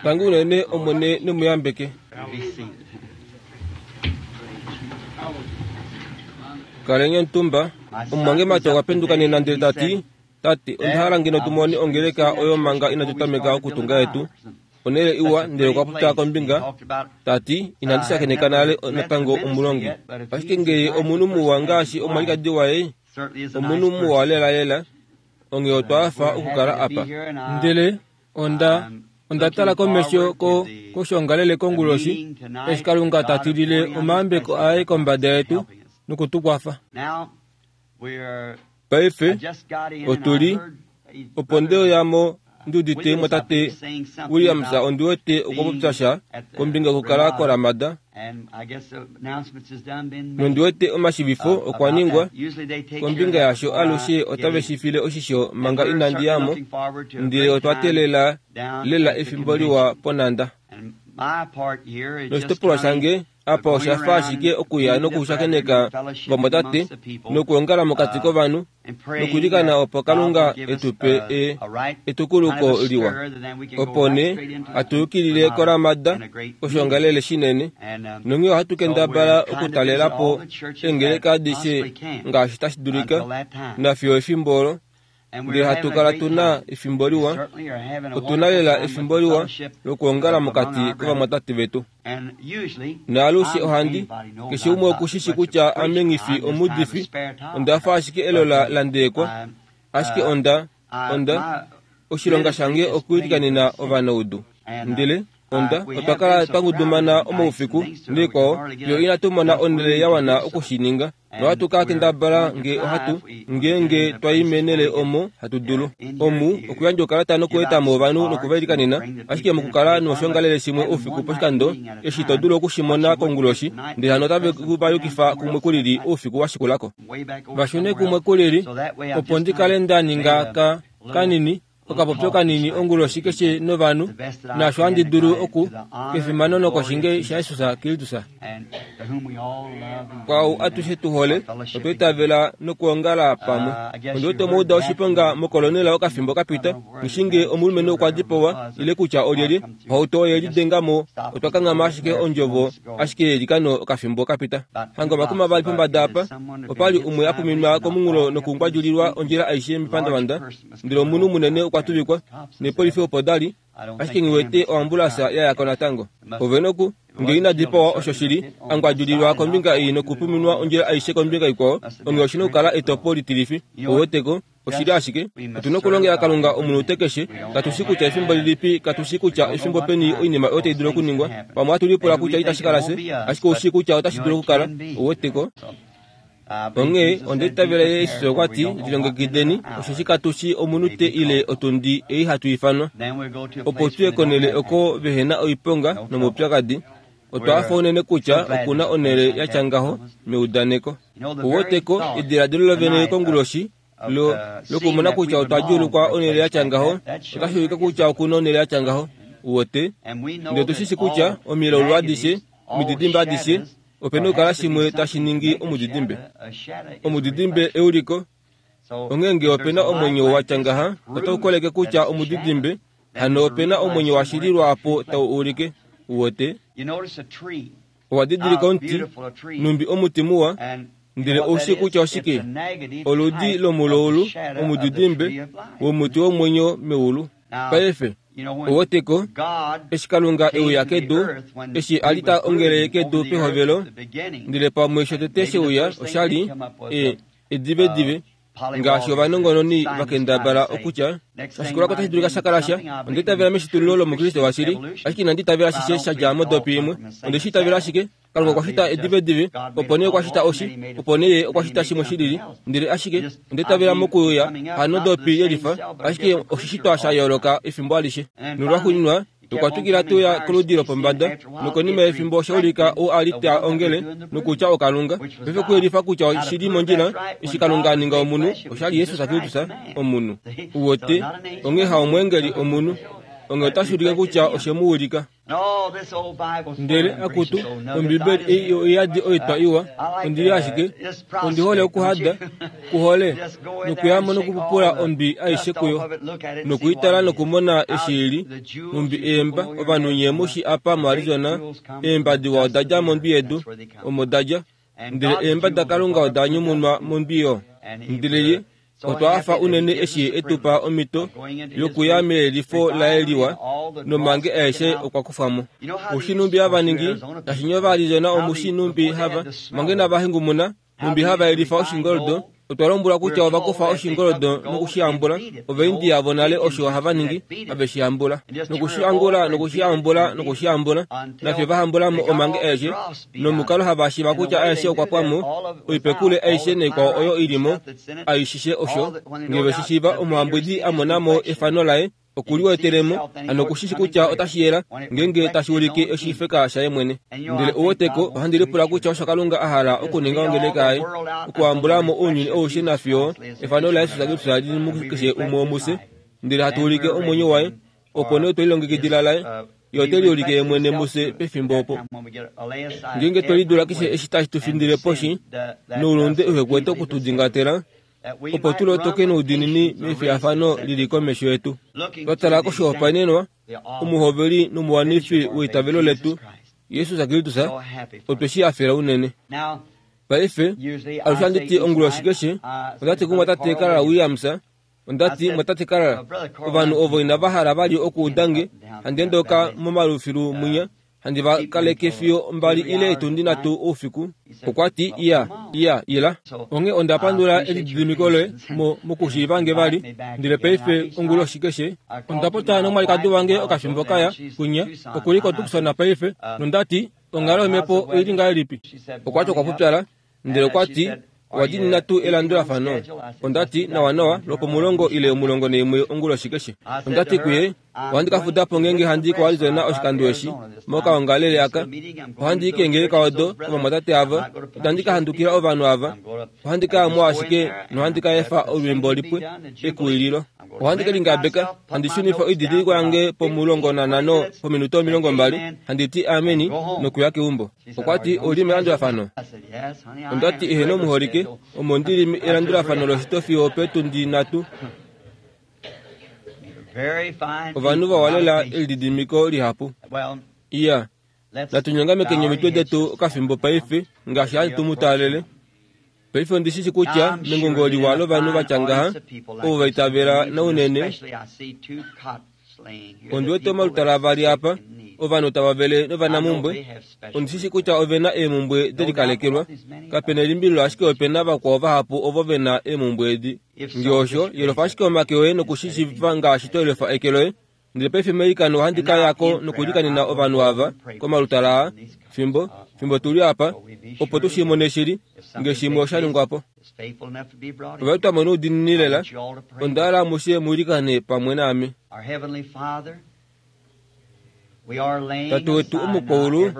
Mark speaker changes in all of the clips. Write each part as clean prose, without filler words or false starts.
Speaker 1: Tangi unene Omwene ne mu yambeke. Kaleni omutumba. Omumwangemati okwa penduka nena ndele ta ti, Tate, onda hala ngeno tu mone ongeleka oyo manga inatu tameka okutunga yetu. Onhele iwa, ndele okwa popya kombinga, ta ti, Inandi shakeneka nale natango omulongi. Ashike ngee omunhu muwa ngaashi omwalikadi waye, omunhu muwa lelalela, onghee otwa hafa okukala apa.
Speaker 2: Ndele onda, onda tala komesho ko, koshoongalele konguloshi, eshi Kalunga ta tilile omayambeko aye kombada yetu noku tu kwafa.
Speaker 1: Paife, otu li, opo nde uya mo ndi udite mwatate Williams ondi wete okwa popya sha kombinga yokukala koRamada, nondi wete omashivifo okwa ningwa kombinga yasho alushe otave shi file oshisho manga inandi ya mo, ndele otwa teelela lela efimbo liwa ponhanda. Noshitopolwa shange Apa osha fa ashike okuya nokushakeneka ovamwatate nokwoongala mokati kovanhu nokwiilikana opo Kalunga e tu pe e, etukuluko liwa. Opo nee hatu yukilile koRamada koshoongalele shinene, nonghee ohatu kendabala okutalela po eengeleka adishe ngaashi tashi dulika nafiyo efimbo olo Ndele hatu kala tu na efimbo liwa. Otu na lela efimbo liwa lokwoongala mokati kovamwatate vetu. Naalushe ohandi, keshe umwe oku shi shi kutya ame nghi fi omuudifi, onda fa ashike elola la ndeekwa, ashike onda, onda, oshilonga shange okuilikanena ovanaudu. Ndele Onda, otwa kala twa ngudumana omaufiku naikwao, fiyo inatu mona onhele ya wana oku shi ninga. Nohatu ka kendabala nge ohatu, ngeenge twa i meenhele omo hatu dulu. Omu, okuyandja oukalata nokueta mo ovanhu noku va ilikanena, ashike mokukala noshoongalele shimwe oufiku poshikando, eshi to dulu oku shi mona konguloshi, ndele hano otave ku va yukifa kumwe kulili oufiku wa shikula ko. Va shune kumwe kulili, opo ndi kale nda ninga ka, kanini, okapopyo kanini onguloshi keshe novanhu, naasho handi dulu oku, kefimano nokoshinge shaJesus Kristus. Kwaau atushe tu hole, otwa itavela nokwoongala pamwe. Ondi wete omwa uda oshiponga mokolonela okafimbo ka pita, nghi nge omulumenhu okwa dipawa ile kutya olyelye, ohauto oye lidenga mo, otwa kanghama ashike ondjovo ashike yeilikano okafimbo ka pita. Hanga omakuma vali pombada apa, opa li umwe a puminwa komunghulo nokungwadjulilwa ondjila aishe mepandavanda, Ndele omunhu munene okwa tuvikwa, neepolifi opo da li, ashike nghi wete oambulasa ya ya ko natango. Ove noku, nge ina dipawa osho shi li, a ngwadjulilwa kombinga ei nokupuminwa ondjila aishe kombinga ikwao, onghee oshi na okukala etopo litilifi. Ou wete ko? Oshi li ashike. Otu na okulongela Kalunga omunute keshe. Katu shii kutya efimbo lilipi, katu shii kutya efimbo peni oinima oyo tai dulu okuningwa. Pamwe ohatu lipula kutya itashi kala fye, ashike ou shii kutya otashi dulu okukala. Ou wete ko? Onghee onda itavela Jesus okwa ti, Lilongekideni, osheshi katu shii omunute ile otundi ei hatu ifanwa, opo tu ye konhele oko vehe na oiponga nomaupyakadi. Otwa hafa unene kutya oku na onhele ya tya ngaho meudaneko. Ou wete ko, ediladilo lovene konguloshi lo, lokumona kutya otwa djuulukwa onhele ya tya ngaho, otashi ulike kutya oku na onhele ya tya ngaho. U wete? Ndele otu shi shi kutya omilaulu adishe, omididimbe adishe, Ope na okukala shimwe tashi ningi omudidimbe. Omudidimbe euliko. Onghee nge ope na omwenyo wa tya ngaha, otau koleke kutya omudidimbe, hano ope na omwenyo washili lwaapo tau ulike. Uwete? Owa didilika omuti, nhumbi omuti muwa, ndele ou shii kutya oshike? Oludi lomuloulu, omudidimbe, womuti womwenyo meulu. Paife, Uwete ko, eshi Kalunga e uya kedu, eshi a li ta ongele kedu pehovelo, ndele pamwe shotete she uya osha li e, edivedive, ngaashi ovanongononi va kendabala okutya, Oshikulako otashi dulika sha kala sha. Onda itavela meshitululo lOmukriste washili, ashike inandi itavela ashishe sha dja modopi imwe. Onde shi itavela ashike Kalunga okwa shita edivedive, opo nee okwa shita oshi, opo nee Ye okwa shita shimwe shilili. Ndele ashike, onda itavela mokuuya, hanodopi yelifa, ashike oshishitwa sha yooloka efimbo alishe. Nolwaxuuninwa, okwa twikila te uya koludi lopombada, nokonima yefimbo osha ulika ou a li ta ongele, nokutya oKalunga. Paife okuyelifa kutya oshi li mondjila, eshi Kalunga a ninga omunhu, osha li Jesus Kristus, omunhu. Uwete? Onghee haomweengeli, omunhu. Onghee otashi ulike kutya oshe mu ulika.
Speaker 2: Ndele akutu, Ombibeli ei oiyadi oitwa iwa, ondi li ashike, ondi hole okuhada, kuhole, nokuyamo nokupupula ondwi aishe kuyo, nokuitala nokumona eshi ili, nhumbi eemba, ovanhu nye mushi apa moArizona, eemba diwa oda dja mondwi yedu, omo da dja, ndele eemba daKalunga oda nyumunwa mondwi yo. Ndele ye otwa hafa unene eshi e tu pa omhito yokuya meyelifo laye liwa, nomange aeshe okwa kufwa mo. Oushi nhumbi hava ningi, ngaashi nye Ovaarizona omu shi nhumbi hava, mange nava hengumuna, nhumbi hava yelifa oshingoldo. Otwa lombwelwa kutya ova kufa oshingoldo noku shi hambula. Ovaindia vonale osho hava ningi, have shi hambula. Noku shi angula noku shi hambula noku shi hambula, nafye va hambula mo omange aeshe, nomukalo hava shiiva kutya aeshe okwa pwa mo, oipekule aishe naikwao oyo i li mo, aishishe osho, nge ve shi shiiva omuhambwidi a mona mo efano laye, oku liwetele mo, hano oku shi shi kutya otashi yela, ngeenge tashi ulike oshifeka shaye mwene. Ndele ou weteko, ohandi lipula kutya osho Kalunga a hala okuninga ongeleka yaye, okuhambula mo ounyuni aushe nafiyo efano laJesus Kristus li li mukeshe umwe womufye, ndele hatu ulike omwenyo waye, opo nee otwe lilongekidila laye, ye ote liulike ye mwene mufye pefimbo opo. Ngeenge twe lidula keshe eshi tashi tu findile poshi, noulunde uhe kwete oku tu dingatela, opo tu lotoke noudiinini mefiyafano li li komesho yetu. Twa tala koshihopaenenwa, omuhoveli nomuwanifi weitavelo letu, Jesus Kristus, otwe shi hafela unene. Paife, alushe ohandi ti onguloshi keshe, onda ti kumwatate Carl Williams, Onda ti, Mwatate Carl, ovanhu ovo inava hala vali okuuda nge handi endoka momalufilu mwinya, handi va kaleke fiyo mbali ile etundi nhatu oufiku. Okwa ti, Iya, iya, ila. Onghee onda pandula elididimiko loye mo, mokushiiva nge vali. Ndele paife, onguloshi keshe, onda popya nomwalikadi wange okafimbo kaya, kwinya, oku li koTucson paife, nonda ti, Onghalo yomhepo oi li ngahelipi? Okwa ti okwa pupyala. Ndele okwa ti, Owa diinina tuu elandulafano? Onda ti, Nawanawa, lwopomulongo ile 11 onguloshi keshe. Onda ti kuye, Ohandi ka fuda po ngeenge handi i koArizona oshikando eshi, mokaongalele aka. Ohandi i keengeleka odo, kovamwatate ava. Itandi ka handukila ovanhu ava. Ohandi ka ya mo ashike nohandi ka efa olwiimbo lipwe, ekuwililo. Ohandi ke lingabeka, handi shunifa oididilikwa yange pomulongonanhano pominute 20, handi ti ameni, nokuya keumbo. Okwa ti, Ou li melandulafano? Onda ti, Eheno muholike, omo ndi li elandulafano loshito fiyo opeetundi nhatu. Ovanhu vawa lela elididimiko lihapu. Iya, natu nyongamekeni omitwe detu okafimbo paife, ngaashi hatu tu mu taalele. Paife ondi shi shi kutya mengongo liwa lovanhu va tya ngaha, ovo va itavela naunene, Ondi wete omalutala avali apa, ovanhu tava vele novanamumbwe. Ondi shi shi kutya ove na eemumbwe de likalekelwa. Kape na elimbililo ashike ope na vakwao vahapu ovo ve na eemumbwe edi. Nge osho, yelofa ashike omake oye noku shi shiivifa ngaashi to yelofa eke loye. Ndele paife meilikano ohandi ka ya ko nokuilikanena ovanhu ava komalutala aa, fimbo, fimbo tu li apa, opo tu shi mone shili, nge shimwe osha ningwa po. Ova twa mo noudiinini lela. Onda hala amushe mu ilikane pamwe naame. Tate wetu omukwaulu,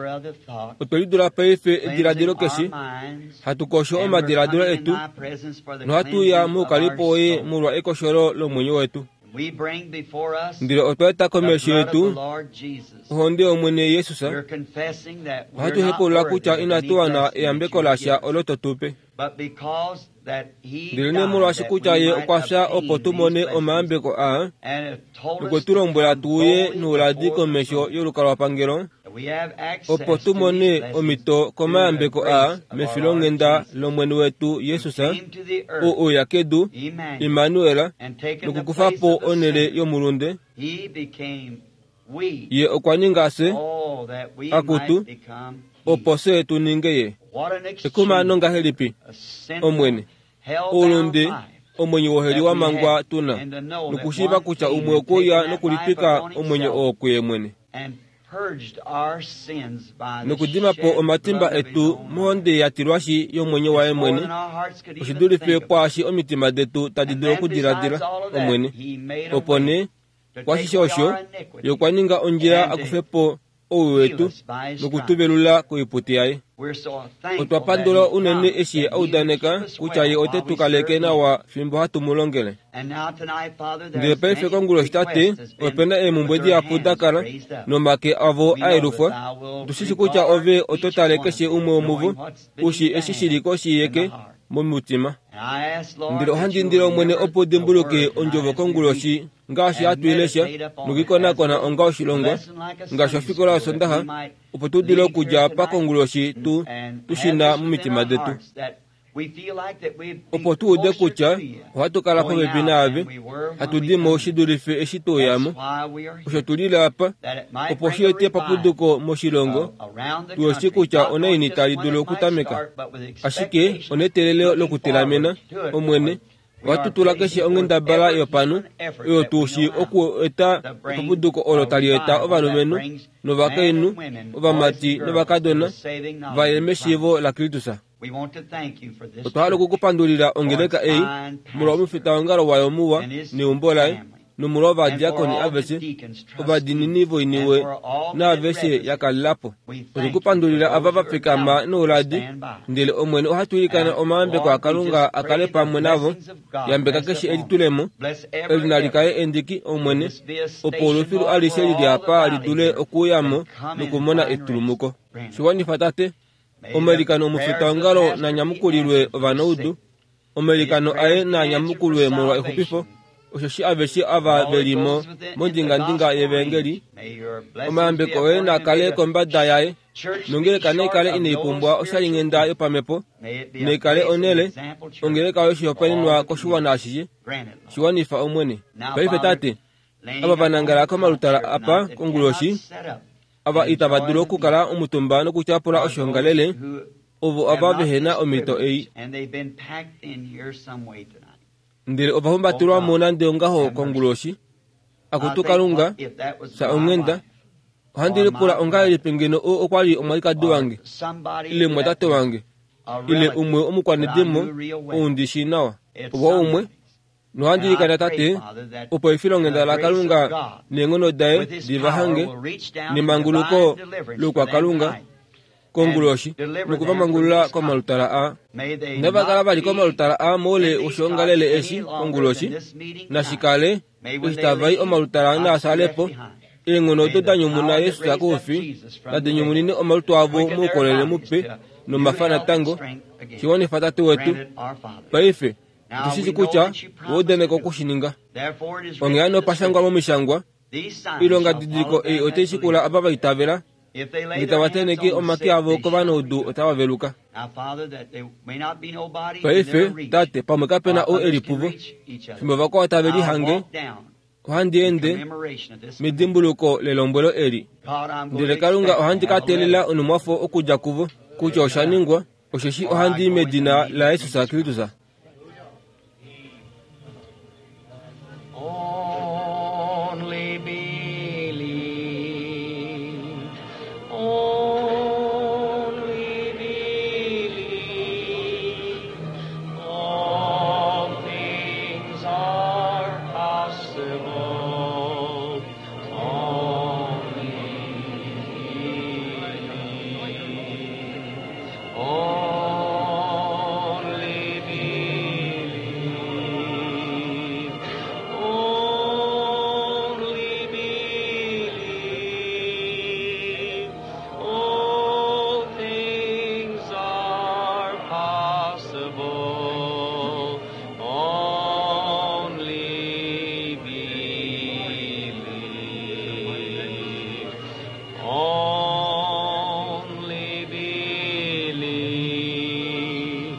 Speaker 2: otwe lidula paife ediladilo keshe, hatu kosho omadiladilo etu nohatu uya moukalipo woye molwa ekosholo lomwenyo wetu. Ndele otwa eta komesho yetu ohonde yOmwene Jesus. Ohatu hepaulula kutya inatu wana eyambeko lasha olo to tu pe. Ndelenee molwaashi kutya Ye okwa fya opo tu mone omayambeko aa, nokwe tu lombwela tu uye nouladi komesho yolukalwapangelo, opo tu mone omhito komayambeko aa mefilonghenda lOmwene wetu Jesus, ou e uya kedu, Immanuel, nokukufa po onhele yomulunde, Ye okwa ninga fye, akutu, opo fye tu ninge Ye. Ekumano ngahelipi, Omwene! Oulunde, omwenyo woheli wa mangwa tu na, nokushiiva kutya umwe okwe uya nokulitwika omwenyo oo kuye mwene, nokudima po omatimba etu mohonde ya tilwashi yomwenyo waye mwene, oshi dulife kwaashi omitima detu tadi dulu okudiladila, Omwene. Opo nee, kwashishe osho, ye okwa ninga ondjila a kufe po.
Speaker 1: ouwi wetu noku tu velula koipute yaye. Otwa pandula unene eshi ye a udaneka kutya ye ote tu kaleke nawa fimbo hatu mu longele. Ndele paife konguloshi Tate, ope na eemhumbwe dihapu da kala nomake avo a yelufwa. Otu shi shi kutya Ove oto tale keshe umwe womuvo, u shii eshi shi li koshi yeke momutima. Ndele ohandi indile Omwene opo u dimbuluke ondjovo konguloshi ngaashi hatu i lesha nokuikonakona onga oshilongwa, ngaashi ofikola yOsondaxa, opo tu dule okudja apa konguloshi tu, tu shi na momitima detu. Opo tu ude kutya ohatu kala popepi naave, hatu di mo shi dulife eshi twe uya mo. Osho tu lile apa, opo shi ete epapuduko moshilongo, tu shi kutya onaini tali dulu okutameka. Ashike oneteelelo lokutelamena, Omwene, ohatu tula keshe onghendabala yopanhu oyo tu shii oku eta epapuduko olo tali eta ovalumenhu novakainhu, ovamati novakadona va ye meshiivo laKristus. Otwa hala oku ku pandulila ongeleka ei molwa omufitaongalo wayo muwa neumbo laye, nomolwa ovadiakoni aveshe ovadiinini voiniwe naaveshe ya kalela po. Otwe ku pandulila ava va fikama nouladi, ndele Omwene ohatu ilikana omayambeko aKalunga a kale pamwe navo. Yambeka keshe elitulemo eli nali kale endiki, Omwene, opo olufilu alishe li li apa li dule okuuya mo nokumona etulumuko. Shi wanifa, Tate. Omailikano omufitaongalo na nyamukulilwe ovanaudu. Omailikano aye naa nyamukulwe molwa exupifo, osheshi aveshe ava ve li mo mondingandinga yevaengeli, omayambeko oye naa kale kombada yaye, nongeleka nai kale inai pumbwa oshalinghenda yopamhepo, nai kale onhele, ongeleka yoshihopaenenwa koshiwana ashishe. Shi wanifa, Omwene. Paife, Tate, ava va nangala komalutala apa konguloshi, ava itava dulu okukala omutumba nokutyapula oshiongalele, ovo ava vehe na omhito ei. Ndele ova humbatelwa mo nande ongaho konguloshi. Akutu Kalunga, fya onghenda. Ohandi lipula ongahelipi ngeno oo okwa li omwalikadi wange, ile omumwatate wange, ile umwe womukwanedimo ou ndi shii nawa. Opo umwe Nohandi ilikana, Tate, opo efilonghenda laKalunga neenghono daye di va hange nemanguluko loukwakalunga konguloshi noku va mangulula komalutala aa. Inava kala vali komalutala aa moule woshoongalele eshi konguloshi, nashi kale eshi tava i omalutala naa sale po. Eenghono odo da nyumuna Jesus koufi nadi nyumunine omalutu avo moukolele mupe nomafa natango. Shi wanifa, Tate wetu, paife. Otu shi shii kutya owa udaneka oku shi ninga. Onghee hano opa shangwa mOmishangwa, Oilongadidiliko ei otai shikula ava va itavela, nge tava tenheke omake avo kovanaudu otava veluka. Paife, Tate, pamwe kape na ou e li puvo. Fimbo vakwao tave lihange, ohandi ende medimbuluko lelombwelo eli. Ndele Kalunga, ohandi ka teelela onhumwafo okudja kuvo, kutya osha ningwa, osheshi ohandi i medina laJesus Kristus.
Speaker 2: Only believe. Only believe. All things are possible. Only believe. Only believe. Only believe. All things are possible. Only believe. Only believe.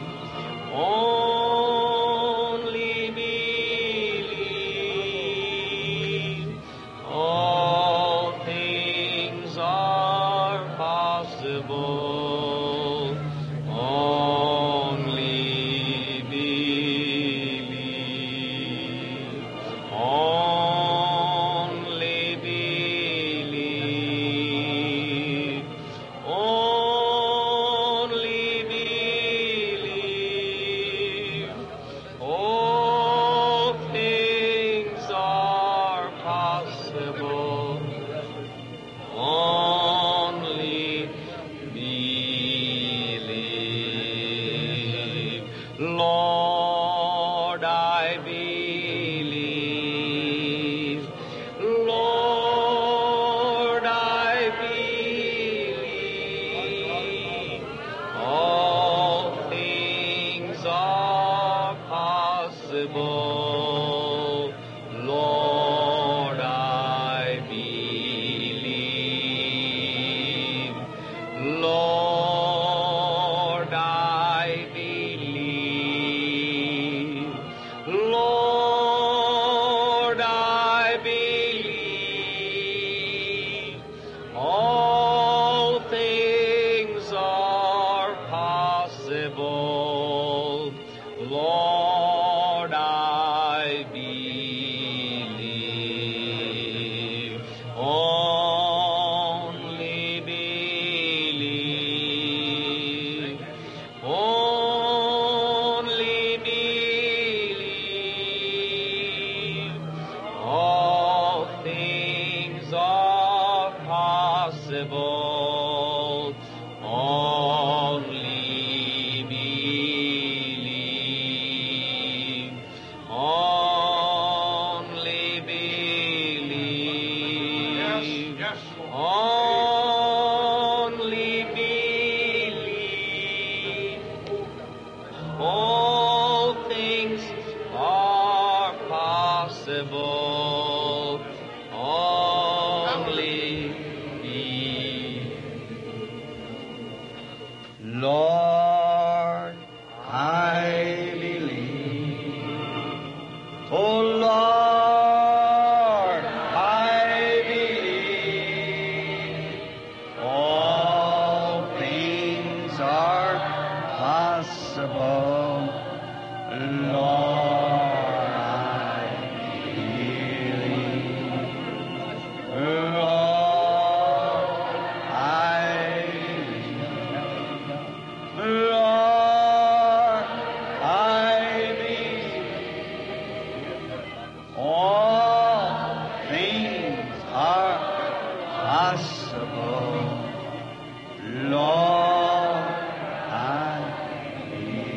Speaker 2: Only believe. All things are possible. Only believe. Only believe. Only believe. All things are possible.
Speaker 3: Only believe. All things are possible. Only believe.
Speaker 4: Lord, I believe. Oh Lord, I believe. All things are possible. Lord, I believe. Lord, I believe. Lord, I believe. All things are possible. Lord, I believe.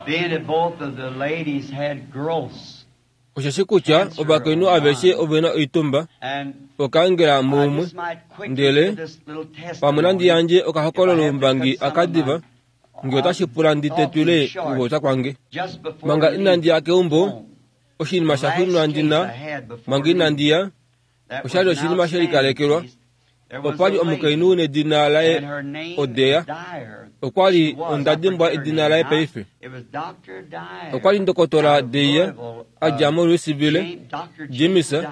Speaker 4: Being that both of the ladies had growths
Speaker 1: Osheshi kutya ovakainhu aveshe ove na oitumba
Speaker 4: and
Speaker 1: okaangela
Speaker 4: I
Speaker 1: muumwe
Speaker 4: just might quickly
Speaker 1: ndele
Speaker 4: give this little
Speaker 1: pamwe nandi
Speaker 4: testimony
Speaker 1: yandje okahokololo
Speaker 4: if I have to
Speaker 1: umbangi
Speaker 4: cut some of
Speaker 1: akadiva
Speaker 4: my,
Speaker 1: nge otashi pula ndi tetwile
Speaker 4: thoughts short
Speaker 1: okupopya kwange
Speaker 4: just before
Speaker 1: manga
Speaker 4: leaving
Speaker 1: inandi ya keumbo
Speaker 4: home.
Speaker 1: oshinima
Speaker 4: The
Speaker 1: sha
Speaker 4: last
Speaker 1: xuuninwa
Speaker 4: case
Speaker 1: ndi na
Speaker 4: I had before
Speaker 1: manga inandi ya
Speaker 4: leaving, that was
Speaker 1: oshali
Speaker 4: an
Speaker 1: oshinima she
Speaker 4: outstanding
Speaker 1: likalekelwa
Speaker 4: case. There was
Speaker 1: opwa li
Speaker 4: a lady,
Speaker 1: omukainhu nedina laye
Speaker 4: and her name
Speaker 1: Odeya.
Speaker 4: Dyer.
Speaker 1: Okwa li
Speaker 4: She was,
Speaker 1: onda
Speaker 4: I
Speaker 1: dimbwa
Speaker 4: forget her
Speaker 1: edina
Speaker 4: name
Speaker 1: laye
Speaker 4: now.
Speaker 1: paife.
Speaker 4: It was Dr. Dyer
Speaker 1: Okwa li ndokotola
Speaker 4: out of
Speaker 1: Deya
Speaker 4: Louisville,
Speaker 1: a dja moLouisville,
Speaker 4: James- Dr.
Speaker 1: James,
Speaker 4: James Dyer,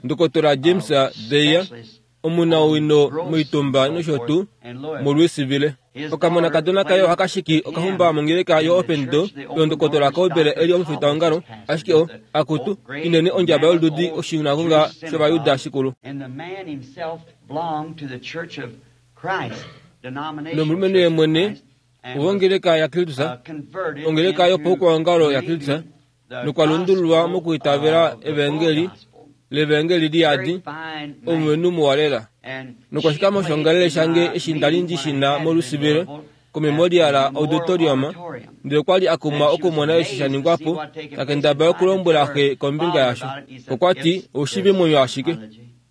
Speaker 1: ndokotola James Deya
Speaker 4: specialist
Speaker 1: omunawino
Speaker 4: on growths
Speaker 1: moitumba
Speaker 4: and so
Speaker 1: nosho
Speaker 4: forth
Speaker 1: tuu
Speaker 4: in Louisville.
Speaker 1: moLouisville. Okamonakadona kaye ohakashiki okahumba mongeleka yo Open Door yondokotola Cowbell eli omufitaongalo ashike o akutu inene ondjaba yolududi oshinagoga shOvayuda shikulu.
Speaker 4: And the man himself belonged to the Church of Christ, denominational
Speaker 1: Nomulumenhu
Speaker 4: Church
Speaker 1: ye
Speaker 4: of
Speaker 1: mwene
Speaker 4: Christ, and was,
Speaker 1: wongeleka yaKristus
Speaker 4: converted
Speaker 1: ongeleka
Speaker 4: into
Speaker 1: yopaukwaongalo yaKristus
Speaker 4: believing the
Speaker 1: nokwa lundululwa
Speaker 4: gospel
Speaker 1: mokwiitavela
Speaker 4: of the
Speaker 1: evangeli
Speaker 4: full gospel.
Speaker 1: levangeli liyadi
Speaker 4: Very fine man.
Speaker 1: omulumenhu muwa lela.
Speaker 4: And
Speaker 1: Nokwashika
Speaker 4: she
Speaker 1: moshongalele
Speaker 4: played
Speaker 1: shange
Speaker 4: in my
Speaker 1: eshi ndali
Speaker 4: meeting
Speaker 1: ndi
Speaker 4: when I
Speaker 1: shina
Speaker 4: had it in
Speaker 1: moLouisville
Speaker 4: Louisville
Speaker 1: komemorial
Speaker 4: at the Memorial
Speaker 1: Auditorium
Speaker 4: Auditorium.
Speaker 1: ndele okwa li a kumwa okumona eshi sha ningwa po takendabala okulombwela xe kombinga yasho. Okwa ti oushivi mwenyo ashike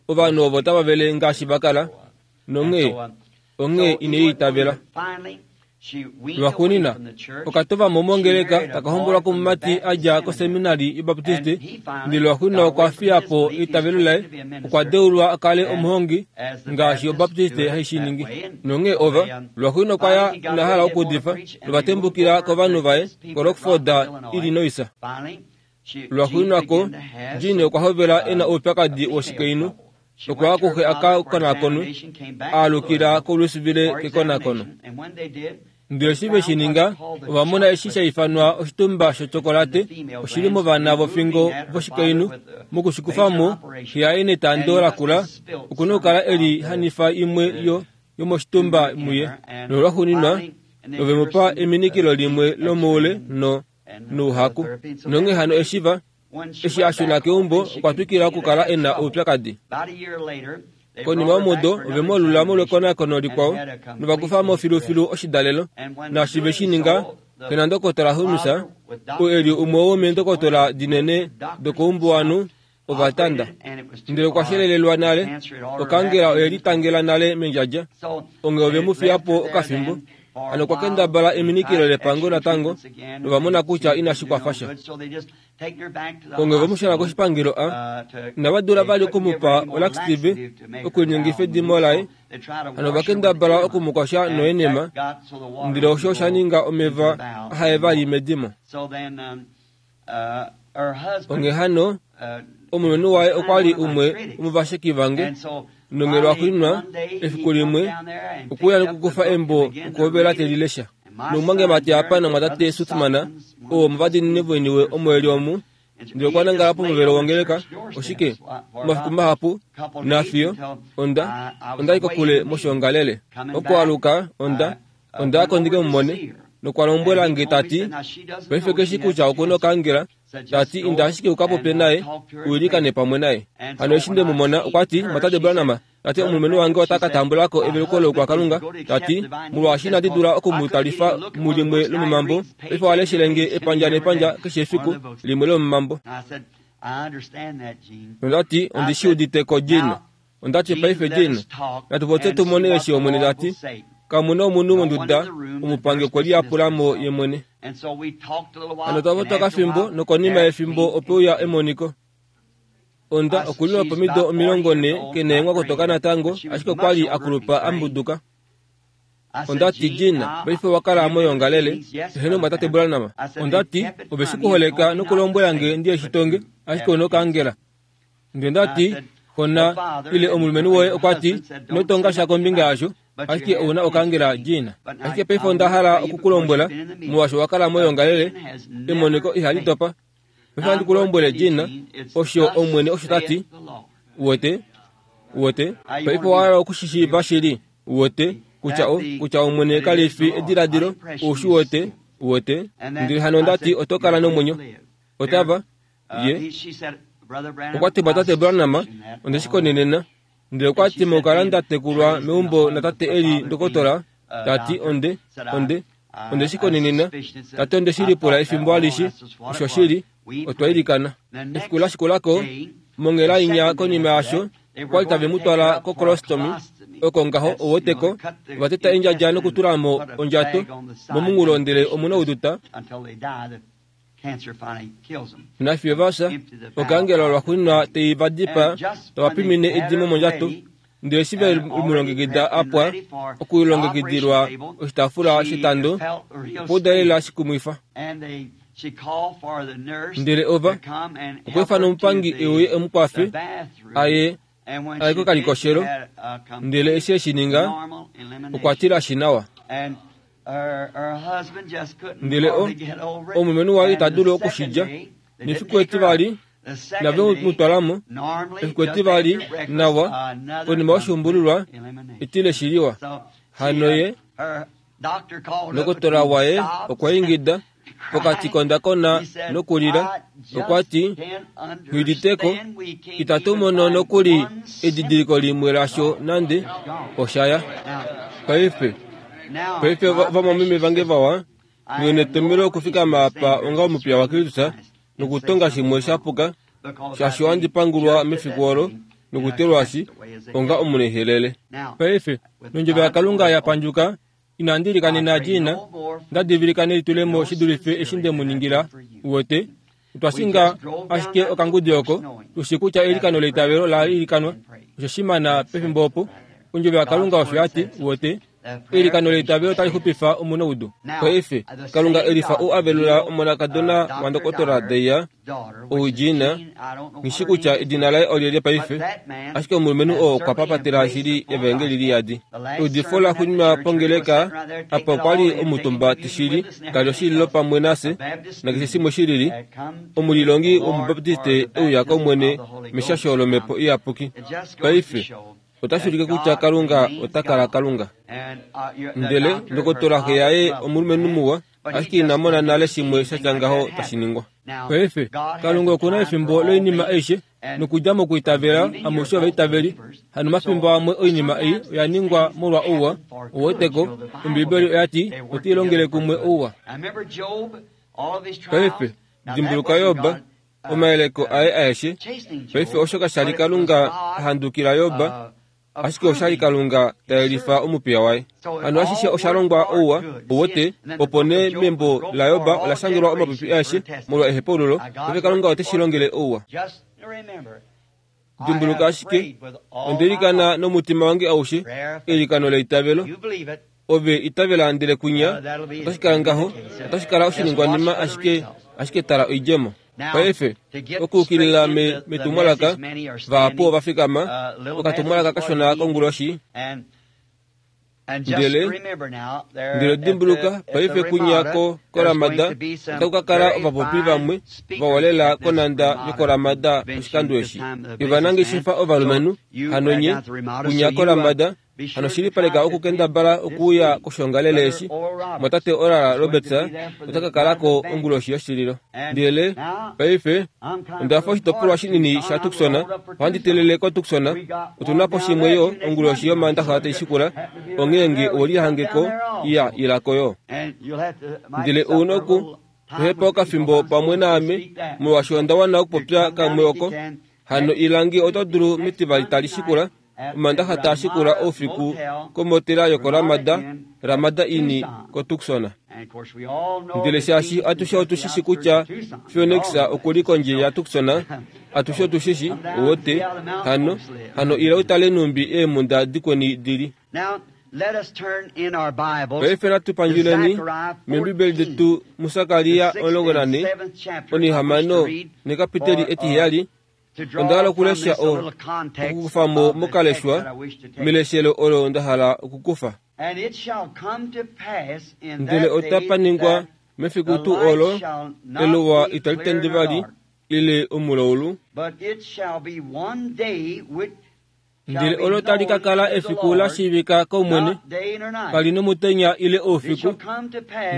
Speaker 1: ovanhu ovo tava vele ngaashi va kala nonghee onghee ine i itavela. Lwaxuuninwa okatova mo mongeleka taka hombolwa komumati a dja koseminari yObaptiste ndele lwaxuuninwa okwa fiya po eitavelo laye okwa deulwa a kale omuhongi ngaashi Obaptiste hai shi ningi. Nonghee ova lwaxuuninwa okwa ya ina hala okuudifa novatembukila kovanhu vaye koRockford, Illinois. Lwaxuuninwa ko Jean okwa hovela e na oupyakadi woshikainhu okwa ya kuxe a ka konakonwe aalukila koLouisville kekonakono. Ndele eshi ve shi ninga ova mona eshi sha ifanwa oshitumba shochokolate oshili movana vofingo voshikainhu mokushikufamo xe yaye netando lakula okuna okukala eli hanifa imwe yo yomoshitumba muye nolwaxuuninwa ove mu pa eminikilo limwe lomoule no nouhaku. Nonghee hano eshi va eshi a shuna keumbo okwa twikila okukala e na oupyakadi. Konima yomudo ove mu alula molwekonakono likwao novakufa mo filufilu oshidalelo naashi ve shi ninga xe nandokotola Holmes oo eli umwe womeendokotola dinene dokoumbuwanhu ova tanda. Ndele okwa shelelelwa nale okaangela oye litangela nale mendjadja onghee ove mu fiya po okafimbo. Hano okwa kendabala eminikilo lepango natango nova mona kutya inashi kwafa sha. Onghee ove mu shuna koshipangelo a inava dula vali okumupa olaxtive okulinyengifa edimo laye hano ova kendabala okumukosha noenema ndele osho osha ninga omeva ahaye vali medimo. Onghee hano omulumenhu waye okwa li umwe womovasheki vange nonghee lwaxuuninwa efiku limwe okwe uya nokukufa embo okuhovela te li lesha. Nomumwangemati apa namwatate Suthman oo omovadiinini voiniwe omo eli omu ndele okwa nangala pomuvelo wongeleka oshike omafiku mahapu nafiyo onda onda li kokule moshiongalele. Okwaluka onda onda ya ko ndike mu mone nokwa lombwela nge tati paife keshi kutya okuna okaangela tati inda ashike u ka popye naye uilikane pamwe naye. Hano eshi nde mu mona okwa ti mwatate Branham tati omulumenhu wange ota ka tambula ko eveluko loukwakalunga tati molwaashi inandi dula oku mu talifa mulimwe lomomambo paife oha leshele nge epandja nepandja keshe efiku limwe lomomambo. Nonda ti, Ondi shi udite ko, Gene. Onda ti, Paife, Gene, natu popye tu mone eshi Omwene ta ti. Kamu na omunhu monduda, omupangi okwe liyapula mo ye mwene. Hano otwa popya okafimbo, nokonima yefimbo ope uya emoniko. Onda okulilwa pomido 40 ke neenghwakotoka natango, ashike okwa li a kulupa a mbuduka. Onda ti, Gene, paife owa kala moyoongalele, eheno mwatate Branham. Onda ti, Ove shi kuholeka nokulombwela nge ndi eshi tonge, ashike ou nokaangela. Ndele nda ti, Xona, ile omulumenhu woye okwa ti, ino tonga sha kombinga yasho, ashike ou na okaangela, Gene. Ashike paife onda hala oku ku lombwela, molwaashi owa kala moyoongalele, emoniko ihali dopa. Paife ohandi ku lombwele, Gene, osho Omwene osho ta ti. Uwete? Uwete? Paife owa hala oku shi shiiva shili. Uwete, kutya o, kutya Omwene kali fi ediladilo, ou shi wete, uwete. Ndele hano onda ti oto kala nomwenyo. Otava, ye. Okwa ti, Tate Branham, onde shi konenena. Ndele okwa ti, Mokukala nda tekulwa meumbo natate e li ndokotola, ta ti, onde, onde, onde shi konenena. Ta ti, onde shi lipula efimbo alishe. Oshoshili. Otwa ilikana. Efiku la shikula ko, monghela inya konima yaasho, okwa li tave mu twala kokolostomi, oko ngaho owoteko, ova teta endjadja nokutula mo ondjato momunghulo ndele omu na ouduta. Nafiyo va fya, okaangela lwaxuuninwa tai va dipaa, tava pimine edimo mondjato. Ndele eshi ve mu longekida a pwa okulongekidilwa oshitaafula shetando, okwa uda lela shikumwifa. Ndele ova okwa ifana omupangi e uye e mu kwafe a ye a ye kokalikoshelo, ndele eshi e shi ninga, okwa tilashi nawa. Ndele o, omulumenhu waye ita dulu oku shi lya. Nefiku etivali, nave mu twala mo. Efiku etivali, nawa, konima yoshuumbululwa, etile shi liwa. Hano ye, ndokotola waye okwa ingida pokati kondakona nokulila, okwa ti, Nghi itatu mono nokuli edidiliko limwe lasho nande, osha ya. Paife, paife vamwameme vange vawa, nghi netomhelo okufikama apa onga omupiya waKristus nokutonga shimwe sha puka, shaashi ohandi pangulwa mefiku olo nokutelwashi onga omunaihelele. Paife, nondjovo yaKalunga ya pandjuka, Inandi ilikanena Gina, nda divilika nelitulemo shi dulife eshi nde mu ningila. Uwete, otwa shinga ashike okangudi oko, tu shii kutya eilikano leitavelo la ilikanwa. Osho shimana pefimbo opo. Ondjovo yaKalunga osho ya ti, uwete, eilikano leitavelo tali xupifa omunaudu. Paife, Kalunga e lifa ou a velula omonakadona wandokotola Deya, Ou Gina, nghi shi kutya edina laye olyelye paife, ashike omulumenhu oo okwa papatela shili Evaengeli liyadi. Eudifo la xuninwa pongeleka apa okwa li omutumba tishili, ka li oshililo pamwe nafye, nakeshe shimwe shilili, omulilongi wOmubaptiste e uya kOmwene meshasho lOmhepo Iyapuki. Paife, otashi ulike kutya Kalunga ota kala Kalunga. Ndele ndokotola xe yaye omulumenhu muwa, ashike ina mona nale shimwe sha tya ngaho tashi ningwa. Paife, Kalunga oku na efimbo loinima aishe, nokudja mokwiitavela amushe ovaitaveli. Hano omafimbo amwe oinima ei oya ningwa molwa ouwa, ouweteko, Ombibeli oya ti, Otai longele kumwe ouwa. Paife, dimbuluka Job, omayeleko aye aeshe. Paife osho kasha li Kalunga a handukila Job, ashike osha li Kalunga ta yelifa omupiya waye. Hano ashishe osha longwa ouwa, uwete, opo nee membo laJob ola shangelwa omapupi aeshe molwa ehepaululo, paife Kalunga ote shi longele ouwa. Dimbuluka ashike, onda ilikana nomutima wange aushe, eilikano leitavelo. Ove itavela ndele kwinya, otashi kala ngaho, otashi kala oshiningwanima ashike, ashike tala oidjemo. Paife, okuukilila me, metumwalaka, vahapu ova fikama, okatumwalaka kashona konguloshi, ndele, ndele dimbuluka, paife kwinya ko, koRamada, otaku ka kala ovapopi vamwe vawa lela konhanda yokoRamada oshikando eshi. Yovanangeshefa ovalumenhu, hano nye, kwinya koRamada, Hano shilipaleka okukendabala okuuya koshoongalele eshi. Mwatate Oral Roberts ota ka kala ko onguloshi yoshililo. Ndele, paife, onda fa oshitopolwa shinini shaTucson, ohandi telele koTucson. Otu na po shimwe yo onguloshi yOmaandaxa tai shikula, onghee nge owe lihange ko, iya, ila ko yo. Ndele ou na oku. Tohepa okafimbo pamwe naame, molwaashi onda wana okupopya kamwe oko. Hano ila nge oto dulu mEtivali tali shikula, Omandaxa taa shikula oufiku komotela yokoRamada, Ramada Inn koTucson. Ndele shaashi atushe otu shi shi kutya Phoenix oku li kondje yaTucson, atushe otu shi shi, uwete, hano, hano ila u tale nhumbi eemhunda dikweni di li. Paife natu pandjuleni mEembibeli detu muSakaria 14, onihamano nekapiteli etiheyali. Onda hala okulesha o, okukufa mo mokaleshwa meleshelo olo nda hala okukufa. Ndele otapa ningwa mefiku tuu olo, eluwa itali tende vali, ile omulaulu. Ndele olo tali ka kala efiku la shiivika kOmwene, kali nomutenya ile oufiku.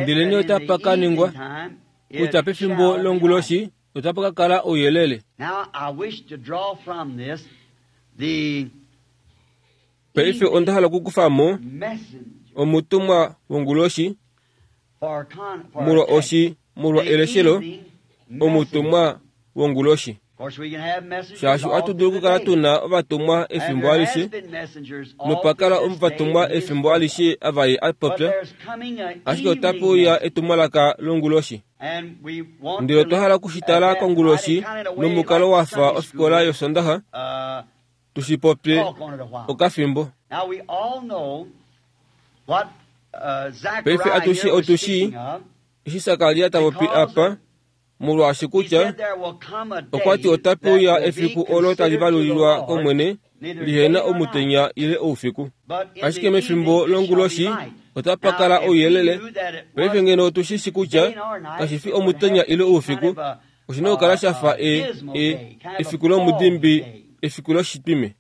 Speaker 1: Ndelenee otapa ka ningwa, kutya pefimbo longuloshi otapa ka kala ouyelele. Paife onda hala okukufa mo omutumwa wonguloshi molwa oshi molwa eleshelo omutumwa wonguloshi. Shaashi ohatu dulu okukala tu na ovatumwa efimbo alishe, nopa kala ovatumwa efimbo alishe ava ye a popya, ashike otape uya etumwalaka longuloshi. Ndele otwa hala oku shi tala konguloshi nomukalo wa fa ofikola yOsondaxa, tu shi popye okafimbo. Paife atushe otu shii eshi Sakaria ta popi apa, molwaashi kutya okwa ti otape uya efiku olo tali valulilwa kOmwene lihe na omutenya ile oufiku. Ashike mefimbo longuloshi otapa kala ouyelele. Paife ngeno otu shi shi kutya kashi fi omutenya ile oufiku, oshi na okukala sha fa e, e, efiku lomudimbi, efiku loshitwime.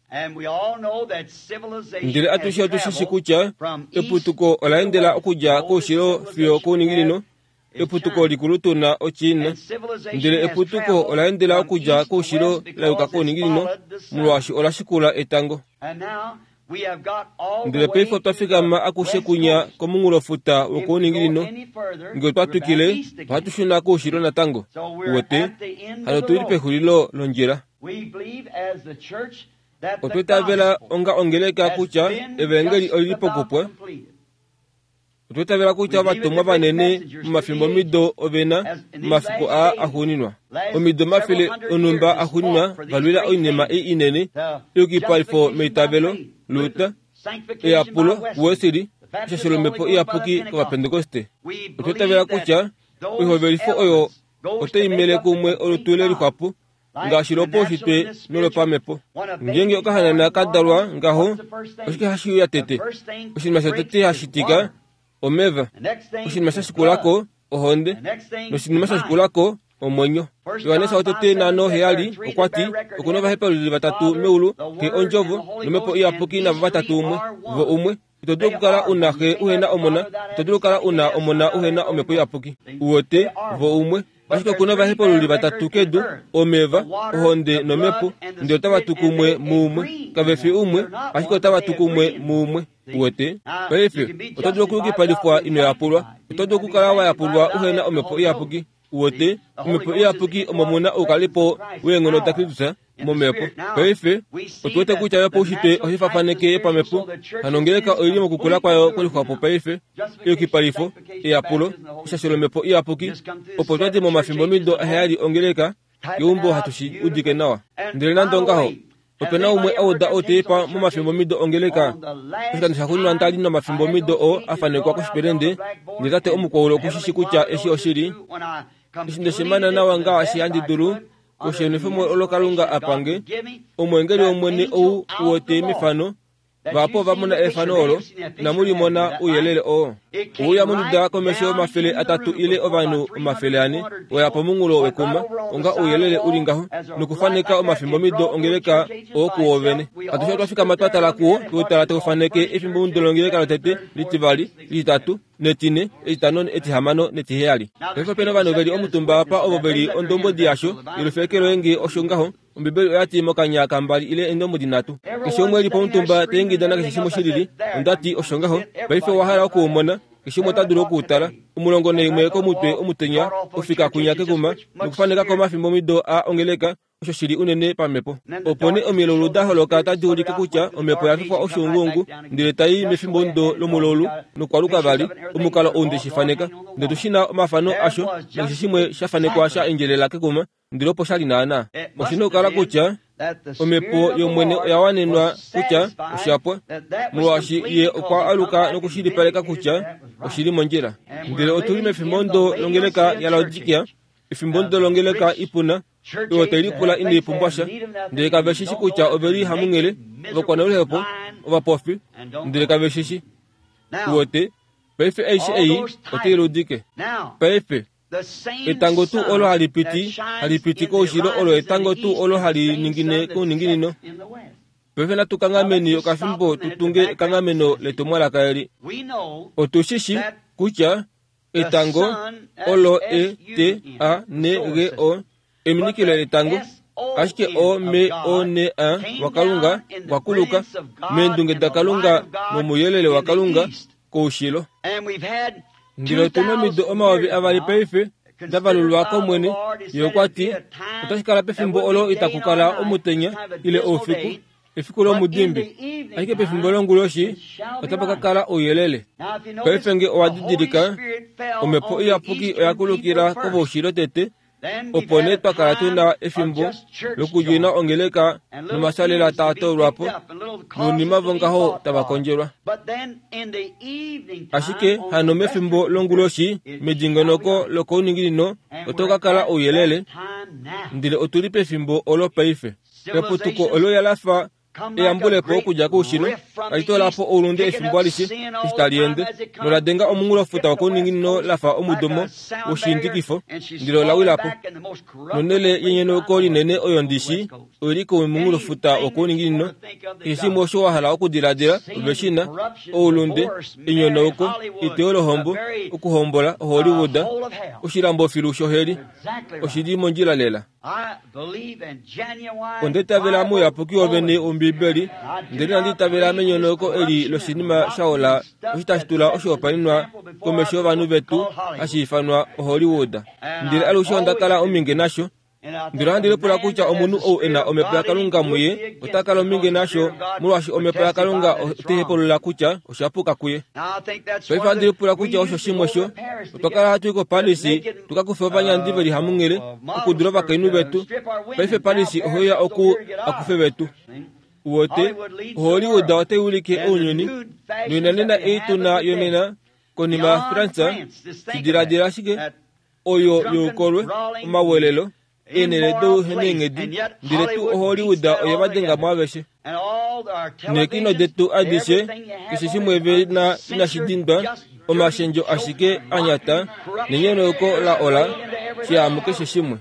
Speaker 1: Ndele atushe otu shi shi kutya eputuko ola endela okudja koushilo fiyo kouninginino, eputuko likulu tu na oChina, ndele eputuko ola endela okudja koushilo la yuka kouninginino, molwaashi ola shikula etango. Ndele paife otwa fikama akushe kunya komunghulofuta wokouninginino. Nge otwa twikile, ohatu shuna koushilo natango. Uwete? Hano otu li pexulilo londjila. Otwa itavela onga ongeleka kutya Evaengeli oli li pokupwa. Otwa itavela kutya ovatumwa vanene momafimbomido ove na omafiku aa axuuninwa, omido omafele onhumba axuuninwa va lwila oinima ei inene, eyukipalifo meitavelo, Luther, eyapulo kuWesley, eshasho lOmhepo Iyapuki kOvapentekoste. Otwa itavela kutya oihovelifo oyo otai mele kumwe olutu le lixwapo ngaashi lopaushitwe nolopamhepo. Ngeenge okahanana ka dalwa ngaho, oshike hashi uya tete? Oshinima shotete hashi tika, omeva. Oshinima sha shikula ko, ohonde. Noshinima sha shikula ko, omwenyo. Johannes wotete naano heyali okwa ti, Oku na ovahepaululi vatatu meulu, Xe Ondjovo, nOmhepo Iyapuki navo vatatu umwe, vo umwe. Ito dulu okukala u na Xe uhe na Omona, ito dulu okukala u na Omona uhe na Omhepo Iyapuki. Uwete, vo umwe. Ashike oku na ovahepaululi vatatu kedu, omeva, ohonde nomhepo, ndele otava tu kumwe muumwe. Kave fi umwe, ashike otava tu kumwe muumwe. Uwete? Paife, oto dulu okuyukipalifwa ino yapulwa. Oto dulu okukala wa yapulwa uhe na Omhepo Iyapuki. Uwete, Omhepo Iyapuki omo mu na oukalipo weenghono daKristus momhepo. Paife, otu wete kutya yopaushitwe ohai fafaneke yopamhepo. Hano ongeleka oi li mokukula kwayo kwelixwapo paife, eyukipalifo, eyapulo, eshasho lOmhepo Iyapuki, opo twa di momafimbomido aheyali ongeleka keumbo hatu shi udike nawa. Ndele nande ongaho, ope na umwe a uda outeipa momafimbomido ongeleka. Oshikando shaxuuninwa nda li nomafimbomido oo a fanekwa koshipelende, ndele tate omukwaulu oku shi shi kutya eshi oshili. Eshi nde shi mana nawa ngaashi handi dulu, koshenwefemo olo Kalunga a pange, omweengeli wOmwene ou u wete mefano, Vahapu ova mona efano olo, inamu li mona ouyelele oo. Ouya monduda komesho 300 ile ovanhu 400 oya pomunghulo wekuma, onga ouyelele u li ngaho, nokufaneka omafimbomido ongeleka oo kuwo vene. Atushe otwa fikama twa tala kuwo, twe u tala tau faneke efimbomido longeleka lotete, litivali, lititatu, netine, etitano, etihamano netiheyali. Paife ope na ovanhu ve li omutumba apa ovo ve li ondombwedi yasho, yelufeke loye nge osho ngaho. Ombibeli oya ti mokanya kambali ile eendombwedi nhatu. Keshe umwe e li pomutumba ta ingida nakeshe shimwe shi lili. Onda ti, Osho ngaho. Paife owa hala oku u mona. Keshe umwe ota dulu oku u tala. 11 komutwe omutenya, ofika kwinya kekuma, nokufaneka ko omafimbomido a ongeleka, osho shi li unene pamhepo. Opo nee omilaulu da holoka tadi ulike kutya omhepo oya fifwa oshuunguungu, ndele tai i mefimbomudo lomulaulu nokwaluka vali, omukalo ou nde shi faneka. Ndele otu shi na omafano asho nakeshe shimwe sha fanekwa sha endjelela kekuma, ndele opo sha li naanaa. Oshi na okukala kutya Omhepo yOmwene oya wanenwa kutya osha pwa, molwaashi Ye okwa aluka nokushilipaleka kutya oshi li mondjila. Ndele otu li mefimbomudo longeleka yaLaodikia, efimbomudo longeleka ipuna, oyo tai lipula inai pumbwa sha, ndele kave shi shi kutya ove li hamunghele, ovakwanoluhepo, ovapofi, ndele kave shi shi. Uwete, paife aishe ei otai ludike. Paife, etango tuu olo hali piti, hali piti koushilo olo etango tuu olo hali ningine kouninginino. Paife natu kanghameni okafimbo tu tunge ekanghameno letumwalaka eli. Otu shi shi kutya Etango olo E T A N G O, eminikilo letango, ashike O M O N A waKalunga okwa kuluka meendunge daKalunga nomouyelele waKalunga koushilo. Ndele otu na omido 2000 paife da valulwa kOmwene. Ye okwa ti, Otashi kala pefimbo olo itaku kala omutenya ile oufiku, efiku lomudimbi, ashike pefimbo longuloshi otapa ka kala ouyelele. Paife nge owa didilika, Omhepo Iyapuki oya kulukila kovoushilo tete, opo nee twa kala tu na efimbo lokudjina ongeleka nomasalela taa toolwa po, nounima vongaho tava kondjelwa. Ashike hano mefimbo longuloshi, medingonoko lokouninginino, oto ka kala ouyelele, ndele otu li pefimbo olo paife. Eputuko olo la fa eyambulepo okudja koushilo, tali toola po oulunde efimbo alishe eshi tali ende, nola denga omunghulofuta wokouninginino la fa omudomo woshiindikifo, ndele ola wila po. Nonhele yenyonauko linene oyo ndi shii, oi li komunghulofuta wokouninginino. Keshe shimwe osho wa hala okudiladila, ove shi na, oulunde, enyonauko, eteyo lohombo, okuhombola, oHollywood, oshilambo filu shoheli. Oshi li mondjila lela. Onda itavela mouyapuki wovene wOmbiibeli, ndele inandi itavela menyonauko eli loshinima sha ola osho tashi tula oshihopaenenwa komesho yovanhu vetu hashi ifanwa oHollywood. Ndele alushe onda kala omhinge nasho. Ndele ohandi lipula kutya omunhu ou e na Omhepo yaKalunga muye ota kala omhinge nasho molwaashi Omhepo yaKalunga otai hepulula kutya osha puka kuye. Paife ohandi lipula kutya osho shimwe sho otwa kala hatu i koParis tu ka kufe ovanyandi ve li hamunghele okudula ovakainhu vetu. Paife Paris ohe uya oku a kufe vetu. Uwete, oHollywood otai wilike ounyuni, noinanena ei tu na yonena konima yaFrance, shi diladila ashike, oyo youkolwe, omawelelo, eenhele douheneenghedi, ndele tuu oHollywood oye va denga mo aveshe. Neekino detu adishe, keshe shimwe ve na inashi dindwa, omashendjo ashike a nyata, nenyonauko la ola, shihamu keshe shimwe.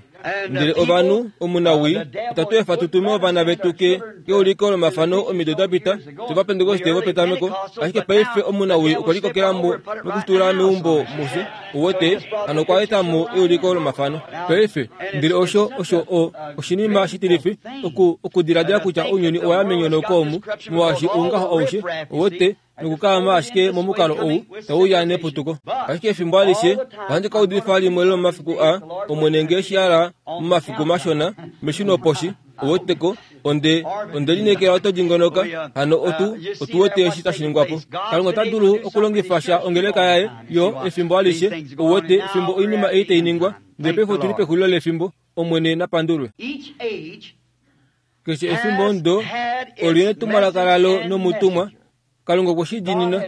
Speaker 1: Ndele ovanhu, omunawii, itatu efa tu tume ovana vetu ke, keuliko lomafano omido da pita, tOvapentekoste vopetameko, ashike paife omunawii okwe likokela mo nokushitula meumbo mufye. Uwete, hano okwa eta mo euliko lomafano. Paife, ndele osho, osho o, oshinima shitilifi, oku, okudiladila kutya ounyuni owa ya menyonauko omu, molwaashi oungaho aushe, uwete, nokukaama ashike momukalo ou tau uya neputuko. Ashike efimbo alishe, ohandi ka udifa limwe lomomafiku a, Omwene nge shi hala, momafiku mashona, meshunoposhi, uweteko, onde, onde lineekela oto dingonoka, hano otu, otu wete eshi tashi ningwa po. Kalunga ota dulu okulongifa sha ongeleka yaye, yo, efimbo alishe, uwete, fimbo oinima ei tai ningwa. Ndele paife otu li pexulilo lefimbo. Omwene na pandulwe. Keshe efimbo ndo oli netumwalaka lalo nomutumwa. Kalunga okwe shi diinina.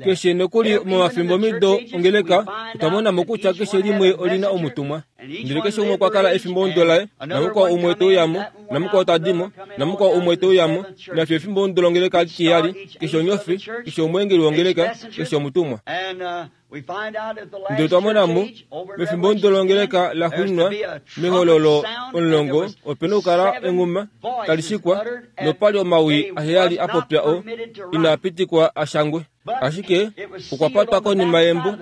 Speaker 1: Keshe nokuli momafimbomido ongeleka, otwa mona mo kutya keshe limwe oli na omutumwa. Ndele keshe umwe okwa kala efimbomudo laye, namukwao umwe te uya mo, namukwao ta di mo, namukwao umwe te uya mo, nafiyo efimbomudo longeleka litiheyali, keshe onyofi, keshe omweengeli wongeleka, keshe omutumwa. Ndele otwa mona mo, mefimbo longeleka la xuuninwa, mehololo omulongo, ope nokukala enghuma tali shikwa, nopa li omawi aheyali a popya oo inaa pitikwa a shangwe. Ashike okwa patwa konima yembo.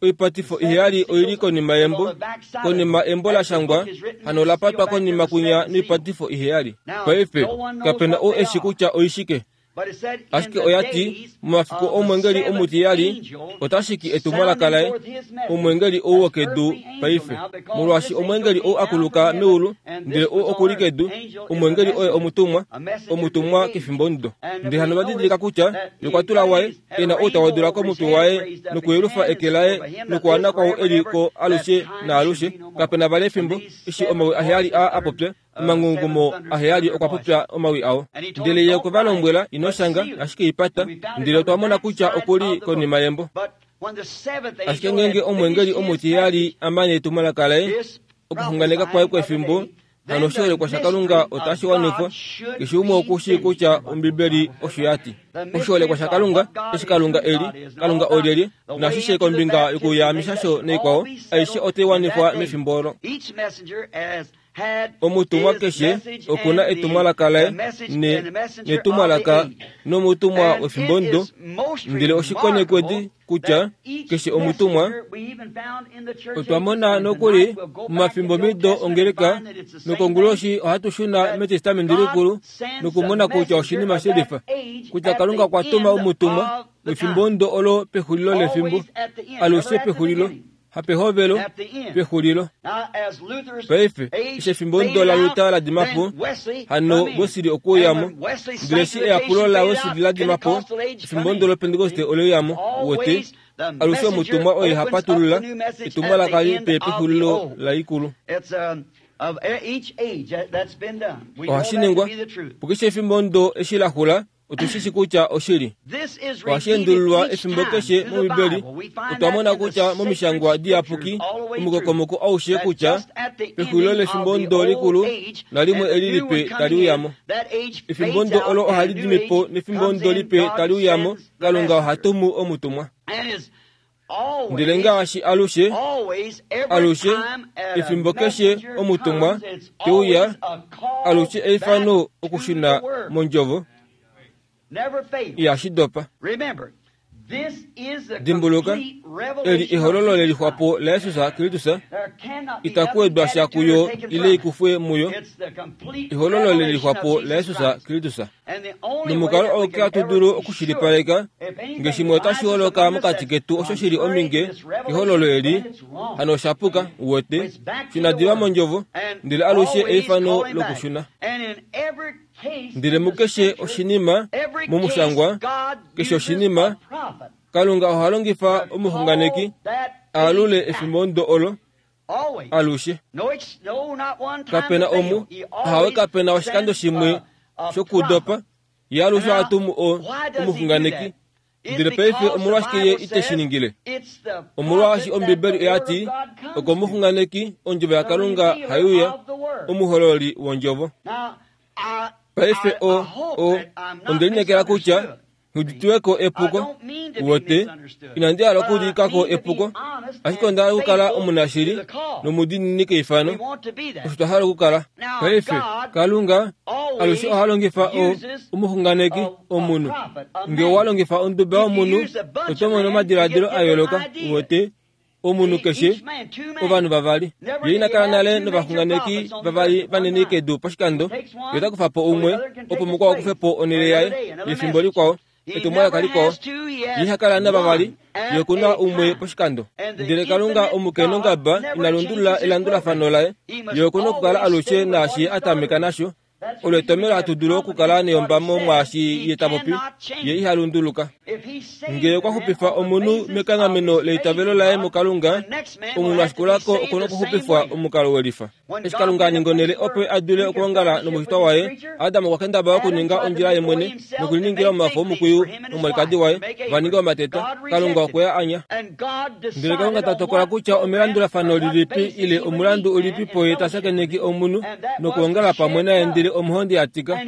Speaker 1: Oipatifo iheyali oi li konima yembo. Konima embo la shangwa, hano ola patwa konima kwinya noipatifo iheyali. Paife, kape na ou e shi kutya oishike. Ashike oya ti, momafiku omwengeli omutiyali ota shiki etumwalaka laye, omwengeli ou wokedu paife. Molwaashi omwengeli ou a kuluka meulu, ndele ou oku li kedu, omwengeli oye omutumwa, omutumwa kefimbomudo. Ndele hano va didilika kutya ye okwa tula waye, e na outa wodula komutwe waye nokuyelufa eke laye nokuwana kwau e li ko alushe naalushe. Kape na vali efimbo, eshi omawi aheyali aa a popya, Omangungumo aheyali okwa popya omawi ao. Ndele ye okwe va lombwela, Ino shanga, ashike i pata. Ndele otwa mona kutya oku li konima yembo. Ashike ngeenge omweengeli omutiheyali a mane etumwalaka laye, okuxunganeka kwaye kwefimbo, hano oshiholekwa shaKalunga otashi wanifwa. Keshe umwe oku shii kutya Ombibeli osho ya ti. Oshiholekwa shaKalunga, eshi Kalunga e li, Kalunga olyelye, naashishe kombinga yokuyaamishasho naikwao, aishe otai wanifwa mefimbo olo. Omutumwa keshe oku na etumwalaka laye ne, netumwalaka nomutumwa wefimbomudo, ndele oshikonekwedi kutya keshe omutumwa otwa mona nokuli momafimbomido ongeleka nokonguloshi ohatu shuna mEtestamenti Likulu nokumona kutya oshinima shelifa kutya Kalunga okwa tuma omutumwa wefimbomudo olo pexulilo lefimbo, alushe pexulilo. Hapehovelo, pexulilo. Paife, eshi efimbo ndo laLuther la dima po, hano Wesley okwe uya mo. Ndele eshi eyapulo laWesley la dima po, efimbo ndo lOpentekoste ole uya mo. Uwete? Alushe omutumwa oye ha patulula etumwalaka lipe pexulilo laikulu. Ohashi ningwa pukeshe efimbo ndo eshi la xula, Otu shi shi kutya oshili. Ohashi endululwa efimbo keshe mOmbibeli. Otwa mona kutya mOmishangwa Diyapuki, omukokomoko aushe kutya pexulilo lefimbo ndo likulu nalimwe eli lipe tali uya mo. Efimbo ndo olo ohali dimi po nefimbo ndo lipe tali uya mo, Kalunga oha tumu omutumwa. Ndele ngaashi alushe, alushe, efimbo keshe omutumwa te uya, alushe eifano okushuna mondjovo. Ihashi dopa. Dimbuluka, eli ehololo lelixwapo laJesus Kristus, itaku wedwa sha kuyo ile ikufwe muyo, ehololo lelixwapo laJesus Kristus. Nomukalo auke hatu dulu okushilipaleka nge shimwe otashi holoka mokati ketu osho shi li ominge kehololo eli, hano osha puka, uwete, shuna diva mondjovo, ndele alushe eifano lokushuna. Ndele mukeshe oshinima momushangwa, keshe oshinima, Kalunga oha longifa omuxunganeki a alule efimbo ndo olo alushe. Kape na omu, ahawe kape na oshikando shimwe shokudopa. Ye alushe oha tumu o, omuxunganeki. Ndele paife omolwashike ye ite shi ningile? Omolwaashi Ombibeli oya ti, Okomuxunganeki ondjovo yaKalunga hai uya, omuhololi wondjovo. Paife o, o, onde lineekela kutya Nghi ko epuko. Uwete, inandi hala okuudika ko epuko, ashike onda hala okukala omunashili nomudiinini keifano. Osho twa hala okukala. Paife, Kalunga alushe oha longifa o, omuxunganeki, omunhu. Nge owa longifa onduba yomunhu, oto mono omadiladilo a yooloka. Uwete, Omunhu keshe, ovanhu vavali. Ye ina kala nale novaxunganeki vavali vanini kedu poshikando. Ye ota kufa po umwe, opo mukwao kufe po onhele yaye yefimbo likwao, etumwalaka likwao. Ye iha kala navavali, ye oku na umwe poshikando. Ndele Kalunga omukenongaba ina lundulula elandulafano laye. Ye oku na okukala alushe naashi Ye a tameka nasho. Olo etomhelo hatu dulu okukala neyombamo mwaashi ye ta popi, ye iha lunduluka. Ngee okwa xupifa omunhu mekanghameno leitavelo laye muKalunga, omunhu a shikula ko oku na okuxupifwa omukalo we lifa. Eshi Kalunga a ninga onhele opo a dule okwoongala nomushitwa waye, Adam okwa kendabala okuninga ondjila ye mwene nokuliningila omafo omukwiyu nomwalikadi waye va ninge omateta. Kalunga okwe a anya. Ndele Kalunga ta tokola kutya omelandulafano lilipi ile omulandu ulipi po ye ta shakeneke omunhu nokwoongala pamwe naye ndele omuhondi a tika,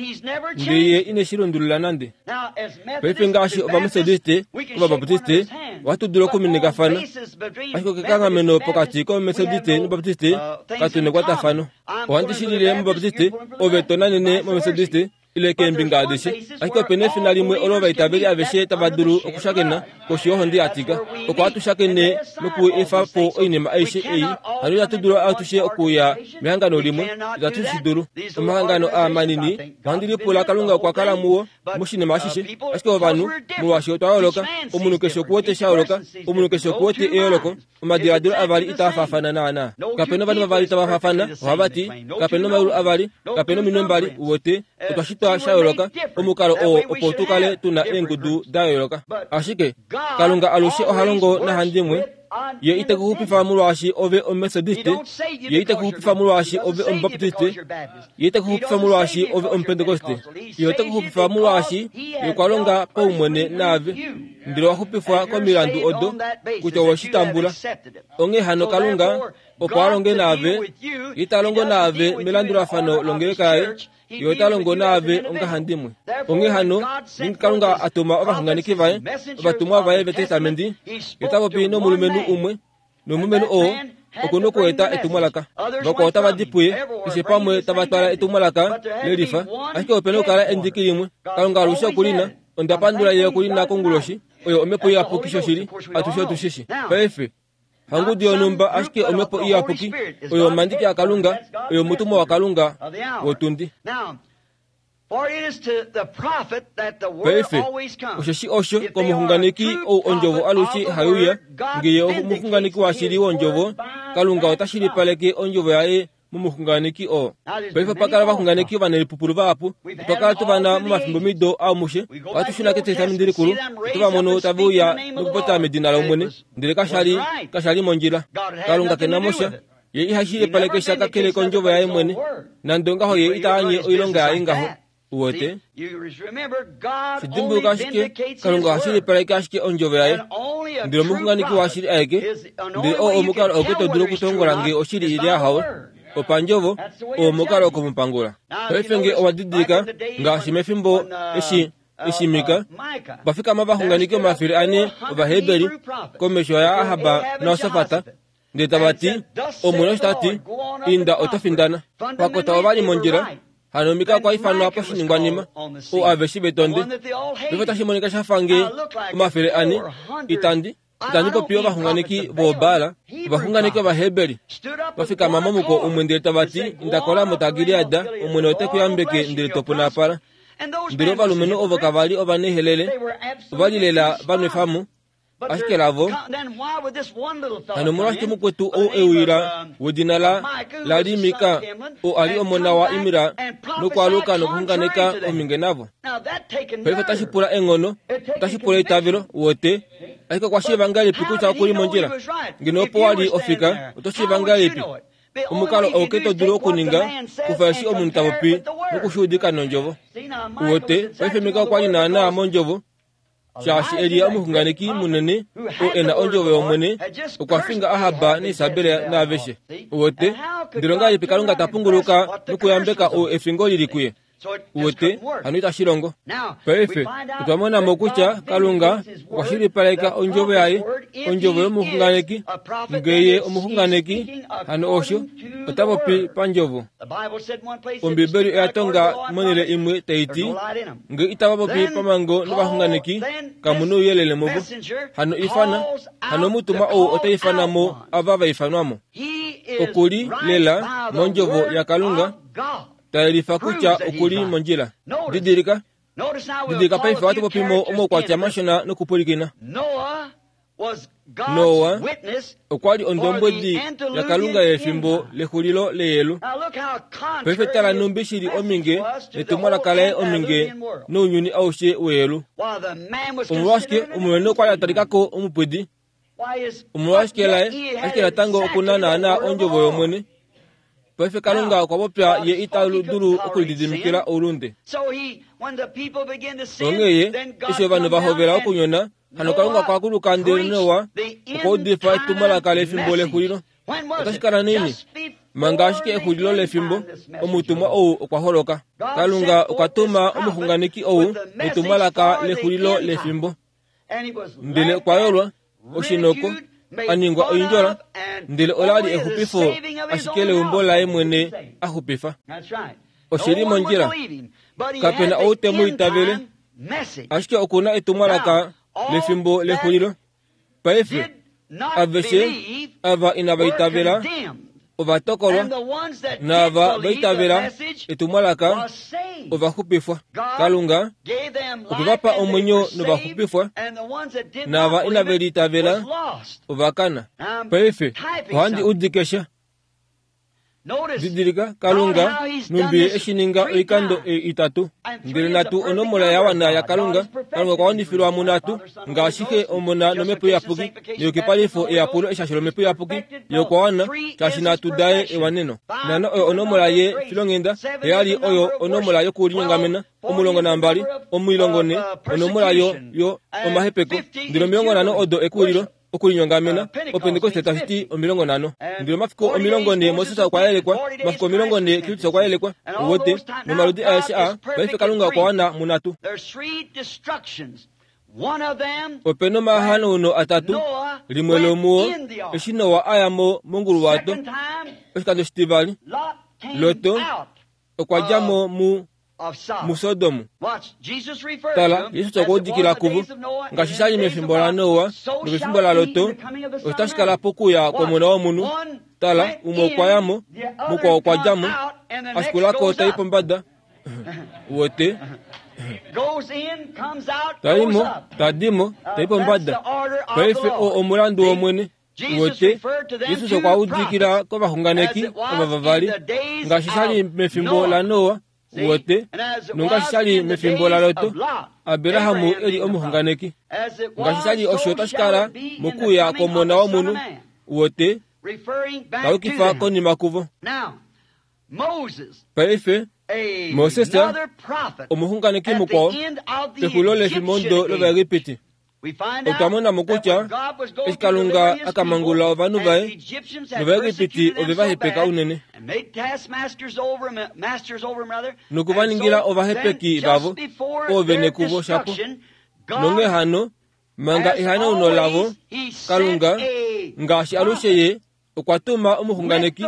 Speaker 1: ndele ye ine shi lundulula nande. Paife ngaashi Ovametodiste, Ovabaptiste, ohatu dulu okuminikafana, ashike okekanghameno pokati kOmumetodiste nObaptiste katu nekwatafano. Ohandi shilile mObaptiste, ove to nanene mOmetodiste. ile keembinga adishe. Ashike ope na efina limwe olo ovaitaveli aveshe tava dulu okushakena koshi yohonde ya tika. Oko hatu shakene noku efa po oinima aishe ei. Hano itatu dulu atushe okuya mehangano limwe, itatu shi dulu. Omahangano aa manini, ohandi lipula Kalunga okwa kala muo moshinima ashishe. Ashike ovanhu, molwaashi otwa yooloka, omunhu keshe oku wete sha yooloka, omunhu keshe oku wete eyooloko. Omadiladilo avali itaa faafana naanaa. Kape na ovanhu vavali tava faafana, ohava ti, kape na omaulu avali, kape na ominwe mbali, uwete, otwa shitwa sha yooloka, omukalo oo opo tu kale tu na eengudu da yooloka. Ashike, Kalunga alushe oha longo nahandimwe. Ye ite ku xupifa molwaashi ove Omumetodiste, Ye ite ku xupifa molwaashi ove Omubaptiste, Ye ite ku xupifa molwaashi ove Omupentekoste. Ye ote ku xupifa molwaashi Ye okwa longa paumwene naave. Ndele owa xupifwa komilandu odo kutya owe shi tambula. Onghee hano Kalunga opo a longe naave, Ye ita longo naave melandulafano longeleka yaye, Ye ota longo naave ongahandimwe. Onghee hano, ngeenge Kalunga a tuma ovaxunganeki vaye, ovatumwa vaye vEtestamenti, Ye ota popi nomulumenhu umwe, nomulumenhu oo oku na okueta etumwalaka. Vakwao otava di puye, keshe pamwe tava twala etumwalaka le lifa, ashike ope na okukala endiki limwe. Kalunga alushe oku li na. Onda pandula Ye oku li na konguloshi. Oyo Omhepo Iyapuki shoshili, atushe otu shi shi. Paife, hangudu yonhumba, ashike Omhepo Iyapuki oyo omandiki aKalunga, oyo omutumwa waKalunga wotundi. Paife, osheshi osho komuxunganeki ou ondjovo alushe hai uya, nge ye omuxunganeki washili wondjovo, Kalunga ota shilipaleke ondjovo yaye momuxunganeki oo. Paife opa kala ovaxunganeki ovanelipupulu vahapu. Otwa kala tu va na momafimbomido aomushe. Ohatu shuna kEtestamenti Likulu, oto va mono tave uya nokupopya medina lOmwene, ndele kasha li, kasha li mondjila. Kalunga ke na mo sha. Ye iha shilipaleke sha kakele kondjovo yaye mwene. Nande ongaho ye ita anye oilonga yaye ngaho. Uwete? Shi dimbuluka ashike, Kalunga oha shilipaleke ashike ondjovo yaye. Ndele omuxunganeki washili aeke, ndele oo omukalo auke to dulu okutongola nge oshili ile ahawe, opandjovo, oo omukalo okumupangula. Paife nge owa didilika, ngaashi mefimbo eshi Eshi Mika okwa fikama ovaxunganeki 400 Ovaheberi komesho yaAhab naJosafat, ndele tava ti, Omwene osho ta ti, Inda oto findana. Pakota ova li mondjila, hano Mika okwa ifanwa poshiningwanima, oo aveshe ve tonde. Paife otashi monika sha fa nge 400, itandi, itandi popi ovaxunganeki vooBaal, ovaxunganeki Ovaheberi, va fikama momuko umwe ndele tava ti, Inda koRamot Gilead, Omwene ote ku yambeke ndele to punapala. Ndele ovalumenhu ovo kava li ovanehelele, ova li lela va nwefa mo. Ashike lavo, hano omolwashike mukwetu ou e uyila wedina la, la li Mika, oo a li omona waImla, nokwaaluka nokuxunganeka ominge navo? Paife otashi pula eenghono, otashi pula eitavelo, uwete. Ashike okwa shiiva ngahelipi kutya oku li mondjila? Ngeno opo wa li ofika, oto shiiva ngahelipi? Omukalo auke to dulu okuninga, kufa eshi omunhu ta popi noku shi udika nOndjovo. Uwete, paife Mika okwa li naanaa mOndjovo. Shaashi Elia omuxunganeki munene, oo e na ondjovo yOmwene, okwa finga Ahab naIsabel naaveshe. Uwete? Ndele ongahelipi Kalunga ta punguluka nokuyambeka ou efingo li li kuye? Uwete? Hano itashi longo. Paife, otwa mona mo kutya Kalunga okwa shilipaleka ondjovo yaye, ondjovo yomuxunganeki. Nge ye omuxunganeki, hano osho, ota popi pandjovo. Ombibeli oya tonga monhele imwe tai ti, Nge itava popi pamhango novaxunganeki, kamu nouyelele muvo. Hano ifana, hano omutumwa ou ota ifana mo ava va ifanwa mo. Oku li lela mondjovo yaKalunga, ta yelifa kutya oku li mondjila. Didilika, didilika paife ohatu popi mo omaukwatya mashona nokupwilikina. Noa okwa li ondombwedi yaKalunga yefimbo lexulilo leyelu. Paife tala nhumbi shi li ominge netumwalaka laye ominge nounyuni aushe weyelu. Omolwashike omulumenhu okwa li a talika ko omupwidi? Omolwashike laye ashike natango oku na naanaa ondjovo yOmwene? Paife Kalunga okwa popya ye ita dulu okulididimikila oulunde. Onghee ye, eshi ovanhu va hovela okunyona, Hano Kalunga okwa kuluka ndele Noa okwa udifa etumwalaka lefimbo lexulilo. Otashi kala nini? Manga ashike exulilo lefimbo, omutumwa ou okwa holoka. Kalunga okwa tuma omuxunganeki ou netumwalaka lexulilo lefimbo. Ndele okwa yolwa, oshinoko, a ningwa oindjola, ndele ola li exupifo ashike leumbo laye mwene a xupifa. Oshi li mondjila. Kape na ou te mu itavele, ashike oku na etumwalaka lefimbo lexulilo. Paife, aveshe ava inava itavela ova tokolwa, naava va itavela etumwalaka ova xupifwa. Kalunga okwe va pa omwenyo nova xupifwa, naava inave li itavela ova kana. Paife, ohandi udike sha. Didilika, Kalunga numbi e shi ninga oikando ei itatu. Ndele nhatu onomola ya wana yaKalunga. Kalunga okwa wanifilwa munhatu, ngaashi Xe, Omona nOmhepo Iyapuki, neyukipalifo, eyapulo, eshasho lOmhepo Iyapuki. Ye okwa wana, shaashi nhatu daye ewaneno. Nhano oyo onomola ye filonghenda, heyali oyo onomola yokulinyongamena, 12, 14 onomola yo, yo, omahepeko, ndele 50 odo ekuwililo. Okulinyongamena, Opentekoste tashi ti 50. Ndele omafiku 40 Moses okwa yelekwa, omafiku 40 Kristus okwa yelekwa. Uwete, nomaludi aeshe aa, paife Kalunga okwa wana munhatu. Ope nomahanauno atatu, limwe lomuo, eshi Noa a ya mo monguluwato, oshikando shitivali, Loto okwa dja mo mu muSodom. Tala, Jesus okwa udikila kuvo, ngaashi sha li mefimbo laNoa nomefimbo laLoto, otashi kala pokuya kwOmona wOmunhu. Tala, umwe okwa ya mo, mukwao okwa dja mo, a shikula ko ta i pombada. Wote ta i mo, ta di mo, ta i pombada. Paife oo omulandu wOmwene. Uwete, Jesus okwa udikila kovaxunganeki ova vavali, ngaashi sha li mefimbo laNoa, uwete, nongaashi sha li mefimbo laLoto, Abraham e li omuxunganeki. Ngaashi sha li osho otashi kala mokuuya kwOmona wOmunhu, uwete, ta yukifa konima kuvo. Paife, Moses, omuxunganeki mukwao, pexulilo lefimbo lOvaegipiti, Otwa mona mo kutya eshi Kalunga a ka mangulula ovanhu vaye, nOvaegipiti ove va hepeka unene noku va ningila ovahepeki vavo oovene kuvo shapo. Nonghee hano, manga ehanauno lavo, Kalunga, ngaashi alushe Ye okwa tuma omuxunganeki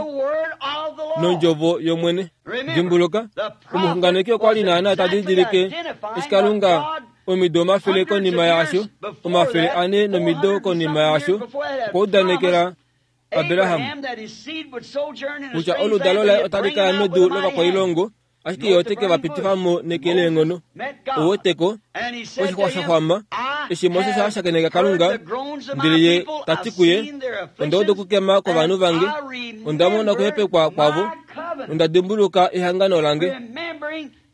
Speaker 1: nondjovo yOmwene. Dimbuluka, omuxunganeki okwa li naana ta didilike eshi Kalunga omido omafele konima yaasho, 400 nomido konima yaasho, okwa udanekela Abraham kutya oludalo laye otali ka ya medu lovakwailongo ashike ye ote ke va pitifa mo neke leenghono. Ou weteko, oshixwa sha xwama, eshi Moses a shakeneka Kalunga, ndele ye ta ti kuye, Onda uda okukema kwovanhu vange, onda mona okuhepekwa kwavo, nonda dimbuluka ehangano lange.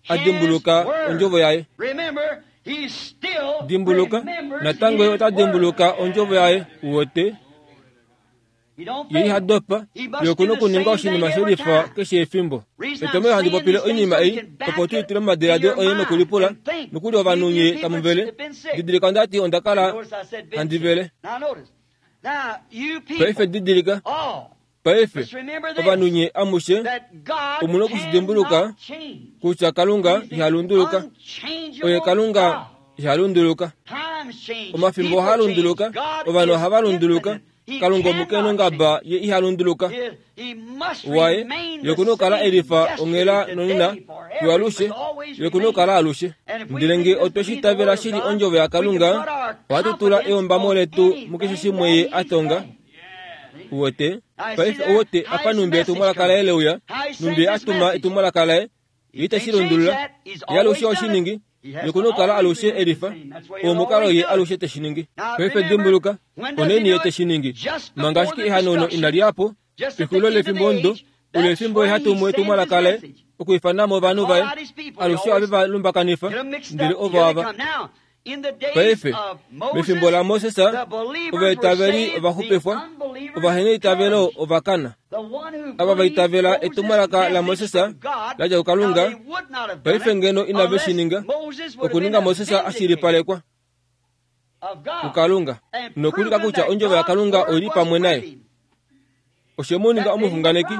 Speaker 1: A dimbuluka ondjovo yaye. Dimbuluka, natango ye ota dimbuluka ondjovo yaye. Uwete? Ye iha dopa, ye oku na okuninga oshinima she lifa keshe efimbo. Etomhelo handi popile oinima ei, opo tu i tule momadiladilo oye nokulipula, nokuli ovanhu nye tamu vele. Didilika onda ti onda kala handi vele. Paife didilika, paife, ovanhu nye amushe, omu na oku shi dimbuluka kutya Kalunga iha lunduluka. Oye Kalunga iha lunduluka. Omafimbo ohaa lunduluka, ovanhu ohava lunduluka, Kalunga omukenongaba ye iha lunduluka. Waye, ye oku na okukala e lifa onghela nonena, fiyo alushe, ye oku na okukala alushe. Ndele nge otwe shi itavela shili Ondjovo yaKalunga, ohatu tula eombamo letu mukeshe shimwe Ye a tonga. Uwete? Paife ouwete apa nhumbi etumwalaka laye le uya, nhumbi Ye a tuma etumwalaka laye, Ye ite shi lundulula. Ye alushe oshi ningi. Ye oku na okukala alushe e lifa. Oo omukalo Ye alushe te shi ningi. Paife dimbuluka, onaini Ye te shi ningi? Manga ashike ehanauno inali ya po, pexulilo lefimbo omudo, olo efimbo Ye ha tumu etumwalaka laye, okwiifana mo ovanhu vaye. Alushe ohave va lumbakanifa, ndele ovo ava. Paife, mefimbo laMoses, ovaitaveli ova xupifwa, ovaheneitavelo ova kana. Ava va itavela etumwalaka laMoses la dja kuKalunga, paife ngeno inave shi ninga, okuninga Moses a shilipalekwa kuKalunga nokulika kutya ondjovo yaKalunga oi li pamwe naye. Oshe mu ninga omuxunganeki.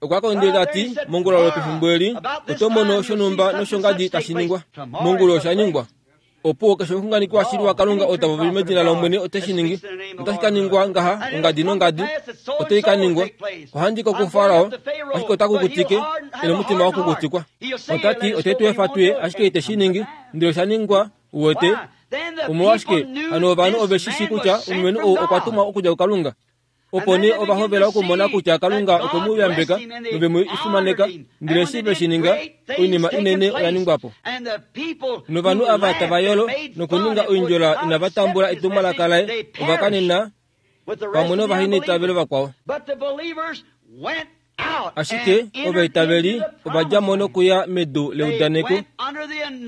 Speaker 1: Okwa kondele ta ti, Mongula lwopefimbo eli, oto mono shonhumba noshongadi tashi ningwa. Mongula osha ningwa. Opo keshe omuxunganeki washili waKalunga ou ta popi medina lOmwene ote shi ningi. Otashi ka ningwa ngaha, ongadi nongadi, otai ka ningwa. Ohandi ko kuFarao, ashike ota kukutike, e nomutima wa kukutikwa. Ota ti, ote tu efa tu ye, ashike ite shi ningi. Ndele osha ningwa, uwete. Omolwashike hano ovanhu ove shi shii kutya omulumenhu ou okwa tumwa okudja kuKalunga? Opo nee ova hovela okumona kutya Kalunga okwe mu yambeka nove mu fimaneka, ndele eshi ve shi ninga, oinima inene oya ningwa po. Novanhu ava tava yolo nokuninga oindjola inava tambula etumwalaka laye, ova kanena pamwe novaheneitavelo vakwao. Ashike ovaitaveli ova dja mo nokuya medu leudaneko,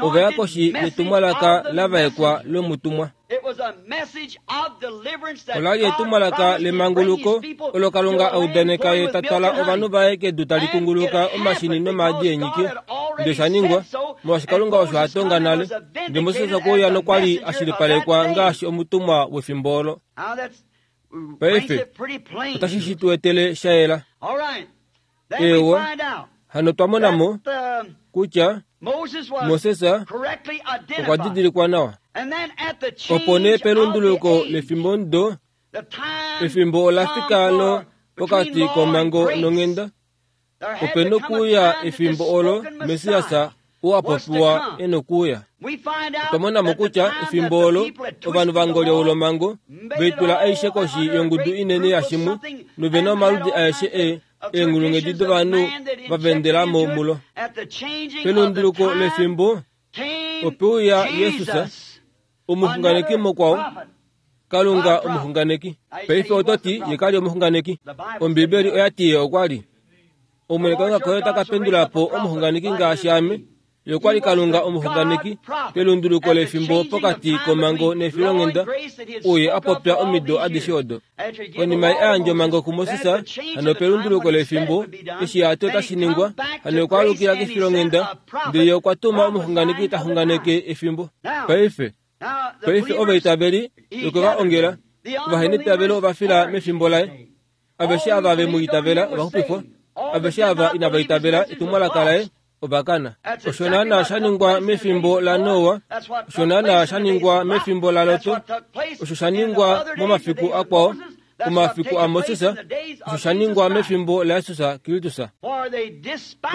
Speaker 1: ova ya koshi yetumwalaka la vaekwa lomutumwa. Ola li etumwalaka lemanguluko olo Kalunga a udaneka ye ta twala ovanhu vaye kedu tali kunguluka omashini nomaadi eenyiki. Ndele osha ningwa, molwaashi Kalunga osho a tonga nale. Ndele Moses okwe uya nokwa li a shilipalekwa ngaashi omutumwa wefimbo olo. Paife, otashi shi tu etele sha yela. Eewa, hano twa mona mo kutya Moses okwa didilikwa nawa. Opo nee pelunduluko lefimbomudo, efimbo ola fika lo pokati komhango nonghenda. Ope nokuuya efimbo olo Messias ou a popiwa e nokuuya. Otwa mona mo kutya efimbo olo ovanhu va ngolyoula omhango, ve itula aishe koshi yongudu inene yashimwe, nove na omaludi aeshe e eenghulunghedi dovanhu va vendela mo mulo. Pelunduluko lefimbo, ope uya Jesus, omuxunganeki mukwao, Kalunga omuxunganeki. Paife oto ti ye ka li omuxunganeki. Ombibeli oya ti ye okwa li. Omwene Kalunga koye ota ka pendula po omuxunganeki ngaashi ame. Ye okwa li Kalunga omuxunganeki pelunduluko lefimbo pokati komhango nefilonghenda, uye a popya omido adishe odo. Konima ye a yandja omhango kuMoses, hano pelunduluko lefimbo, eshi a ti otashi ningwa, hano okwa alukila kefilonghenda, ndele ye okwa tuma omuxunganeki ta xunganeke efimbo. Paife, Paife ovaitaveli okwe va ongela, ovaheneitavelo ova fila mefimbo laye. Aveshe ava ve mu itavela ova xupifwa, aveshe ava inava itavela etumwalaka laye ova kana. Osho naanaa sha ningwa mefimbo laNoa, osho naanaa sha ningwa mefimbo laLot, osho sha ningwa momafiku akwao, omafiku aMoses, osho sha ningwa mefimbo laJesus Kristus.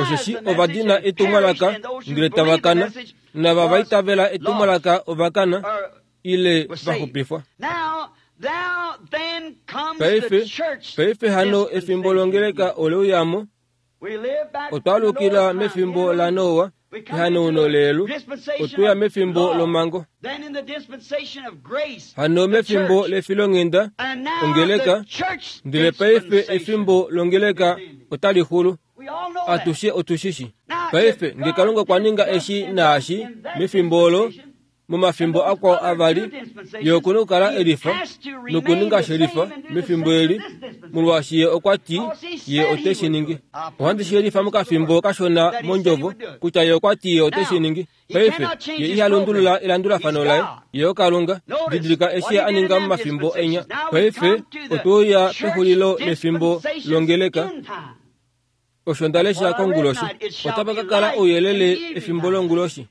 Speaker 1: Osheshi ova dina etumwalaka ndele tava kana, nava va itavela etumwalaka ova kana ile va xupifwa. Paife, paife hano efimbo longeleka ole uya mo. Otwa alukila mefimbo laNoa, ehanauno leelu, otwe ya mefimbo lomhango. Hano mefimbo lefilonghenda, ongeleka, ndele paife efimbo longeleka otali xulu. Atushe otu shi shi. Paife, nge Kalunga okwa ninga eshi naashi mefimbo olo, momafimbo akwao avali, Ye oku na okukala e lifa nokuninga she lifa mefimbo eli, molwaashi Ye okwa ti Ye ote shi ningi. Ohandi shi yelifa mokafimbo kashona mOndjovo, kutya Ye okwa ti Ye ote shi ningi. Paife, Ye iha lundulula elandulafano Laye. Ye oKalunga. Didilika eshi Ye a ninga momafimbo enya. Paife, otwe uya pexulilo lefimbo longeleka. Osho nda lesha konguloshi. Otapa ka kala ouyelele efimbo longuloshi.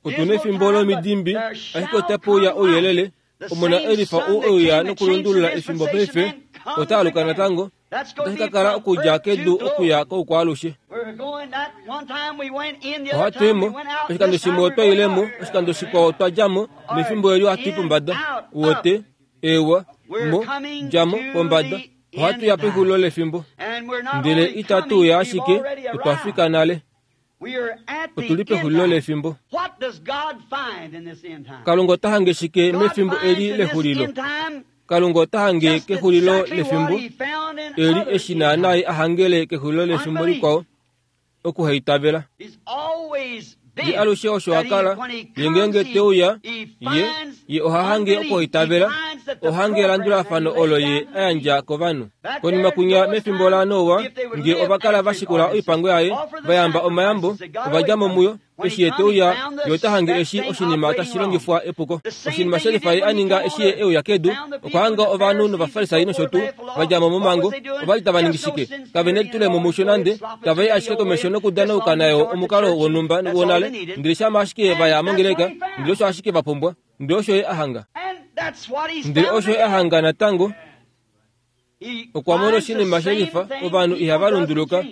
Speaker 1: Otu na efimbo lomidimbi, ashike otape uya ouyelele. Omona elifa ou e uya nokulundulula efimbo paife, ota aluka natango. Otashi ka kala okudja kedu okuya koukwaalushe. Ohatu i mo. Oshikando shimwe otwa ile mo, oshikando shikwao otwa dja mo, nefimbo eli ohatu i pombada. Uwete? Eewa, mo, dja mo, pombada. Ohatu ya pexulilo lefimbo. Ndele itatu uya ashike, otwa fika nale. Otu li pexulilo lefimbo. Kalunga ota hange shike mefimbo eli lexulilo? Kalunga ota hange kexulilo lefimbo eli eshi naanaa a hangele kexulilo lefimbo likwao, okuhaitavela. Ye alushe osho a kala, ye ngeenge te uya, ye, ye oha hange okuhaitavela. Ohange elandulafano olo Ye a yandja kovanhu. Konima kunya mefimbo laNoa, nge ova kala va shikula oipango yaye, va yamba omayambo, ova dja mo muyo, eshi ye te uya, ye ota hange eshi oshinima tashi longifwa epuko. Oshinima shelifa ye a ninga eshi ye e uya kedu, okwa hanga ovanhu nOvafarisai nosho tuu, va dja mo momhango. Ova li tava ningi shike? Kave nelitulemo musho nande, tava i ashike komesho nokudanauka nayo omukalo wonhumba wonale, ndele shama ashike va ya mongeleka, ndele osho ashike va pumbwa. Ndele osho ye a hanga. Ndele osho ye a hanga natango. Okwa mona oshinima shelifa, ovanhu ihava lunduluka.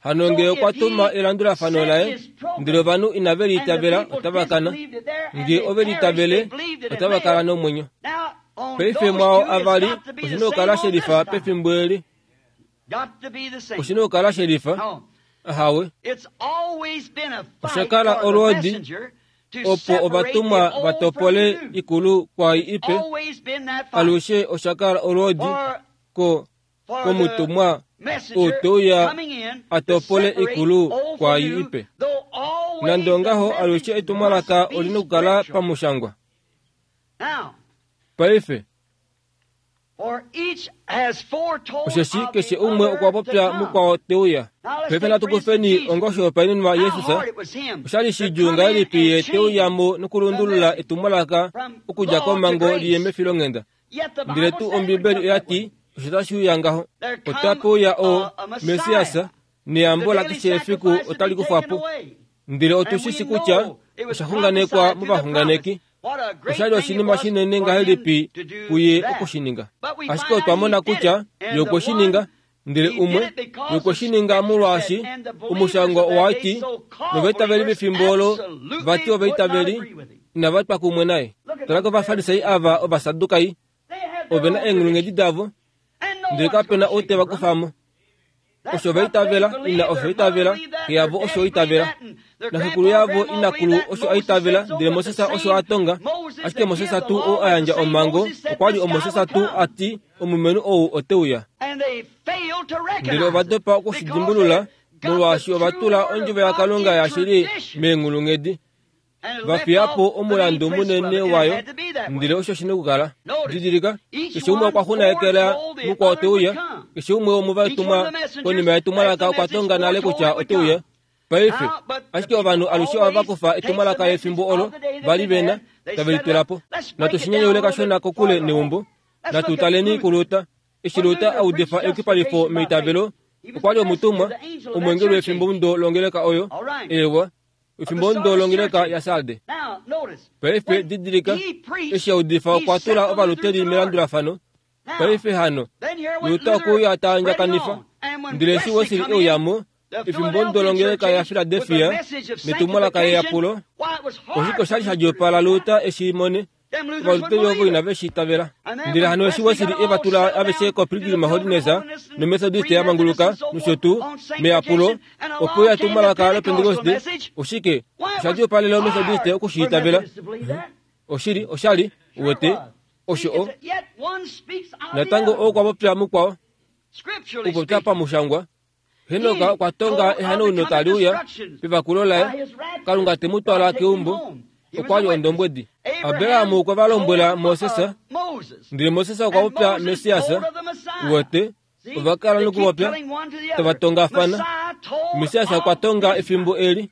Speaker 1: Hano nge okwa tuma elandulafano laye, ndele ovanhu inave li itavela, otava kana. Nge ove li itavele, otava kala nomwenyo. Paife mwao avali, oshi na okukala shelifa pefimbo eli. Oshi na okukala shelifa. Ahawe. Osha kala olwoodi opo ovatumwa va topole ikulu kwaai ipe. Alushe osha kala olwoodi ko komutumwa ou te uya a topole ikulu kwaai ipe. Nande ongaho, alushe etumwalaka oli na okukala pamushangwa. Paife, Osheshi keshe umwe okwa popya mukwao te uya. Paife natu kufeni onga oshihopaenenwa Jesus. Osha li shidjuu ngahelipi ye te uya mo nokulundulula etumwalaka okudja komhango li ye mefilonghenda. Ndele tuu Ombibeli oya ti osho tashi uya ngaho. Otape uya o Messias, neyambo lakeshe efiku otali kufwa po. Ndele otu shi shi kutya osha xunganekwa movaxunganeki. Osha li oshinima shinene ngahelipi kuye oku shi ninga. Ashike otwa mona kutya ye okwe shi ninga, ndele umwe, ye okwe shi ninga molwaashi omushangwa owa ti, Novaitaveli vefimbo olo vati ovaitaveli inava twa kumwe naye. Tala kOvafarisai ava Ovasadukai, ove na eenghulunghedi davo, ndele kape na ou te va kufa mo. Osho va itavela, ina osho itavela, xe yavo osho itavela, naxekulu yavo inakulu osho a itavela, ndele Moses osho a tonga. Ashike Moses tuu ou a yandja omhango okwa li oMoses tuu a ti, Omulumenhu ou ote uya. Ndele ova dopa oku shi dimbulula, molwaashi ova tula ondjovo yaKalunga yashili meenghulunghedi. va fiya po omulandu munene wayo, ndele osho shi na okukala. Didilika, keshe umwe okwa xunayekela mukwao te uya. Keshe umwe womovatumwa konima yetumwalaka okwa tonga nale kutya ote uya. Paife, ashike ovanhu alushe ohava kufa etumwalaka lefimbo olo va li ve na, tave li tula po. Natu shi nyanyaule kashona kokule neumbo. Natu taleni kuLuther. Eshi Luther a udifa eyukipalifo meitavelo, okwa li omutumwa, omweengeli wefimbomudo longeleka oyo. Eewa. Efimbo ndo longeleka yaSarde. Paife didilika, eshi a udifa okwa tula Ovaluteri melandulafano. Paife hano, Luther okwe uya ta andjakanifa. Ndele eshi Wesley e uya mo, efimbo ndo longeleka yaFiladelfia, netumwalaka leyapulo, oshike osha li sha djoopala Luther e shi mone? Ovaluteri ovo inave shi itavela. Ndele hano eshi Wesley e va tula aveshe koPilgrim Holiness noMethodist ya manguluka nosho tuu, meyapulo, opo ya etumwalaka lOpentekoste, oshike osha li opalela oMethodist oku shi itavela? Oshili, osha li, uwete, osho o. Natango okwa popya mukwao, okupopya pamushangwa, Henok okwa tonga ehanauno tali uya pevakulo laye, Kalunga te mu twala keumbo. Okwa li ondombwedi. Abraham okwe va lombwela Moses, ndele Moses okwa popya Messias. Uwete, ova kala nokupopya tava tongafana. Messias okwa tonga efimbo eli.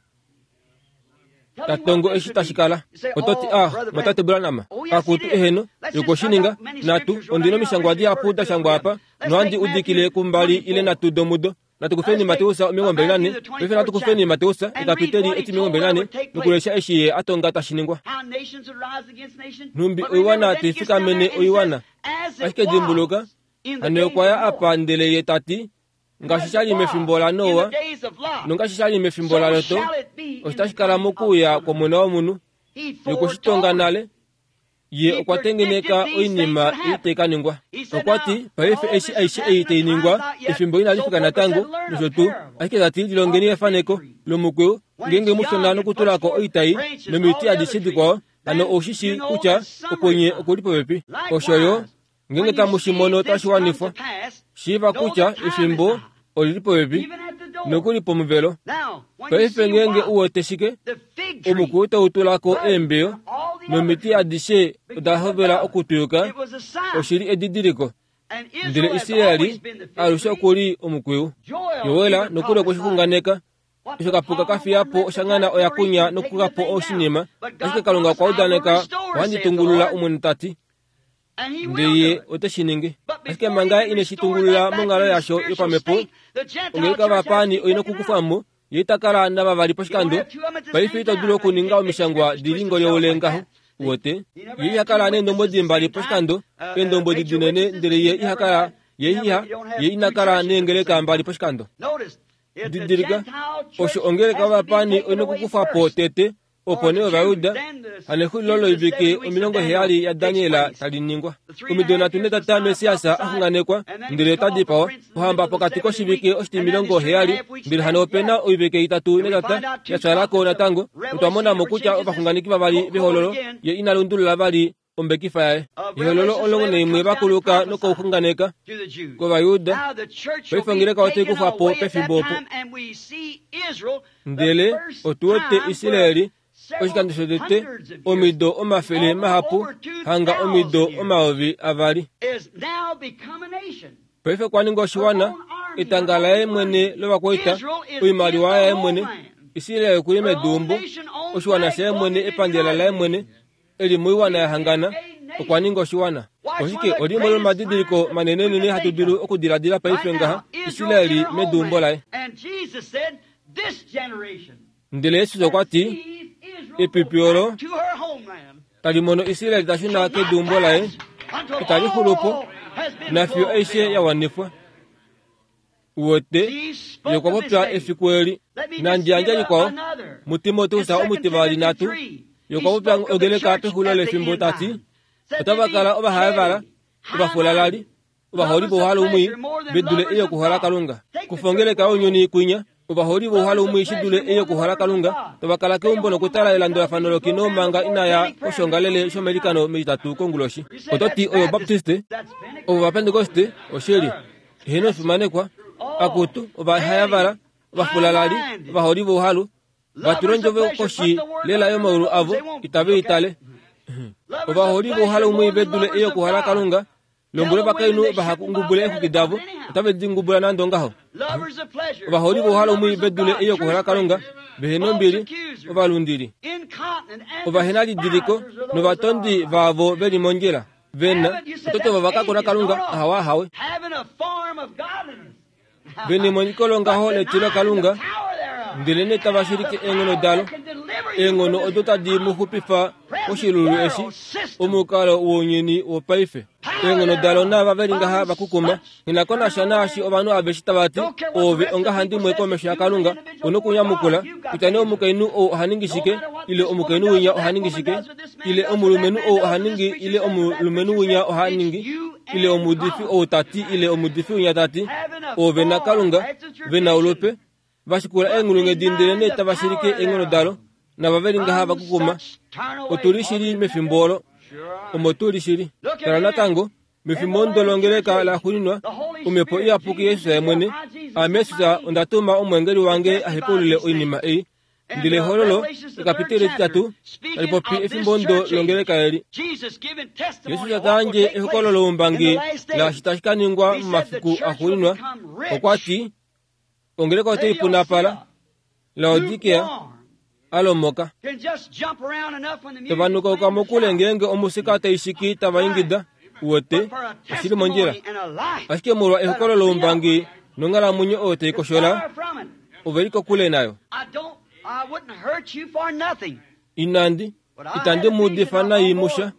Speaker 1: Ta tongo eshi tashi kala. Oto ti, Ah, mwatate Branham, akutu eheno, yokwe shi ninga. Natu, ondi nomishangwa dihapu da shangwa apa, nohandi udikile kumbali ile nhatu domudo. Natu kufeni Mateus 24, paife natu kufeni Mateus, ekapiteli eti 24, nokulesha eshi ye a tonga tashi ningwa. Nhumbi oiwana tai fikamene oiwana. Ashike dimbuluka, hano ye okwa ya apa ndele ye ta ti, Ngaashi sha li mefimbo laNoa, nongaashi sha li mefimbo laLot, osho tashi kala mokuuya kwOmona wOmunhu. Ye okwe shi tonga nale. Ye okwa tengeneka oinima ei tai ka ningwa. Okwa ti, Paife eshi aishe ei tai ningwa, efimbo inali fika natango, nosho tuu. Ashike ta ti, Lilongeni efaneko lomukwiyu, ngeenge mushona nokutula ko oitai nomiti adishe dikwao, hano ou shi shii kutya okwenye oku li popepi. Osho yo, Ngeenge tamu shi mono tashi wanifwa, shiiva kutya efimbo oli li popepi, nokuli pomuvelo. Paife ngeenge u wete shike, omukwiyu tau tula ko eembeyo, Nomiti adishe oda hovela okutwiyuka, oshi li edidiliko. Ndele Israeli alushe oku li omukwiyu. Joel nokuli okwe shi xunganeka. Osho kapuka ka fiya po oshangana oya kunya nokuka po oshinima, ashike Kalunga okwa udaneka, Ohandi tungulula, Omwene ta ti. Ndele Ye ote shi ningi. Ashike manga Ye ine shi tungulula monghalo yasho yopamhepo, ongeleka yovapaani oi nokukufwa mo, Ye ita kala navavali poshikando. Paife ito dulu okuninga omishangwa di li ngolyoule ngaho. Uwete? Ye iha kala neendombwedi mbali poshikando, eendombwedi dinene, ndele Ye iha kala, Ye iha, Ye ina kala neengeleka mbali poshikando. Didilika, osho ongeleka yovapaani oi nokukufa po tete, opo nee Ovajuda, hanexulilo loivike 70 yaDaniel tali ningwa. Omido nhatu netata Messias a xunganekwa, ndele ota dipawa, ohamba pokati koshivike oshitimilongo heyali, ndele hano ope na oivike itatu netata ya twala ko natango, notwa mona mo kutya ovaxunganeki vavali vehololo ye ina lundulula vali ombekifa yaye. Ehololo 11 va kuluka nokouxunganeka kOvayuda, paife ongeleka otai kufwa po pefimbo opo. Ndele otu wete Israel oshikando shotete omido omafele mahapu, hanga omido 2000. Paife okwa ninga oshiwana, etanga laye mwene lovakwaita, oimaliwa yaye mwene. Israel oku li meduumbo, oshiwana shaye mwene, epandela laye mwene. e li moiwana ya hangana, okwa ninga oshiwana. Oshike olimwe lomadidiliko manenenene hatu dulu okudiladila paife ngaha, Israel meduumbo laye. Ndele Jesus okwa ti, epipi olo tali mono Israel ta shuna keduumbo laye itali xulu po nafiyo aishe ya wanifwa. Uwete, ye okwa popya efiku eli. Nandi yandje likwao, muTimoteus omutivali nhatu, ye okwa popya ongeleka pexulilo lefimbo ta ti, Otava kala ovahaevala, ovafulalali, ovaholi vouhalu mwii, ve dule ei yokuhola Kalunga. Kufa ongeleka younyuni kwinya, ovaholi vouhalu mwii shi dule ei yokuhola Kalunga, tava kala keumbo nokutala elandulafano lokino manga ina ya koshoongalele shomeilikano mEtitatu konguloshi. Oto ti oyo Obaptiste? Ovo Ovapentekoste? Oshili. Eheno ofimanekwa, akutu, ovahayavala, ovafulalali, ovaholi vouhalu, va tula ondjovo koshi lela yomaulu avo, itave i tale. Ovaholi vouhalu mwii ve dule ei yokuhola Kalunga, lombwela ovakainhu vaha ngubule eexwiki davo, otave di ngubula nande ongaho. Ovaholi vouhalu mwii ve dule ei yokuhola Kalunga, vehe nombili, ovalundili, ovahenalidiliko novatondi vaavo ve li mondjila. Ve na ototo va vaka ko naKalunga? Ahawe, ahawe. Ve nemoniko longaho letilo Kalunga, ndelenee tava shilike eenghono dalo, eenghono odo tadi mu xupifa koshilulu eshi, omukalo wounyuni wopaife. Eenghono dalo naava ve li ngaha va kukuma, Nghi na ko nasha naashi ovanhu aveshe tava ti, Oove ongahandimwe komesho yaKalunga, u nokunyamukula, kutya nee omukainhu ou oha ningi shike, ile omukainhu winya oha ningi shike, ile omulumenhu ou oha ningi, ile omulumenhu winya oha ningi, ile omuudifi ou ta ti, ile omuudifi winya ta ti, Oove naKalunga ve na olupe, va shikula eenghulunghedi ndele nee tava shilike eenghono dalo, nava ve li ngaha va kukuma. Otu li shili mefimbo olo. Omo tu li shili. Tala natango, Mefimbo ndo longeleka la xuuninwa, Omhepo Iyapuki Jesus ye mwene, Aame Jesus onda tuma omweengeli wange a hepaulule oinima ei. Ndele Ehololo, ekapiteli etitatu, tali popi efimbo ndo longeleka eli. Jesus ta yandje ehokololo loumbangi laashi tashi ka ningwa momafiku axuuninwa, okwa ti, Ongeleka otai punapala. Laodikea a lomoka. Tava nukauka mokule ngeenge omusika tai shiki tava ingida, uwete, oshi li mondjila. Ashike molwa ehokolo loumbangi nonghalamwenyo oyo tai koshola, ove li kokule nayo. Inandi, itandi mu udifa nai musha,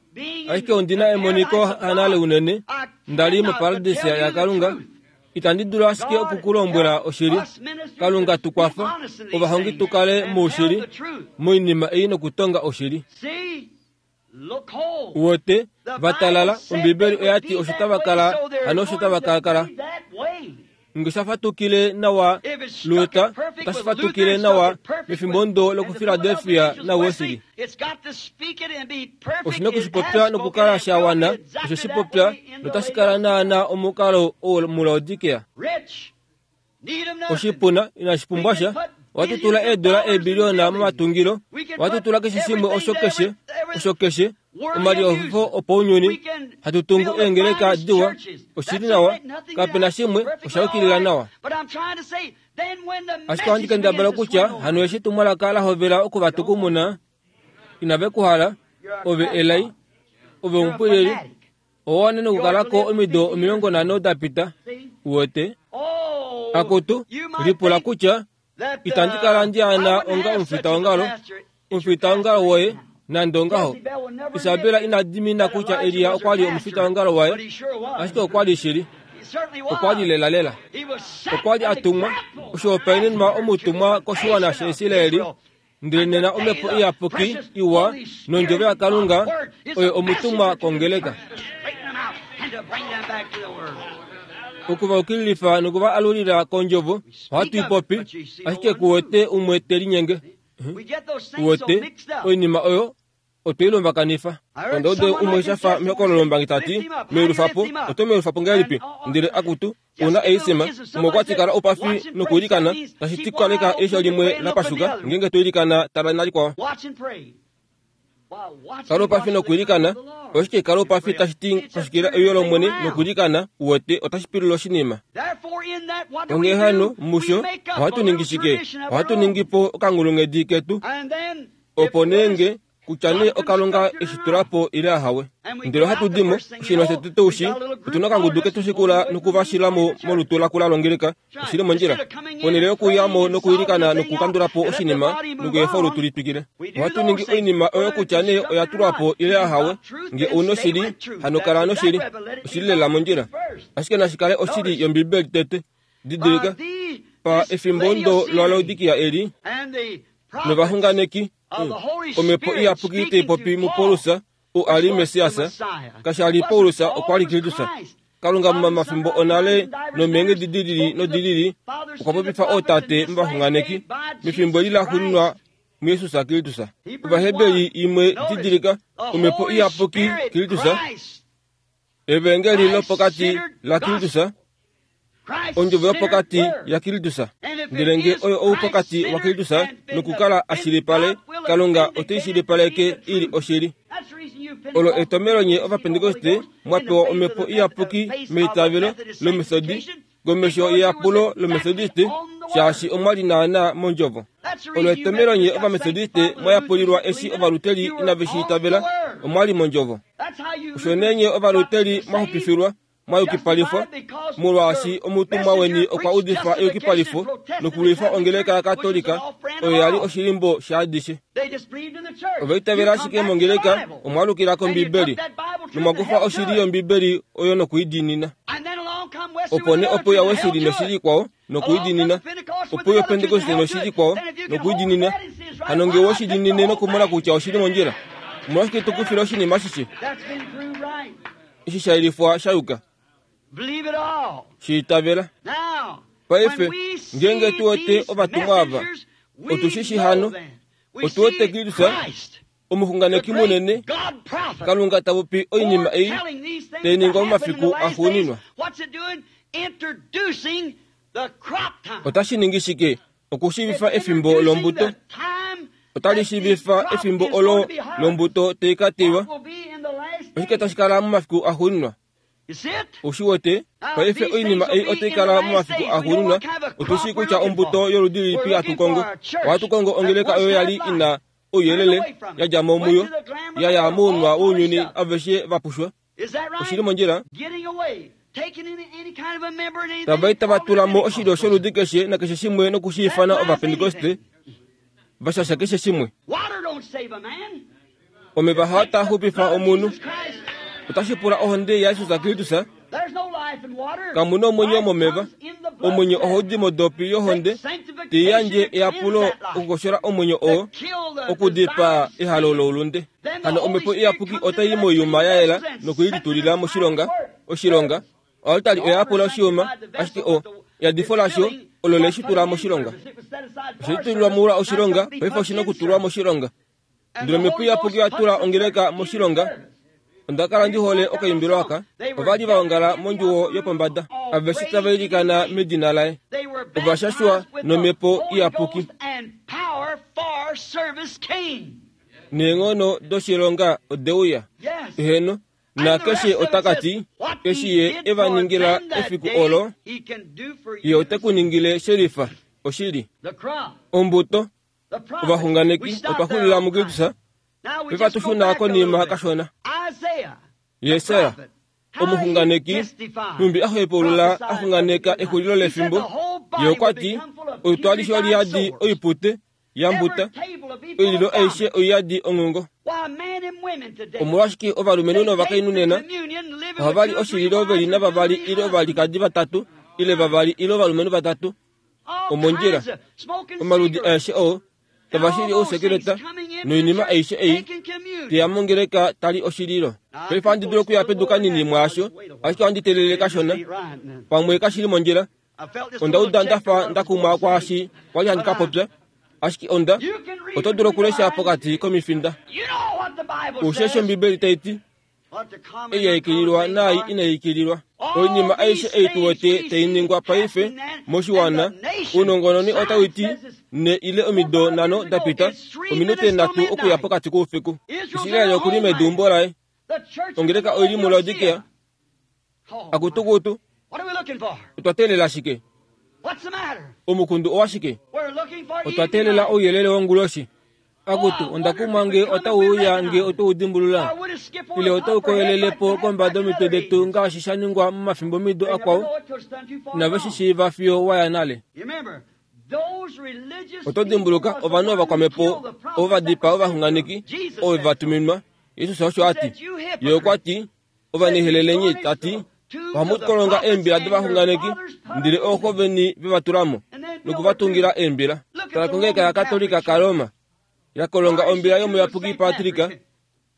Speaker 1: ashike ondi na emoniko hanale unene, nda li moparadisa yaKalunga, Itandi dulu ashike oku ku lombwela oshili. Kalunga tu kwafa, ovahongi tu kale moushili moinima ei nokutonga oshili. Uwete, va talala, Ombibeli oya ti osho tava kala, hano osho tava ka kala. Nge sha fatukile nawa Luther, otashi fatukile nawa mefimbo ndo lokuFiladelfia naWesley. Oshi na oku shi popya nokukala sha wana, osho shi popya, notashi kala naanaa omukalo oo muLaodikea. Oshipuna inashi pumbwa sha. Ohatu tula eedola eebiliona momatungilo. Ohatu tula keshe shimwe osho keshe. Osho keshe omalihofifo opaunyuni hatu tungu eengeleka diwa, oshili nawa, kape na shimwe osha yukilila nawa. Ashike ohandi kendabala kutya hano eshi etumwalaka la hovela oku va tukumuna, inave ku hala, ove elai, ove omupwilili, owa wana nokukala ko omido 50 da pita. Uwete? Akutu, lipula kutya itandi kala ndi ana onga omufitaongalo, omufitaongalo woye, nande ongaho. Isabela ina dimina kutya Elia okwa li omufitaongalo waye, ashike okwa li shili. Okwa li lelalela. Okwa li a tumwa, oshihopaenenwa omutumwa koshiwana shaIsraeli, ndele nena Omhepo Iyapuki iwa nOndjovo yaKalunga oyo omutumwa kongeleka. Oku va ukililifa noku va alulila kOndjovo, ohatu i popi, ashike ku wete umwe te linyenge. Uwete, oinima oyo otwe i lombakanifa. Onda uda umwe sha fa mehokololo lombangi ta ti, Meulufa po, oto meulufa po ngahelipi? Ndele akutu, ou na eisema, umwe okwa ti kala oupafi nokwiilikana, tashi ti kaleka eisho limwe la pashuka ngeenge to ilikana tala nalikwao. Kala oupafi nokwiilikana, oshike kala oupafi tashi ti pashukila euyo lOmwene nokwiilikana, uwete, otashi pilula oshinima. Onghee hano, musho, ohatu ningi shike? Ohatu ningi po okanghulunghedi ketu, opo nee nge kutya nee oKalunga e shi tula po ile ahawe. Ndele ohatu di mo, oshinima shotete u shi, otu na okangudu ke tu shikula noku va shila mo molutu lakula longeleka. Oshi li mondjila. Ponhele yokuya mo nokuilikana nokukandula po oshinima nokuefa olutu li twikile, ohatu ningi oinima oyo kutya nee oya tulwa po ile ahawe. Nge ou noshili, hano kala noshili. Oshi li lela mondjila. Ashike nashi kale oshili yOmbibeli tete. Didilika, pa efimbo ndo laLaodikia eli, novaxunganeki, Omhepo Iyapuki tai popi muPaulus, ou a li Messias, kasha li Paulus, okwa li Kristus. Kalunga momafimbo onale nomeenghedi di lili nodi lili okwa popifa ootate movaxunganeki mefimbo eli laxuuninwa muJesus Kristus. Ovaheberi imwe didilika, Omhepo Iyapuki Kristus, Evangeli lopokati laKristus, ondjovo yopokati yaKristus. Ndele nge oyo oupokati waKristus nokukala a shilipale, Kalunga ote i shilipaleke i li oshili. Olo etomelo nye Ovapentekoste mwa pewa Omhepo Iyapuki meitavelo lOmethodi, komesho yeyapulo lOmethodiste, shaashi omwa li naanaa mOndjovo. Olo etomelo nye Ovamethodiste mwa yapulilwa eshi Ovaluteli inave shi itavela, omwa li mOndjovo. Osho nee nye Ovaluteli mwa xupifilwa, mwa yukipalifwa, molwaashi omutumwa weni okwa udifa eyukipalifo nokulwifa ongeleka yaKatolika, oyo ya li oshilimbo shaadishe. Ova itavela ashike mongeleka, omwa alukila kOmbibeli, nomwa kufa oshili yOmbibeli oyo noku i diinina. Opo nee ope uya Wesley noshili ikwao, noku i diinina. Ope uya Opentekoste noshili ikwao, noku i diinina. Hano nge owe shi diinine nokumona kutya oshi li mondjila, omolwashike to kufile oshinima ashishe? Eshi sha yelifwa sha yuka. Shi itavela. Paife, ngeenge tu wete ovatumwa ava, otu shi shi hano, otu wete Kristus, omuxunganeki munene, Kalunga ta popi oinima ei tai ningwa momafiku axuuninwa. Otashi ningi shike? Okushiivifa efimbo lombuto. Otali shiivifa efimbo olo lombuto tai ka teywa. Oshike tashi kala momafiku axuuninwa? Ou shi wete? Paife oinima ei otai kala momafiku axuuninwa. Otu shii kutya ombuto yoludi lilipi hatu kongo. Ohatu kongo ongeleka oyo ya li i na ouyelele, ya dja mo muyo, ya ya mounwa wounyuni aveshe va pushwa. Oshi li mondjila? Tava i tava tula mo oshilyo sholudi keshe nakeshe shimwe noku shi ifana Ovapentekoste, va shasha keshe shimwe. Omeva hao taa xupifa omunhu. Otashi pula ohonde yaJesus Kristus. Kamu na omwenyo momeva. Omwenyo ohau di modopi yohonde, tai yandje eyapulo okukoshola omwenyo oo, okudipaa ehalo loulunde. Hano Omhepo Iyapuki otai i moiyuma ya yela noku i litulila moshilonga, oshilonga. Oaltari oya yapula oshiyuma, ashike o, eyadifo lasho olo le shi tula moshilonga. Oshe litulilwa molwa oshilonga, paife oshi na okutulwa moshilonga. Ndele Omhepo Iyapuki oya tula ongeleka moshilonga. Onda kala ndi hole okaimbilo aka. Ova li va ongala mondjuwo yopombada, aveshe tava ilikana medina laye. Ova shashwa nOmhepo Iyapuki. Neenghono doshilonga ode uya. Eheno. Nakeshe ota ka ti, Eshi Ye e va ningila efiku olo, Ye ote ku ningile shelifa. Oshili. Ombuto, ovaxunganeki, otwa xulila muKristus, paife hatu shuna konima kashona. Jesaja, omuxunganeki, nhumbi a hepaulula a xunganeka exulilo lefimbo, ye okwa ti, Olutu alishe oli yadi oipute ya mbuta, oililo aishe oi yadi onghungo. Omolwashike ovalumenhu novakainhu nena ohava li oshililo ve li navavali ile ovalikadi vatatu ile vavali ile ovalumenhu vatatu omondjila, omaludi aeshe oo tava shili ousekeleta noinima aishe ei te ya mongeleka ta li oshililo. Paife ohandi dulu okuya pedu kanini mwaasho, ashike ohandi teelele kashona. Pamwe kashi li mondjila. Onda uda nda fa nda kumwa kwaashi kwa li handi ka popya, ashike onda oto dulu okulesha pokati komifinda. Osheshi Ombibeli tai ti, Ei ya ikililwa naai inai ikililwa. Oinima aishe ei tu wete tai ningwa paife moshiwana, ounongononi otau ti ne ile omido nhano da pita, ominute nhatu okuya pokati koufiku. Israel oku li meduumbo laye. Ongeleka oi li muLaodikea. Akutukutu, otwa teelela shike? Omukundu owa shike? Otwa teelela ouyelele wonguloshi. Akutu, onda kumwa nge otau uya nge oto u dimbulula, ile otau koyelele po kombada yomitwe detu ngaashi sha ningwa momafimbomido akwao, inave shi shiiva fiyo wa ya nale. Oto dimbuluka ovanhu ovakwamhepo ovo va dipaa ovaxunganeki ovo va tuminwa? Jesus osho a ti. Ye okwa ti, Ovanehelelenyi, ta ti, ohamu kolonga eembila dovaxunganeki, ndele ooxo veni ve va tula mo noku va tungila eembila. Tala kongeleka yaKatolika kaRoma, ya kolonga ombila yomuyapuki Patrick,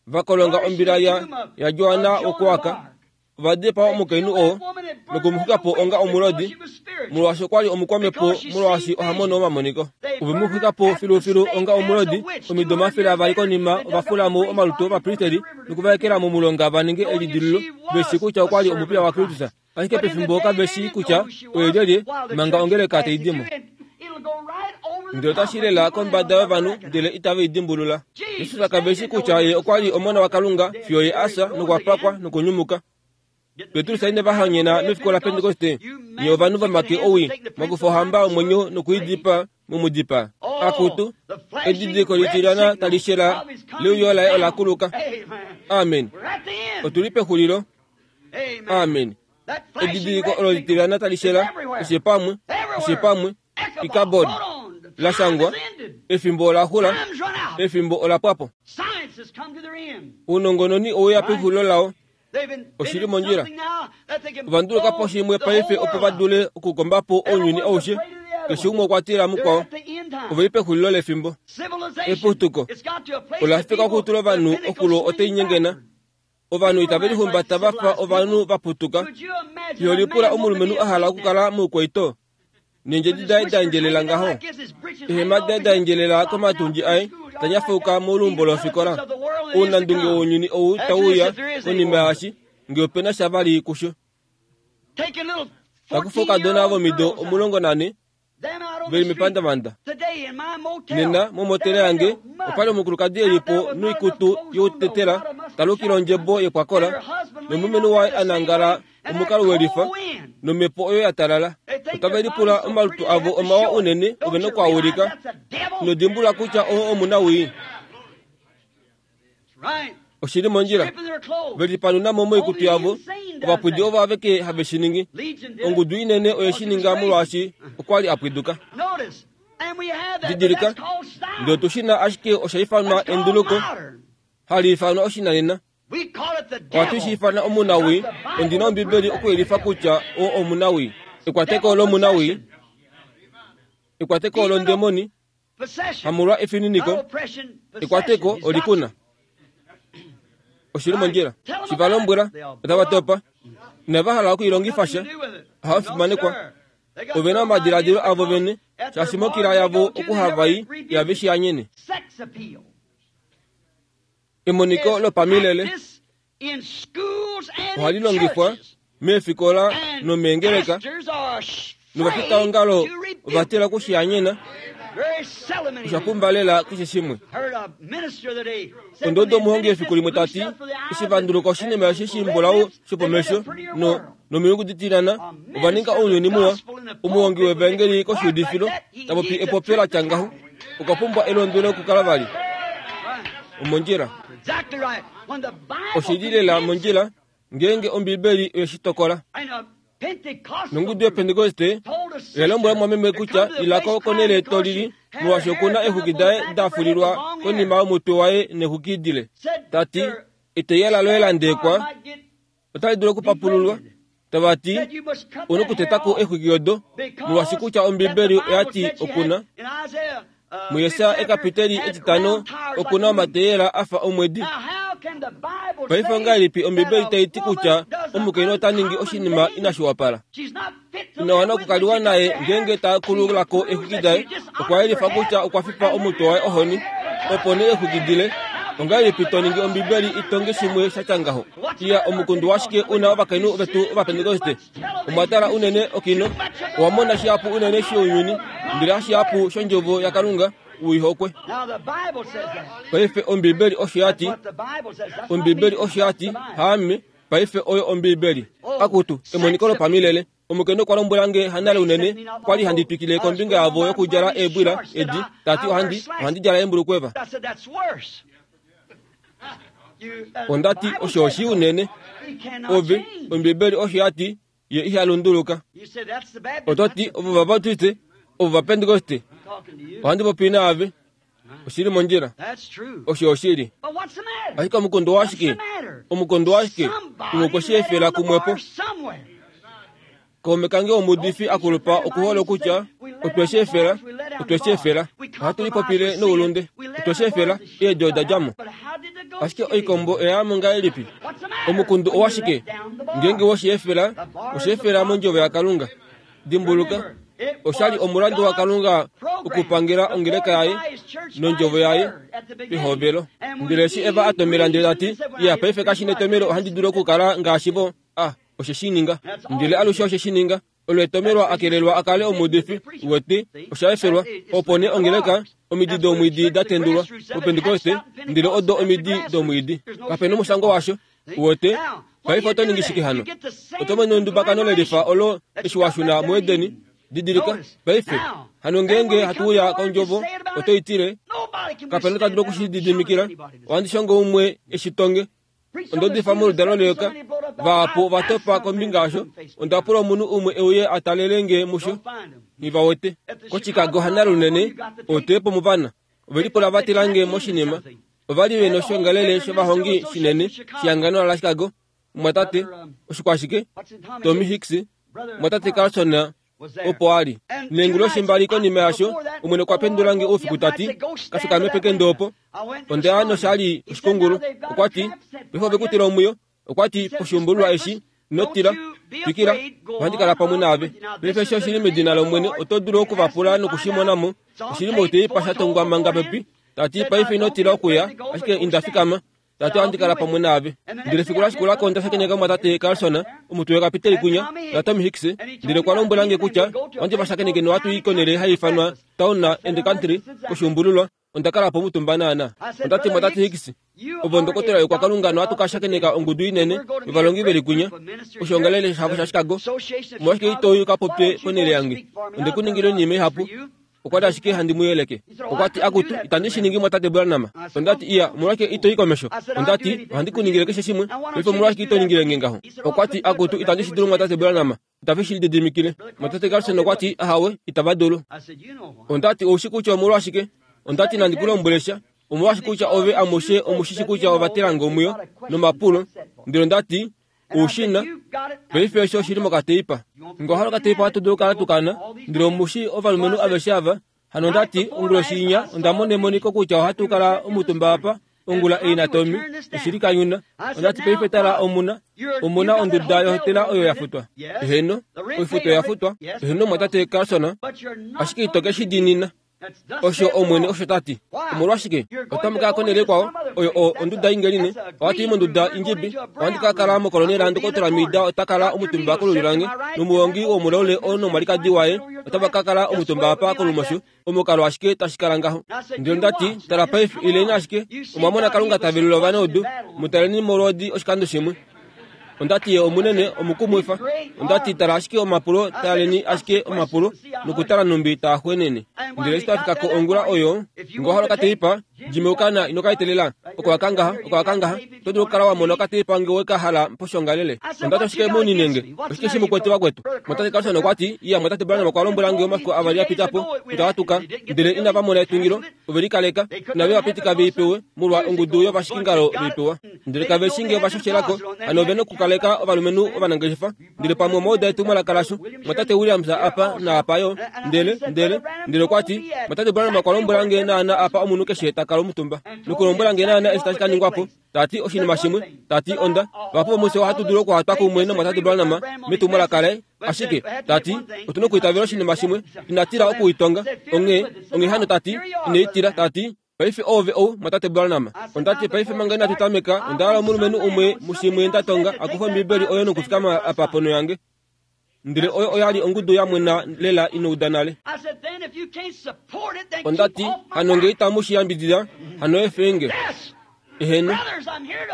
Speaker 1: va kolonga ombila ya, yaJoana wokuAka, ova dipaa omukainhu oo noku mu xwika po onga omulodi, molwaashi okwa li omukwamhepo molwaashi oha mono omamoniko. Ove mu xwika po filufilu onga omulodi. Omido 200 konima ova fula mo omalutu ovapristeri noku va ekela momulonga va ninge elidilululo, ve shii kutya okwa li omupiya waKristus. Ashike pefimbo kave shii kutya oye lyelye manga ongeleka tai di mo. Ndele otashi lela kombada yovanhu ndele itave i dimbulula. Jesus kave shii kutya ye okwa li Omona waKalunga fiyo ye a fya nokwa pakwa nokunyumuka. Petrus ine va hanyena mefiku laPentekoste, nye ovanhu vomake owii, mwa kufa ohamba yomwenyo noku i dipaa, mu mu dipaa. Akutu, edidiliko litilyana tali shela leuyo laye ola kuluka. Amen. Otu li pexulilo. Amen. Edidiliko olo litilyana tali shela, keshe pamwe, keshe pamwe, Ikabod, la shangwa, efimbo ola xula, efimbo ola pwa po. Ounongononi owe ya pexulilo lao. Oshi li mondjila. Ova nduluka po shimwe paife opo va dule okukomba po ounyuni aushe. Keshe umwe okwa tila mukwao. Ove li pexulilo lefimbo. Eputuko ola fika okutula ovanhu oxulo otai nyengena. Ovanhu itave lihumbata va fa ovanhu va putuka. Iho lipula omulumenhu a hala okukala moukwaito neendjedi daye da endjelela ngaho, eehema daye da endjelela komatundji aye, ta nyafauka moluumbo lofikola. Ounandunge wounyuni ou tau uya konima yaashi, nge ope na sha vali kusho. Ta kufa oukadona vomido 14 ve li mepandavanda. Nena, momotela yange, opa li omukulukadi e li po noikutu youtetela, ta lukile ondjebo yekwakola, nomulumenhu waye a nangala omukalo we lifa, nomhepo oyo ya talala. Otave lipula omalutu avo omawa unene, ove noku a ulika. Ino dimbulula kutya oo omunawii. Oshi li mondjila. Ve lipanuna mo moikutu yavo. Ovapwidi ovo aveke have shi ningi. Ongudu inene oye shi ninga molwaashi okwa li a pwiduka. Didilika, ndele otu shi na ashike osha ifanwa enduluko, hali ifanwa oshinanena. Ohatu shi ifana omunawii. Ondi na Ombibeli okuyelifa kutya oo omunawii. Ekwateko lomunawii, ekwateko londemoni, hamolwa efininiko, ekwateko oli ku na. Oshi li mondjila. Shi va lombwela, otava topa. Inava hala oku i longifa sha. Ohava fimanekwa. Ove na omadiladilo avo vene, shaashi mokila yavo okuhava i, ihave shi anyene. Emoniko lopamilele ohali longifwa meefikola nomeengeleka, novafitaongalo ova tila okushihanyena. Osha pumba lela keshe shimwe. Ondodo omuhongi efiku limwe ta ti, eshi va nduluka oshinima eshi shimbulau shopomesho no nomilungu ditilana, ova ninga ounyuni muwa. Omuhongi wevaengeli koshiudifilo ta popi epopyo la tya ngaho, okwa pumbwa elondwelo okukala vali omondjila. Oshi li lela mondjila ngeenge Ombibeli oye shi tokola. Nongudu yOpentekoste oya lombwela mumwameme kutya ila ko konhele to lili molwaashi oku na eexwiki daye da fulilwa konima yomutwe waye neexwiki dile. Ta ti, Eteyela loye la ndekwa otali dulu okupapululwa. Tava ti, U na okuteta ko eexwiki odo molwaashi kutya Ombibeli oya ti oku na. MuJesaja ekapiteli etitano oku na omateyela a fa omwedi. Paife ongahelipi Ombibeli tai ti kutya omukainhu ota ningi oshinima inashi wapala? Ina wana okukaliwa naye ngeenge ta kulula ko exwiki daye. Okwa yelifa kutya okwa fipa omutwe waye ohoni, opo nee exwiki dile. Ongahelipi to ningi Ombibeli i tonge shimwe sha tya ngaho? Iya, omukundu washike u na ovakainhu vetu Ovapentekoste? Omwa tala unene okino, owa mona shihapu unene shounyuni, ndele hashihapu shOndjovo yaKalunga, u i hokwe. Paife Ombibeli osho ya ti. Ombibeli osho ya ti, haame, paife oyo Ombibeli. Akutu, emoniko lopamilele. Omukainhu okwa lombwela nge hanale unene, kwa li handi twikile kombinga yavo yokudjala eebwila edi, ta ti ohandi, ohandi djala eembulukweva. Onda ti, Osho oshii unene. Ove, Ombibeli osho ya ti, Ye iha lunduluka. Oto ti, Ovo Vabaptiste, ovo Vapentekoste. Ohandi popi naave. Oshi li mondjila. Osho oshili. Ashike omukundu washike? Omukundu washike? Umwe okwe shi efela kumwepo. Kaume kange womuudifi a kulupa okuhole okutya, Otwe shi efela, otwe shi efela. Ohatu lipopile noulunde. Otwe shi efela, eedi oda dja mo. Ashike oikombo oya ya mo ngahelipi? Omukundu owashike? Ngeenge we shi efela, osha efela mondjovo yaKalunga. Dimbuluka, osha li omulandu waKalunga okupangela ongeleka yaye nondjovo yaye pehovelo. Ndele eshi Eva a tomela ndele ta ti, Iya, paife kashi netomelo ohandi dulu okukala ngaashi vo. A, oshe shi ninga. Ndele alushe oshe shi ninga. Olo etomelwa a kelelwa a kale omuudifi, uwete, osha efelwa. Opo nee ongeleka, omidi domwiidi da tendulwa, mOpentekoste, ndele odo omidi domwiidi. Kape nomushangwa washo. Uwete? Paife oto ningi shike hano? Oto mono endubakano lelifa olo eshi wa shuna muEdeni? Didilika, paife. Hano ngeenge hatu uya kOndjovo, oto i tile, Kape na ta dulu oku shi lididimikila. Ohandi shongo umwe e shi tonge. Onda udifa moludalo leyoka, vahapu ova topa kombinga yasho. Onda pula omunhu umwe e uye a talele nge musho. Nghi va wete. KoChicago hanale unene, oteepo muvana. Ove lipula va tila nge moshinima. Ova li ve noshiongalele shovahongi shinene shehangano laChicago. Mumwatate, oshikwashike? Tommy Hicks, mumwatate Carlson opo a li. Neenguloshi mbali konima yasho, Omwene okwa pendula nge oufiku ta ti, Ka fikame pekende opo. Onda ya nosha li oshikungulu. Okwa ti, Paife ove ku tila omwiyo. Okwa ti, Poshiumbululwa eshi, ino tila. Twikila, ohandi kala pamwe naave. Paife eshi oshi li medina lOmwene, oto dulu oku va pula noku shi mona mo. Oshi li moteipa sha tongwa manga pepi. Ta ti, Paife ino tila okuya, ashike inda fikama. Tate ohandi kala pamwe naave. Ndele efiku la shikula ko onda shakeneka omumwatate Carlson, omutwe wekapiteli kunya, naTommy Hicks, ndele okwa lombwela nge kutya ohandi va shakeneke nohatu i konhele hai ifanwa Town and Country koshuumbululwa. Onda kala po omutumba naana. Onda ti, Mumwatate Hicks, ove ondokotola yokwakalunga nohatu ka shakeneka ongudu inene yovalongi ve li kunya, koshoongalele shavo shaChicago. Omolwashike ito i u ka popye ponhele yange? Onde ku ningila oinima ihapu. Okwa li ashike handi mu yeleke. Okwa ti, Akutu, itandi shi ningi mwatate Branham. Onda ti, Iya, omolwashike ito i komesho? Onda ti, Ohandi ku ningile keshe shimwe. Paife omolwashike ito ningile nge ngaho? Okwa ti, Akutu, itandi shi dulu mwatate Branham. Itave shi lididimikile. Mwatate Carlson okwa ti, Ahawe, itava dulu. Onda ti, Ou shi kutya omolwashike? Onda ti, Nandi ku lombwele sha. Omolwashike kutya ove amushe omu shi shi kutya ova tela nge omwiyo nomapulo. Ndele onda ti, Oushina, paife osho oshi li mokateipa. Nge owa hala okateipa ohatu dulu okukala tu kana. Ndele omu shii ovalumenhu aveshe ava. Hano onda ti, onguloshi inya, onda mona emoniko kutya ohatu kala omutumba apa, ongula ei naTommy, oshi li kanyuna. Onda ti, paife tala, omu na, omu na onduda yohotela oyo ya futwa. Eheno, oifuto oya futwa. Eheno, mwatate Carlson. Ashike ito ke shi diinina. Osho Omwene osho ta ti. Omolwashike? Otamu ka ya konhele ikwao, oyo o, onduda ingeline. Ohatu i monduda indjibi. Ohandi ka kala mokolonela Ndokotola Mida ota kala omutumba kolulyo lange, nomuhongi womulaule oo nomwalikadi waye otava ka kala omutumba apa kolumosho. Omukalo ashike tashi kala ngaho. Ndele onda ti, Tala paife, ileni ashike. Omwa mona Kalunga ta velula ovanaudu. Mu taleni molwoodi oshikando shimwe. Onda ti ye omunene omukumwifa. Onda ti tala ashike omapulo, taleni ashike omapulo nokutala nhumbi taa xwenene. Ndele eshi twa fika ko ongula oyo, nge owa hala okateipa, Jimmy okana ino ka etelela. Oko wa ka ngaha, oko wa ka ngaha. Oto dulu okukala wa mona okateipa nge we ka hala poshoongalele. Onda ti oshike mu ninenge? Oshike shi mu kwete vakwetu? Mwatate Carlson okwa ti, Iya, mwatate Branham okwa lombwela nge omafiku avali a pita po, kutya wa tuka, ndele inava mona etungilo. Ove likaleka, inave va pitika ve i pewe, molwa ongudu yovashikingalo ve i pewa. Ndele kave shi nge va shoshelako, hano ove nokukaleka ovalumenhu ovanangeshefa. Ndele pamwe omwa uda etumwalaka lasho, mwatate Williams apa naapa yo. Ndele, ndele, ndele okwa ti, Mwatate Branham okwa lombwela nge naana apa omunhu keshe ta kala omutumba, nokulombwela nge naana eshi tashi ka ningwa po. Ta ti oshinima shimwe, ta ti onda, vahapu vomufye ohatu dulu okuhatwa kumwe nomwatate Branham metumwalaka laye, ashike, ta ti, otu nokuitavela oshinima shimwe, ina tila okuitonga. Onghee, onghee hano ta ti, ine i tila, ta ti, Paife oove ou, mwatate Branham. Onda ti, Paife manga inatu tameka, onda hala omulumenhu umwe mushimwe nda tonga a kufe Ombibeli oyo nokufikama apa ponho yange. Ndele oyo oya li ongudu ya mwena lela ino uda nale. Onda ti, Hano nge itamu shi yambidida, hano efeenge. Eheno.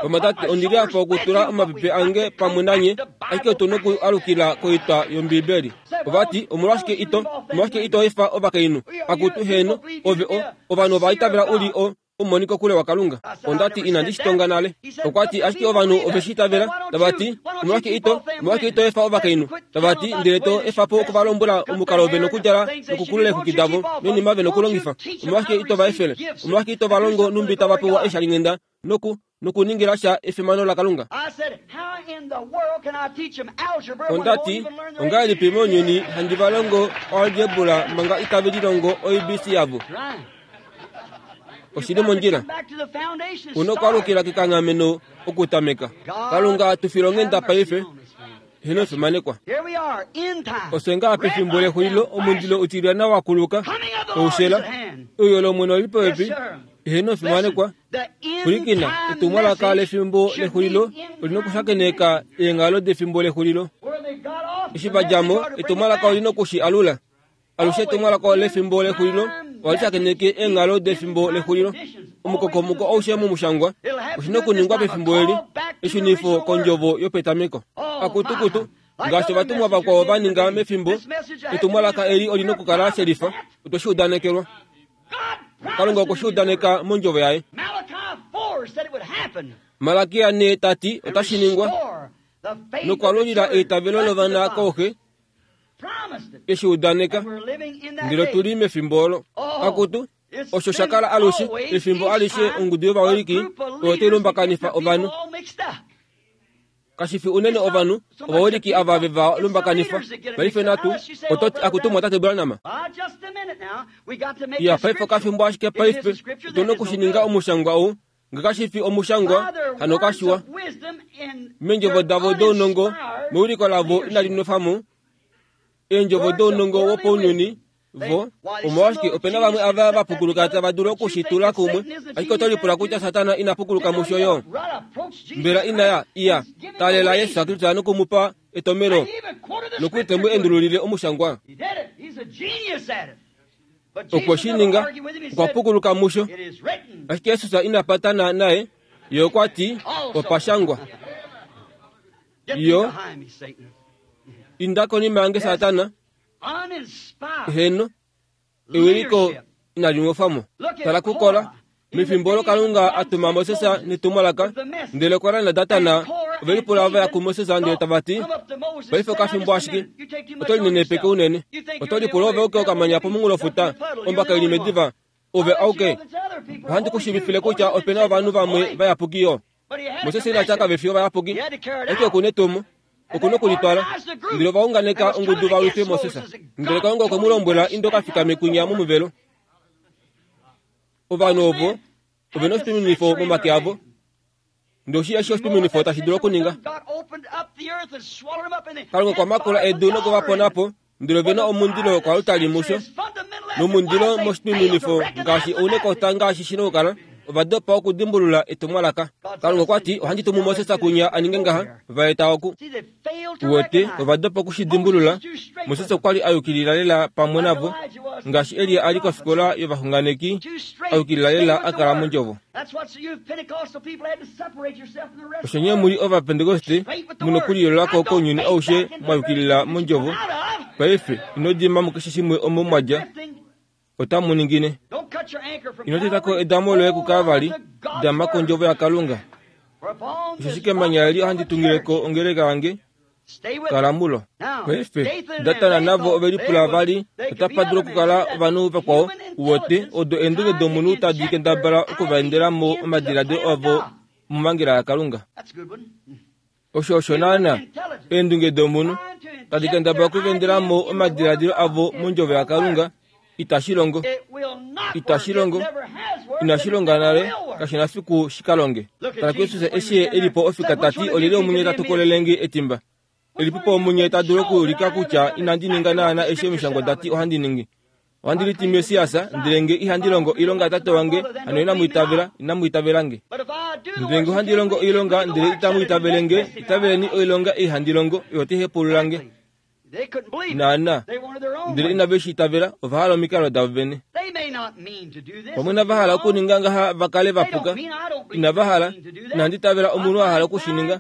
Speaker 1: Vamwatate, ondi li apa okutula omapepe ange pamwe nanye, ashike otu noku alukila koitwa yOmbiibeli. Ova ti, Omolwashike ito, omolwashike ito efa ovakainhu? Akutu, heeno, ove o, ovanhu ova itavela u li o, omumonikokule waKalunga. Onda ti, Inandi shi tonga nale. Okwa ti, Ashike ovanhu ove shi itavela, tava ti, Omolwashike ito, omolwashike ito efa ovakainhu? Tava ti, Ndele to efa po oku va lombwela omukalo ve nokudjala nokukulula eexwiki davo noinima ve nokulongifa. Omolwashike ito va efele? Omolwashike ito va longo nhumbi tava pewa eeshalinghenda noku, nokuningila sha efimano laKalunga? Onda ti, Ongahelipi mounyuni handi va longo oalgebra manga itave lilongo oABC yavo? Oshi li mondjila. U nokwaalukila kekanghameno okutameka. Kalunga tu filonghenda paife. Heno fimanekwa. Ofye ngaa pefimbo lexulilo omundilo utilyana wa kuluka, oushela, euyo lOmwene oli popepi. Heno fimanekwa. Pwilikina, etumwalaka lefimbo lexulilo oli nokushakeneka eenghalo defimbo lexulilo. Eshi va dja mo, etumwalaka oli noku shi alula. Alushe etumwalaka lefimbo lexulilo ohali shakeneke eenghalo defimbo lexulilo. Omukokomoko aushe momushangwa oshi nokuningwa pefimbo eli, eshunifo kondjovo yopetameko. Akutukutu, ngaashi ovatumwa vakwao va ninga mefimbo, etumwalaka eli oli nokukala shelifa. Otwe shi udanekelwa. Kalunga okwe shi udaneka mondjovo yaye. Malakia ne ta ti otashi ningwa, nokwalulila eitavelo lovana kooxe eshi udaneka ndele otu li mefimbo olo. Akutu, osho sha kala alushe, efimbo alishe ongudu yovawiliki oyo tai lumbakanifa ovanhu. Kashi fi unene ovanhu, ovawiliki ava ve va lumbakanifa. Paife natu, oto ti, Akutu, Mwatate Branham. Iya, paife okafimbo ashike paife, otu na oku shi ninga omushangwa ou. Nge kashi fi omushangwa, hano kashiwa. Meendjovo davo dounongo, mewiliko lavo inali nwefa mo, eendjovo dounongo wopounyuni, vo, omolwashike ope na vamwe ava va pukuluka tava dulu oku shi tula kumwe, ashike oto lipula kutya Satana ina pukuluka musho yo. Mbela ina ya, iya, taalela Jesus Kristus noku mu pa etomelo, nokuli te mu endululile omushangwa? Okwe shi ninga, okwa pukuluka musho. Ashike Jesus ina patana naye, ye okwa ti, Opa shangwa. Yo, inda konima yange Satana. Heno, ewiliko inali nwefa mo. Tala kuKora, Mefimbo olo Kalunga a tuma Moses netumwalaka, ndele Kora naDatan ove lipula va ya kuMoses ndele tava ti, Paife okafimbo ashike, oto linenepeke unene. Oto lipula ove auke okamanya pomunghulofuta, ombaka i li mediva, ove auke. Ohandi ku shiivifile kutya ope na ovanhu vamwe vayapuki yo. Moses ina tya kave fi ovayapuki, ashike oku netumo. Oku nokulitwala. Ndele ova unganeka ongudu va lwife Moses. Ndele Kalunga okwe mu lombwela, Inda oka fikame kwinya momuvelo. Ovanhu ovo ove na oshituminifo momake avo. Ndele oshi eshi oshituminifo tashi dulu okuninga. Kalunga okwa makula edu noku va pona po, ndele ove na omundilo kwalutali musho. Nomundilo moshitununifo ngaashi ounekota ngaashi shi nokukala, ova dopa okudimbulula etumwalaka. Kalunga okwa ti, Ohandi tumu Moses kunya a ninge ngaha, va eta oku. Uwete, ova dopa oku shi dimbulula. Moses okwa li a yukilila lela pamwe navo, ngaashi Elia a li kofikola yovaxunganeki, a yukilila lela a kala mondjovo. Osho nye mu li Ovapentekoste mu nokuliyoolola ko kounyuni aushe mwa yukilila mondjovo. Paife, ino dima mukeshe shimwe omo mwa dja. Otamu ningine. Ino teta ko edamo loye kuKalvari, dama kondjovo yaKalunga. Osheshi kemanya eli ohandi tungile ko ongeleka yange, kala mulo. Paife, Datan navo ove lipula vali, otapa dulu okukala ovanhu vakwao, uwete, odo eendunge domunhu tadi kendabala oku va endela mo omadiladilo avo momangela yaKalunga. Osho osho naana eendunge domunhu tadi kendabala oku va endela mo omadiladilo avo mondjovo yaKalunga. Itashi longo. Itashi longo. Inashi longa nale, kashi na fiku shi ka longe. Tala kuJesus eshi ye e li po ofika ta ti, Olyelye omunye ta tokolele nge etimba? Elipi po omunye ta dulu okuulika kutya inandi ninga naana eshi Omishangwa da ti ohandi ningi? Ohandi liti Messias, ndele nge ihandi longo oilonga yaTate wange, hano inamu itavela, inamu itavela nge. Ndele nge ohandi longo oilonga, ndele itamu itavele nge, itaveleni oilonga ei handi longo, oyo tai hepaulula nge. Naana, ndele inave shi itavela, ova hala omikalo davo vene. Pamwe inava hala okuninga ngaha va kale va puka. Inava hala, inandi itavela omunhu a hala oku shi ninga.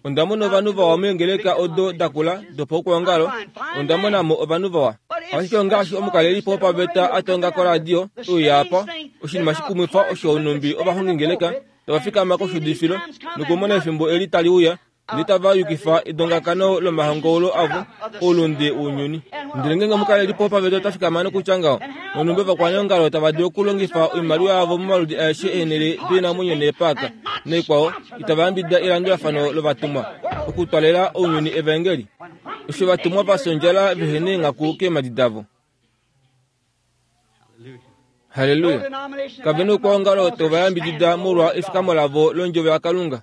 Speaker 1: Onda mona ovanhu vawa meengeleka odo da kula dopaukwaongalo, onda mona mo ovanhu vawa. Ashike ongaashi omukalelipo wopaveta a tonga koradio, uya apa, oshinima shikumwifa osho nhumbi ovahongingeleka tava fikama koshuudifilo nokumona efimbo eli tali uya, ndele tava yukifa edongakano lomahongoulo avo oulunde wounyuni. Ndele ngeenge omukalelipo wopaveta ota fikama nokutya ngaho, nonhumbi ovakwaneongalo tava dulu okulongifa oimaliwa yavo momaludi aeshe eenhele doinamwenyo neepaaka naikwao, itava yambidida elandulafano lovatumwa okutwalela ounyuni evaengeli. Osho ovatumwa va fya ondjala vehe neenghaku keemhadi davo. Halleluya! Kave na oukwaongalo tau va yambidida molwa efikamo lavo londjovo yaKalunga.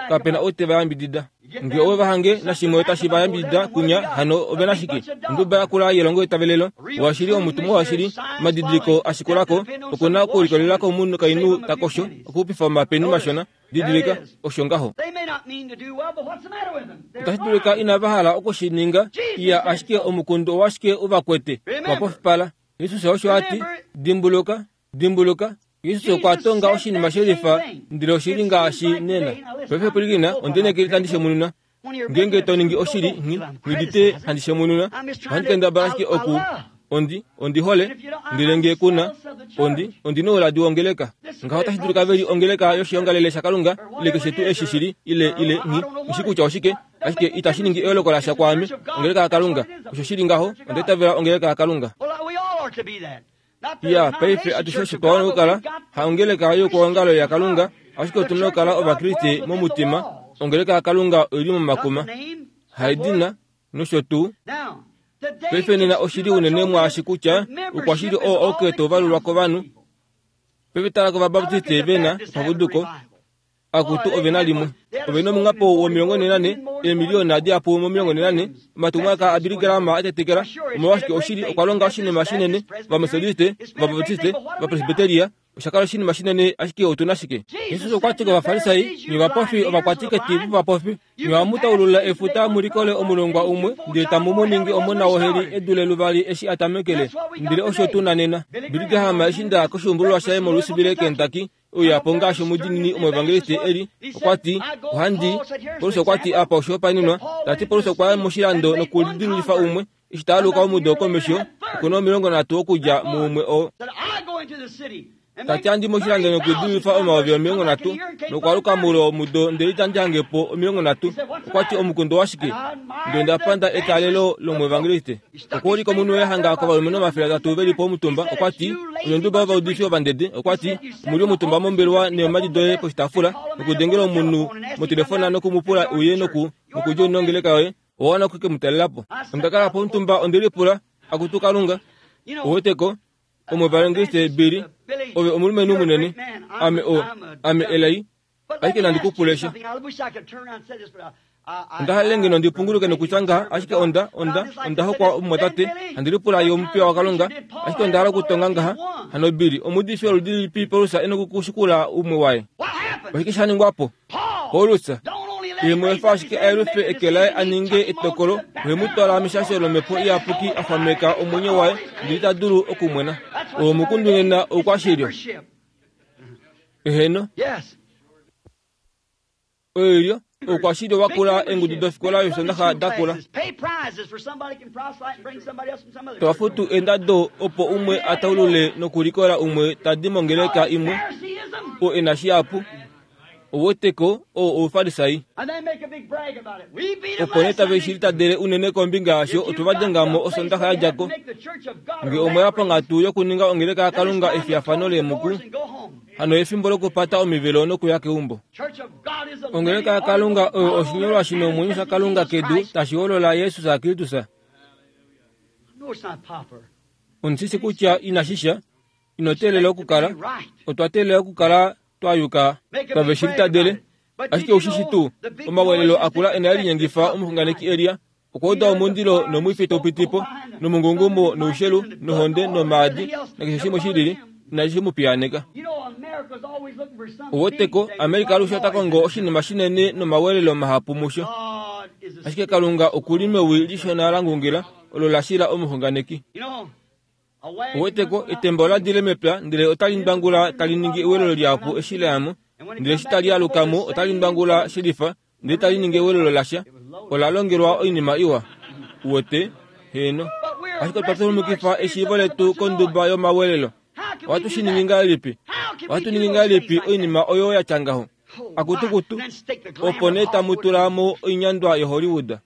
Speaker 1: Kape na ou te va yambidida. Nge ove va hange nashimwe tashi va yambidida kunya, hano ove na shike? Onduba yakula yelongo etavelelo, washili omutumwa washili, omadidiliko a shikula ko, oku na okulikolelela komukainhu ta kosho, okuxupifa omapeni mashona. Didilika, osho ngaho. Otashi dulika inava hala oku shi ninga, iya ashike omukundu owashike u va kwete, wa pofipala. Jesus osho a ti, Dimbuluka, dimbuluka. Jesus okwa tonga oshinima shelifa, ndele oshi li ngaashi nena. Paife pwilikina, ondiinekeli tandi shemununa. Ngeenge to ningi oshili, nghi nghi handi shemununa, ohandi kendabala ashike oku ondi ondi hole, ndele nge ku na ondi ondi nouladi wongeleka. Ngaho otashi dulika ve li ongeleka yoshiongalele shaKalunga ile keshe tuu eshi shili ile ile nghi nghi kutya oshike, ashike itashi ningi eyooloko lasha kwaame. Ongeleka yaKalunga, osho shi li ngaho, onda itavela ongeleka yaKalunga. Ya, paife atushe osho twa wana okukala, haongeleka youkwaongalo yaKalunga, ashike otu na okukala Ovakriste momutima. Ongeleka yaKalunga oi li momakuma, haedina nosho tuu. Paife nena oshi li unene mwaashi kutya oukwashili oo auke tau valulwa kovanhu. Paife tala kOvabaptiste ve na epapuduko. Akutu ove na limwe. Ove na omunghapo womilongo nhe nanhe, eemiliyona dihapu momilongo nhe nanhe, omatumwalaka aBilly Graham a tetekela. Omolwashike, oshili, okwa longa oshinima shinene. Ovametodiste, Ovabaptiste, Ovapresbiteria, osha kala oshinima shinene, ashike otu na shike? Jesus okwa ti kOvafarisai, Nye ovapofi, ovakwatiketi vovapofi, nye ohamu taulula efuta mu likole omulongwa umwe, ndele tamu mu ningi omona woheli e dule luvali eshi a tamekele. Ndele osho tu na nena. Billy Graham eshi nda ya koshuumbululwa shaye moLouisville, Kentucky, uya po ngaashi omudiinini omuevangeliste e li, okwa ti, Ohandi. Paulus okwa ti, Apa oshihopaenenwa, ta ti Paulus okwa ya moshilando nokulidilululifa umwe, eshi ta aluka omudo komesho, oku na 30 okudja muumwe oo. Ta ti, Handi moshilando nokulidilululifa 30,000, nokwaluka moule womudo ndele itandi hange po 30. Okwa ti, Omukundu owashike? Ndele onda panda etalelo lomuevangeliste. Okwa ulika omunhu waye hanga kovalumenhu 300 ve li po omutumba. Okwa ti, Onye vovaudifi ovandede. Okwa ti, Omu li omutumba mombelewa neemhadi doye poshitaafula, nokudengela omunhu motelefona noku mu pula uye noku, nokudja nongeleka yoye. Owa wana oku ke mu talela po. Onda kala po omutumba, onde lipula, Akutu Kalunga, ou wete ko, omuevangeliste Billy, ove omulumenhu munene. Ame o, ame elai. Ashike nandi ku pule sha. Onda halele ngeno ndi punguluke nokutya ngaha, ashike onda, onda, onda hokwa omumwatate, handi lipula ye omupiya waKalunga, ashike onda hala okutonga ngaha, hano Billy, omuudifi woludi lilipi Paulus e nokushikula umwe waye? Oshike sha ningwa po? Paulus, ye mu efa ashike a yelufe eke laye a ninge etokolo, ohe mu twala meshasho lOmhepo Iyapuki a xwameka omwenyo waye ndele ita dulu okumwena. Oo omukundu nena oukwashilyo. Eheno. Oilyo oukwashilyo wa kula eengudu dofikola yOsoondaxa da kula. Tava futu eendado opo umwe a taulule nokulikola umwe ta di mongeleka imwe oo e na shihapu. Ouweteko oo Oufarisai. Opo nee tave shi litadele unene kombinga yasho otwe va denga mo Osoondaxa ya dja ko. Nge omwe ya ponghatu yokuninga ongeleka yaKalunga efiyafano leemuku, Hano efimbo lokupata omivelo nokuya keumbo. Ongeleka yaKalunga oyo oshinyolwa shi nomwenyo shaKalunga kedu tashi holola Jesus Kristus. Ondi shi kutya inashi sha, ino teelela okukala, otwa teelela okukala twa yuka tave shi litadele. Ashike ou shi shi tuu, omawelelo akula e na linyengifa omuxunganeki Elia Okwa uda omundilo nomwifi tau piti po, nomungungumo noushelu nohonde nomaadi nakeshe shimwe shi lili, inashi mu piyaaneka. Ouweteko, Amerika alushe ota kongo oshinima shinene nomawelelo mahapu musho. Ashike Kalunga oku li mewi lishona la ngungila olo la shila omuxunganeki. Ouweteko, etemba ola dile mepya ndele otali ndwangula tali ningi ewelelo lihapu eshi la ya mo, ndele eshi tali aluka mo otali ndwangula shelifa ndele tali ningi ewelelo lasha, ola longelwa oinima iwa. Uwete? Heeno. Ashike otwa tulumukifa eshiivo letu konduba yomawelelo. Ohatu shi ningi ngahelipi? Ohatu ningi ngahelipi oinima oyo ya tya ngaho? Akutukutu, opo nee tamu tula mo oinyandwa yoHollywood.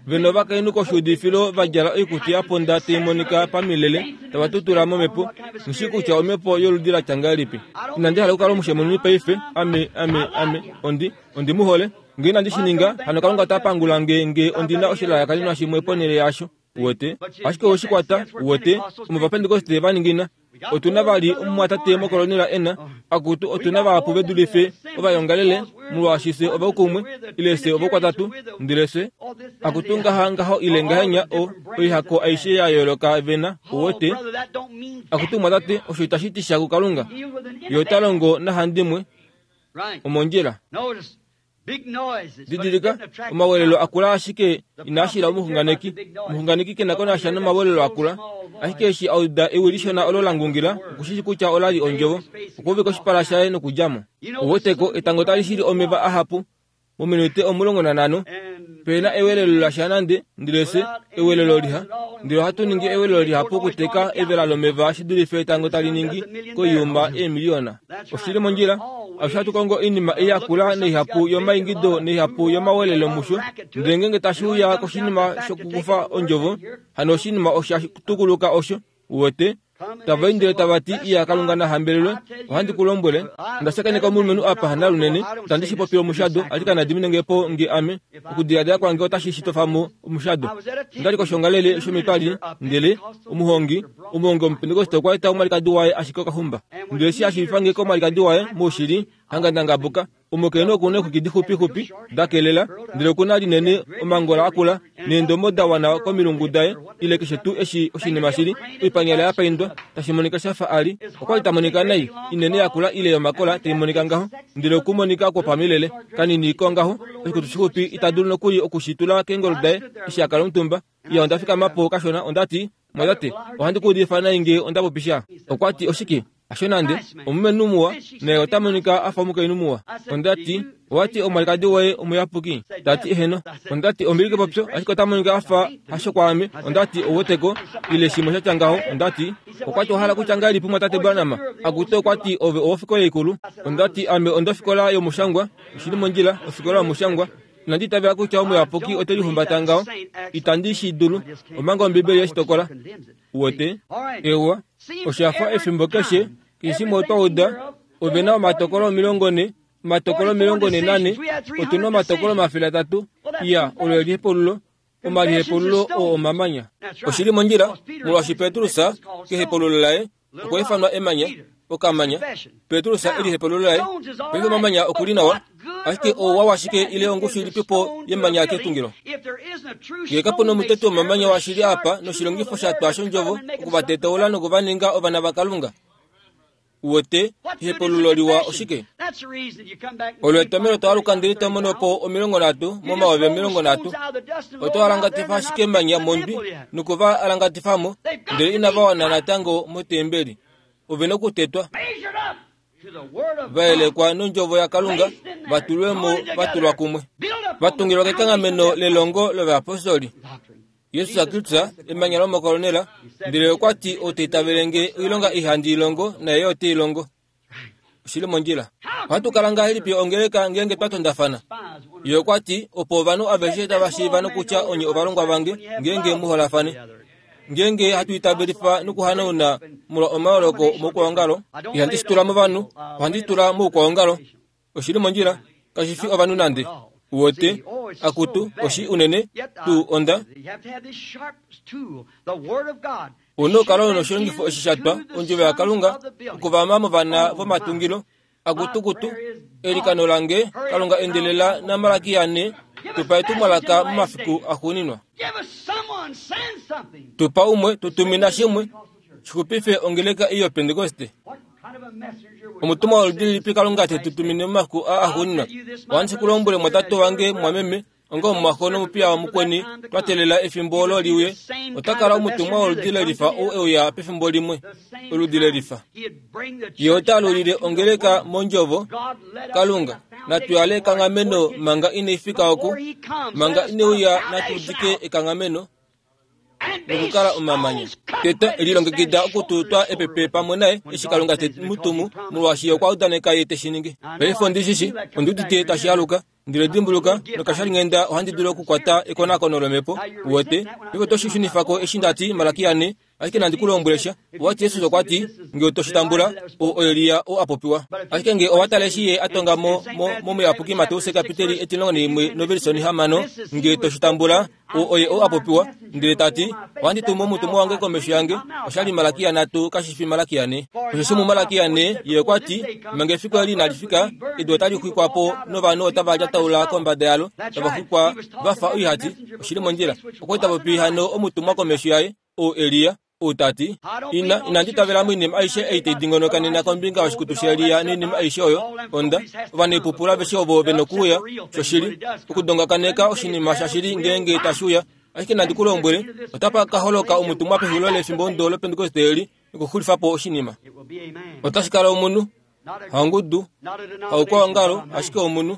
Speaker 1: Ve novakainhu koshuudifilo va djala oikutu ya ponda tai monika pamilele, tava tutula momhepo. Nghi shii kutya omhepo yoludi la tya ngahelipi. Inandi hala okukala omushemununi paife. Ame, ame, ame, ondi. Ondi mu hole. Nge inandi shi ninga, hano Kalunga ota pangula nge nge ondi na oshilalakaninwa shimwe ponhele yaasho. Uwete? Ashike owe shi kwata, uwete, omo Ovapentekoste va ningina. Otu na vali omumwatate mokolonela e na, akutu, otu na vahapu ve dulife ovayongalele, molwaashi fye ovaukumwe, ile fye ovaukwatatu, ndele fye, akutu ngaha, ngaho ile ngahenya, o, oihako aishe ya yooloka ve na, uwete. Akutu mumwatate, osho itashi ti sha kuKalunga. Ye ota longo nahandimwe. Omondjila. Didilika, omawelelo akula ashike inaa shila omuxunganeki. Omuxunganeki ke na ko nasha nomawelelo akula. Ashike eshi a uda ewi lishona olo la ngungila, oku shi shi kutya ola li ondjovo. Okwa uvika oshipala shaye nokudja mo. Uweteko, etango tali shili omeva ahapu. Mominute 15, pe na ewelelo lasha nande, ndele fye, ewelelo liha, ndele ohatu ningi ewelelo lihapu okuteka evela lomeva shi dulife etango tali ningi koiyuma eemiliyona. Oshi li mondjila. Alushe ohatu kongo oinima ei yakula naihapu yomaingido naihapu yomawelelo musho, ndele ngeenge tashi uya koshinima shokukufa ondjovo, hano oshinima osha tukuluka osho. Uwete? Tava indile tava ti, Iya, Kalunga na hambelelwe, ohandi ku lombwele, onda shakeneka omulumenhu apa hanalunene, itandi shi popile omushado, ashike na dimine nge po nge ame, okudiladila kwange otashi shi tofa mo omushado. Onda li koshiongalele shomitwali, ndele, omuhongi, omuhongi Omupentekoste okwa eta omwalikadi waye ashike okahumba. Ndele eshi a shiivifa nge komwalikadi waye, moushili, hanga nda ngabuka. Omukainhu oku na eexwiki dixupixupi, da kelela, ndele oku na linene, omangola akula, neendomo da wana komilungu daye, ile keshe tuu eshi oshinima shi li, oipanyala ya paindwa, tashi monika sha fa a li. Okwa li ta monika nai, inene yakula ile yomakola tai monika ngaho, ndele okumonika kwopamilele, kanini kongaho, oshikutu shixupi ita dulu nokuli oku shi tula keengolo daye eshi a kala omutumba. Iya, onda fikama po kashona, onda ti, Mwatate, ohandi ku udifa nai nge onda popi sha. Okwa ti, Oshike? Hasho nande. Omulumenhu muwa, naye ota monika a fa omukainhu muwa. Onda ti, Owa ti omwalikadi woye omuyapuki? Ta ti, Eheno. Onda ti, Ombili kepopyo, ashike ota monika a fa hasho kwaame. Onda ti, Ou weteko, ile shimwe sha tya ngaho. Onda ti, Okwa ti, Owa hala kutya ngahelipi mumwatate Branham? Akutu, okwa ti, ove owofikola ikulu. Onda ti, Ame ondofikola yomushangwa. Oshi li mondjila, ofikola yomushangwa. Inandi itavela kutya omuyapuki ote lihumbata ngaho. Itandi shi dulu, omanga Ombibeli ye shi tokola. Uwete? Ewa, osha fa efimbo keshe, keshe shimwe otwa uda, ove na omatokolo 40, omatokolo 44, otu na omatokolo 300. Iya, olo elihepululo. Omalihepululo oo omamanya. Oshi li mondjila, molwaashi Petrus, kehepululo laye, okwa ifanwa emanya, okamanya. Petrus elihepululo laye. Paife omamanya oku li nawa. Ashike ouwa washike ile ongushu ilipi po yemanya ketungilo? Ngee kapu na omuteti womamanya washili apa noshilongifo sha twa shondjovo oku va tetaula noku va ninga ovana vaKalunga. Uwete, ehepululo liwa oshike? Olo etomhelo to aluka ndele to mono po 30 momayovi 30. Oto alangatifa ashike emanya mondwi noku va alangatifa mo, ndele inava wana natango motembeli. Ove nokutetwa. Va yelekwa nondjovo yaKalunga, va tulwe mo va tulwa kumwe. Va tungilwa kekanghameno lelongo lovayapostoli. Jesus Kristus, emanya lomokolonela, ndele okwa ti ou ta itavele nge oilonga ei handi i longo, naye yo ote i longo. Oshi li mondjila. Ohatu kala ngahelipi ongeleka ngeenge twa tondafana? Ye okwa ti, opo ovanhu aveshe tava shiiva nokutya onye ovalongwa vange, ngeenge mu holafane. Ngeenge hatu itavelifa nokuhanauna molwa omayooloko omoukwaongalo, ihandi shi tula movanhu, ohandi shi tula moukwaongalo. Oshi li mondjila, kashi fi ovanhu nande. Uwete, akutu, oshi unene tuu onda. Una okukala u noshilongifo eshi sha twa, ondjovo yaKalunga, okuvama movana vomatungilo. Akutukutu, elikano lange, Kalunga endelela naMalaki yane, tu pa etumwalaka momafiku axuuninwa. Tu pa umwe, tu tumina shimwe, shi xupife ongeleka ei yOpentekoste. Omutumwa woludi lilipi Kalunga te tu tumine momafiku aa axuuninwa? Ohandi shi ku lombwele mwatate wange, mumwameme, onga omumwaxo nomupiya wamukweni, twa teelela efimbo olo li uye. Ota kala omutumwa woludi lelifa ou e uya pefimbo limwe, oludi lelifa. Ye ota alulile ongeleka mondjovo. Kalunga, natu yale ekanghameno manga inai fika oku, manga ine uya natu udike ekanghameno. nokukala omamanya. Tete, lilongekida okututwa epepe pamwe naye eshi Kalunga te mu tumu, molwaashi ye okwa udaneka ye te shi ningi. Paife ondi shi shi, ondi udite tashi aluka. Ndele dimbuluka, nokashalinghenda ohandi dulu okukwata ekonakono lomhepo, uwete. Paife oto shi shunifa ko eshi nda ti, Malaki yane, Ashike nandi ku lombwele sha. Owa ti Jesus okwa ti, Nge oto shi tambula, ou oElia ou a popiwa. Ashike nge owa tale eshi ye a tonga mo, mo, momuyapuki Mateus kapiteli 11 novelisoni 6, nge to shi tambula, ou oye ou a popiwa. Ndele ta ti, Ohandi tumu omutumwa wange komesho yange. Osha li Malakia nhatu, kashi fi Malakia ne. Osheshi muMalakia ne, ye okwa ti, Manga efiku eli inali fika, edu otali xwikwa po novanhu otava lyataula kombada yalo, tava xwikwa va fa oihati. Oshi li mondjila. Okwa li ta popi hano omutumwa komesho yaye, ou Elia, ou ta ti, Ina, inandi itavela moinima aishe ei tai dingonoka nena kombinga yoshikutu shaElia noinima aishe oyo. Onda, ovaneepupulu aveshe ovo ve nokuuya, shoshili, okudongakaneka oshinima shashili ngeenge tashi uya. Ashike nandi ku lombwele, otapa ka holoka omutumwa pexulilo lefimbomudo lOpentekoste eli nokuxulifa po oshinima. Otashi kala omunhu, haongudu, haukwaongalo, ashike omunhu.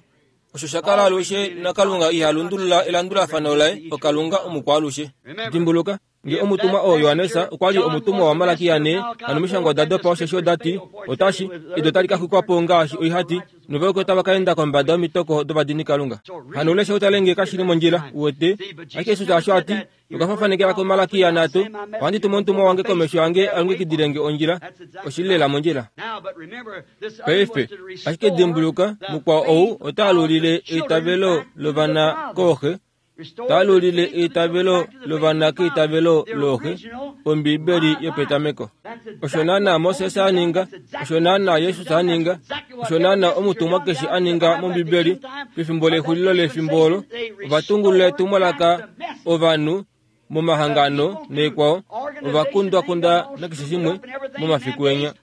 Speaker 1: Osho sha kala alushe, naKalunga iha lundulula elandulafano laye, oKalunga omukwaalushe. Dimbuluka, nge omutumwa oo Johannes okwa li omutumwa waMalaki yane, hano omishangwa oda dopa osheshi oda ti, Otashi, edu otali ka xwikwa po ngaashi oihati, novayuki otava ka enda kombada yomitoko dovadinikalunga. Hano lesha u tale nge kashi li mondjila, uwete. Ashike Jesus osho a ti, Okwa fafanekela koMalaki yanhatu, Ohandi tumu omutumwa wange komesho yange a longekidile nge ondjila. Oshi li lela mondjila. Paife, ashike dimbuluka, mukwao ou ota alulile eitavelo lovana kooxe, ta alulile eitavelo lovana keitavelo looxe, Ombibeli yopetameko. Osho naanaa Moses a ninga, osho naanaa Jesus a ninga, osho naanaa omutumwa keshe a ninga mOmbibeli pefimbo lexulilo lefimbo olo. Ova tungulula etumwalaka ovanhu momahangano naikwao, ova kundwakunda nakeshe shimwe momafiku enya.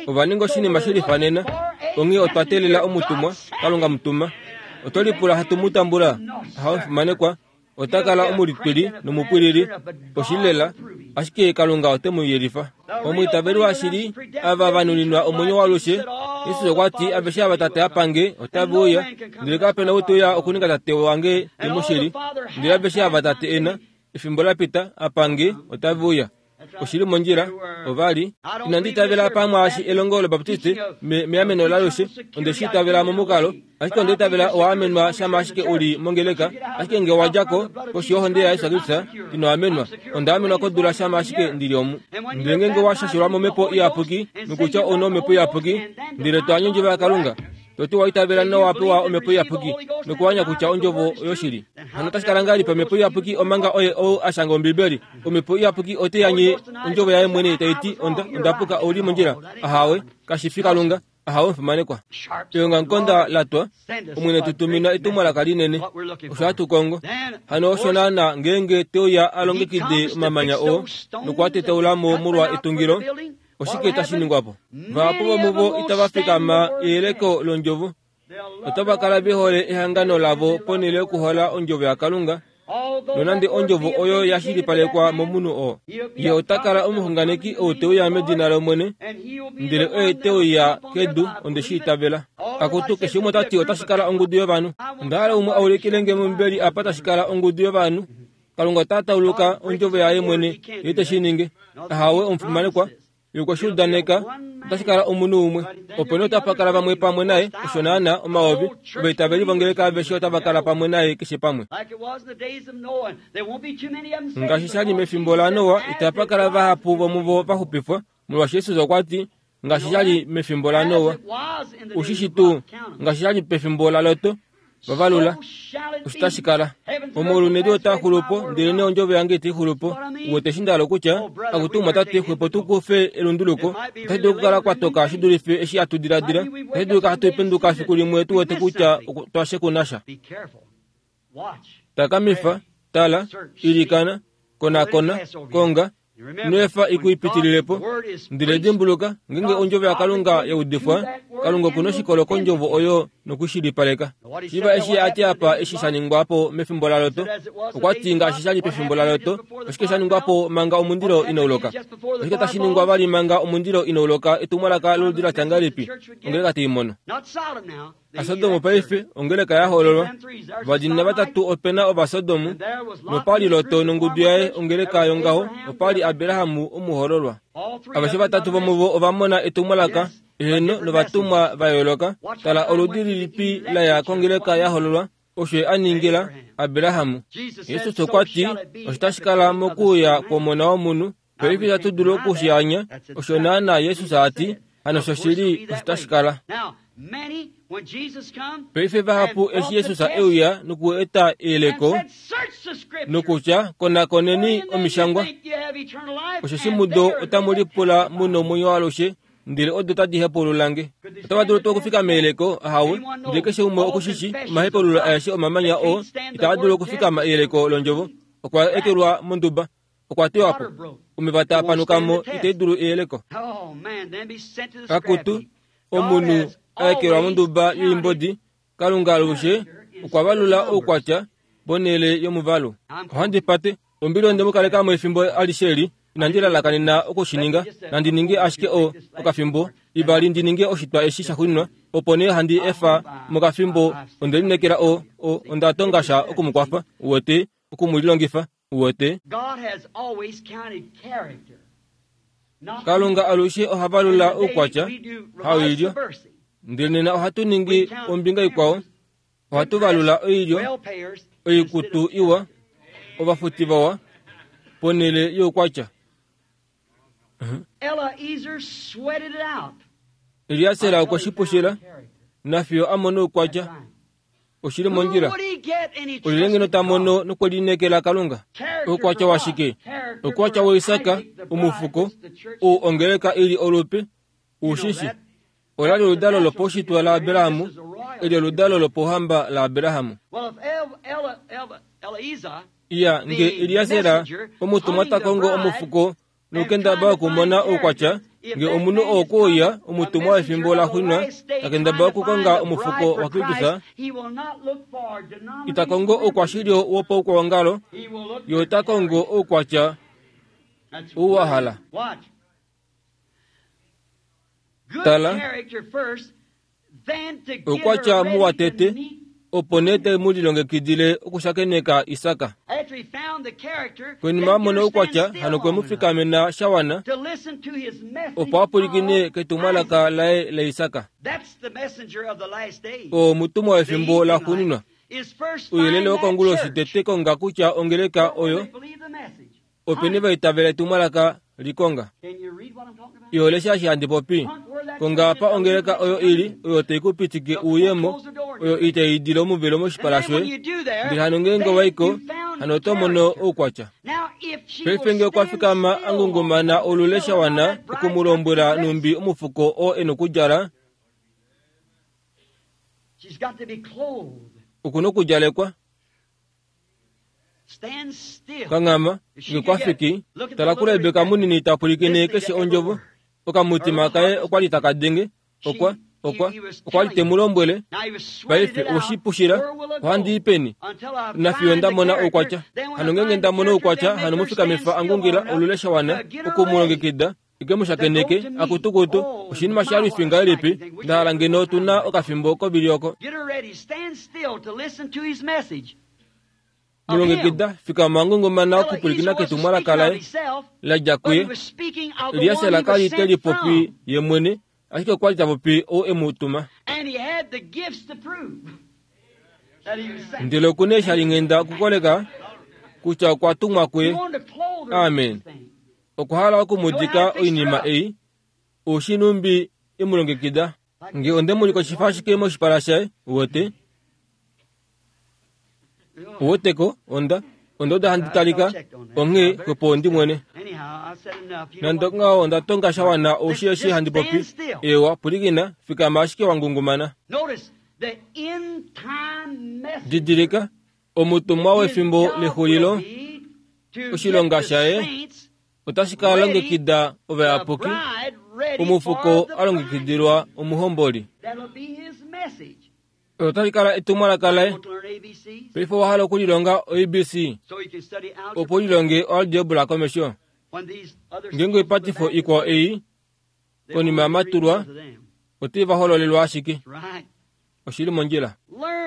Speaker 1: Ova ninga oshinima she lifanena. Onghee otwa teelela omutumwa, Kalunga mutuma. Oto lipula hatu mu tambula? Ahawe, fimanekwa. Ota kala omulitwili nomupwilili, oshili lela, ashike Kalunga ote mu yelifa. Omwiitaveli washili, ava va nuninwa omwenyo waalushe, Jesus okwa ti, Aveshe ava Tate a pa nge, otave uya, ndele kape na ou te uya okuninga Tate wange te mu shili. Ndele aveshe ava Tate e na, efimbo la pita, a pa nge, otave uya. Oshi li mondjila. Ova li. Inandi itavela pamwaashi elongo lObaptiste me, meameno lalushe. Onde shi itavela momukalo. Ashike onda itavela owa amenwa shama ashike u li mongeleka. Ashike nge owa dja ko, koshi yohonde yaJesus Kristus, ino amenwa. Onda amenwa kodula shama ashike ndi li omu. Ndele ngeenge wa shashelwa mOmhepo Iyapuki, nokutya ou na Omhepo Iyapuki, ndele to anye Ondjovo yaKalunga, to ti wa itavela nowa pewa Omhepo Iyapuki, nokuanya kutya Ondjovo oyoshili. Hano otashi kala ngahelipi Omhepo Iyapuki omanga oye ou a shanga Ombibeli? Omhepo Iyapuki ote ya nye Ondjovo yaye mwene tai ti, Onda, onda puka, ou li mondjila. Ahawe, kashi fi Kalunga. Ahawe omufimanekwa. Eongamukonda la twa, Omwene tu tumina etumwalaka linene. Osho hatu kongo. Hano osho naana ngeenge te uya a longekide omamanya oo noku a tetaula mo molwa etungilo, oshike tashi ningwa po? Vahapu vomuvo itava fikama eyeleko londjovo. Otava kala ve hole ehangano lavo ponhele yokuhola ondjovo yaKalunga, nonande ondjovo oyo ya shilipalekwa momunhu oo. Ye ota kala omuxunganeki ou te uya medina lOmwene, ndele oye te uya kedu, onde shi itavela. Akutu, keshe umwe ota ti otashi kala ongudu yovanhu. Onda hala umwe a ulikile nge mOmbibeli apa tashi kala ongudu yovanhu. Kalunga ota tauluka ondjovo yaye mwene, ye te shi ningi. Ahawe, omufimanekwa. Ye okwe shi udaneka, otashi kala omunhu umwe. Opo nee otapa kala vamwe pamwe naye, osho naanaa, omayovi, ovaitaveli vongeleka aveshe otava kala pamwe naye keshe pamwe. Ngaashi sha li mefimbo laNoa, itapa kala vahapu vomuvo va xupifwa, molwaashi Jesus okwa ti, Ngaashi sha li mefimbo laNoa, u shi shi tuu, ngaashi sha li pefimbo laLot, va valula osho tashi kala. Omaulu nedu otaa xulu po, ndelenee ondjovo yange itai xulu po. U wete eshi nda hala okutya? Akutu omumwatate, xwepo tu kufe elunduluko. Otashi dulu okukala kwa toka shi dulife eshi hatu diladila. Otashi dulika hatu penduka fiku limwe tu wete kutya otwa shekuna sha. Takamifa, tala, ilikana, konakona, konga, Ino efa i ku ipitilile po. Ndele dimbuluka, ngeenge ondjovo yaKalunga ya udifwa, Kalunga oku na oshikolo kondjovo oyo noku shilipaleka. Shiiva eshi a ti apa eshi sha ningwa po mefimbo laLot. Okwa ti ngaashi sha li pefimbo laLot, oshike sha ningwa po manga omundilo inau loka? Oshike tashi ningwa vali manga omundilo inau loka etumwalaka loludi la tya ngahelipi ongeleka tai mono? ASodom paife ongeleka ya hoololwa. Vadina vatatu ope na Ovasodomu, nopa li Lot nongudu yaye ongeleka yongaho, opa li Abraham omuhoololwa. Aveshe vatatu vomuvo ova mona etumwalaka, eheno, novatumwa va yooloka. Tala oludi lilipi la ya kongeleka ya hoololwa, osho ye a ningila Abraham. Jesus okwa ti, Osho tashi kala mokuuya kwOmona wOmunhu. Paife itatu dulu oku shi anya, osho naanaa Jesus a ti, hano shoshili osho tashi kala. Paife vahapu eshi Jesus e uya noku eta eyeleko nokutya konakoneni omishangwa, osheshi mudo otamu lipula mu nomwenyo waalushe, ndele odo tadi hepaulula nge. Otava dulu tuu okufika meyeleko? Ahawe. Ndele keshe umwe oku shi shii, omahepaululo aeshe omamanya oo itaa dulu okufikama eyeleko londjovo. Okwa ekelwa monduba. Okwa teywa po. Omeva taa panuka mo itai dulu eyeleko. Akutu, omunhu a ekelwa monduba yoimbodi, Kalunga alushe okwa valula oukwatya ponhele yomuvalu. Ohandi pate. Ombili onde mu kaleka mo efimbo alishe eli. Inandi lalakanena oku shi ninga. Nandi ninge ashike o, okafimbo, ivali ndi ninge oshitwa eshi shaxuuninwa, opo nee handi efa mokafimbo. Onde lineekela o, o, onda tonga sha oku mu kwafa, uwete, oku mu lilongifa. Uwete? Kalunga alushe oha valula oukwatya, haoilyo. Ndele nena ohatu ningi ombinga ikwao, ohatu valula oilyo, oikutu iwa, ovafuti vawa, ponhele youkwatya. Eliaser okwe shi pushila, nafiyo a mona oukwatya. Oshi li mondjila. Olyelye ngeno ta mono nokwelineekela Kalunga? Oukwatya washike? Oukwatya waIsak, omufuko, ou ongeleka i li olupe, u shi shi. Ola li oludalo lopaushitwe laAbraham, eli oludalo lopauhamba laAbraham. Iya, nge Eliaser, omutumwa ta kongo omufuko, nokukendabala okumona oukwatya, nge omunhu oo okwe uya, omutumwa wefimbo la xwinwa, ta kendabala okukonga omufuko waKristus, ita kongo oukwashilyo wopaukwaongalo, ye ota kongo oukwatya ou wa hala. Tala, Oukwatya muwa tete, opo nee te mu lilongekidile okushakeneka Isak. Konima a mona oukwatya, hano okwe mu fikamena sha wana opo a pwilikine ketumwalaka laye laIsak. Oo omutumwa wefimbo laxuuninwa. Ouyelele wokonguloshi tete konga kutya ongeleka oyo Openi va itavela etumwalaka li konga? Iho lesha eshi handi popi? Konga apa ongeleka oyo i li, oyo tai ku pitike u ye mo, oyo itai idile omuvelo moshipala shoye. Ndele hano ngeenge wa i ko, hano oto mono oukwatya. Paife nge okwa fikama a ngungumana olule sha wana oku mu lombwela nhumbi omufuko oo e nokudjala, Oku nokudjalekwa. Kanghama, nge kwa fiki, tala kuRebeka munini ta pwilikine keshe ondjovo. Okamutima kaye okwa li taka denge. Okwa, okwa, okwa li te mu lombwele, Paife owe pushila, ohandi i peni? Nafiyo nda mona oukwatya. Hano ngeenge nda mono oukwatya, hano mu fikamifa a ngungila olule sha wana oku mu longekida, ike mu shakeneke, akutukutu, oshinima sha lwifi ngahelipi, nda hala ngeno otu na okafimbo kovili oko. Mu longekida, fikama wa ngungumana okupwilikina ketumwalaka laye la dja kuye. Eliaser ka li te lipopi ye mwene, ashike okwa li ta popi ou e mu tuma. Ndele oku na eeshalinghenda okukoleka kutya okwa tumwa kuye. Amen. Okwa hala oku mu dika oinima ei, oushi nhumbi e mu longekida. Nge onde mu likoshifa ashike moshipala shaye, uwete? Uweteko, onda, onda uda handi talika, onghee xwepo ondi mwene. Nande ongaho onda tonga sha wana oushi eshi handi popi. Eewa, pwilikina, fikama ashike wa ngungumana. Didilika, omutumwa wefimbo lexulilo, oshilonga shaye otashi ka longekida ovayapuki, omufuko a longekidilwa omuhomboli. Olo otali kala etumwalaka laye. Paife owa hala okulilonga oABC, opo u lilonge oalgebra komesho. Ngeenge oipatifo ikwao ei konima ya matulwa, otai va hololelwa ashike. Oshi li mondjila.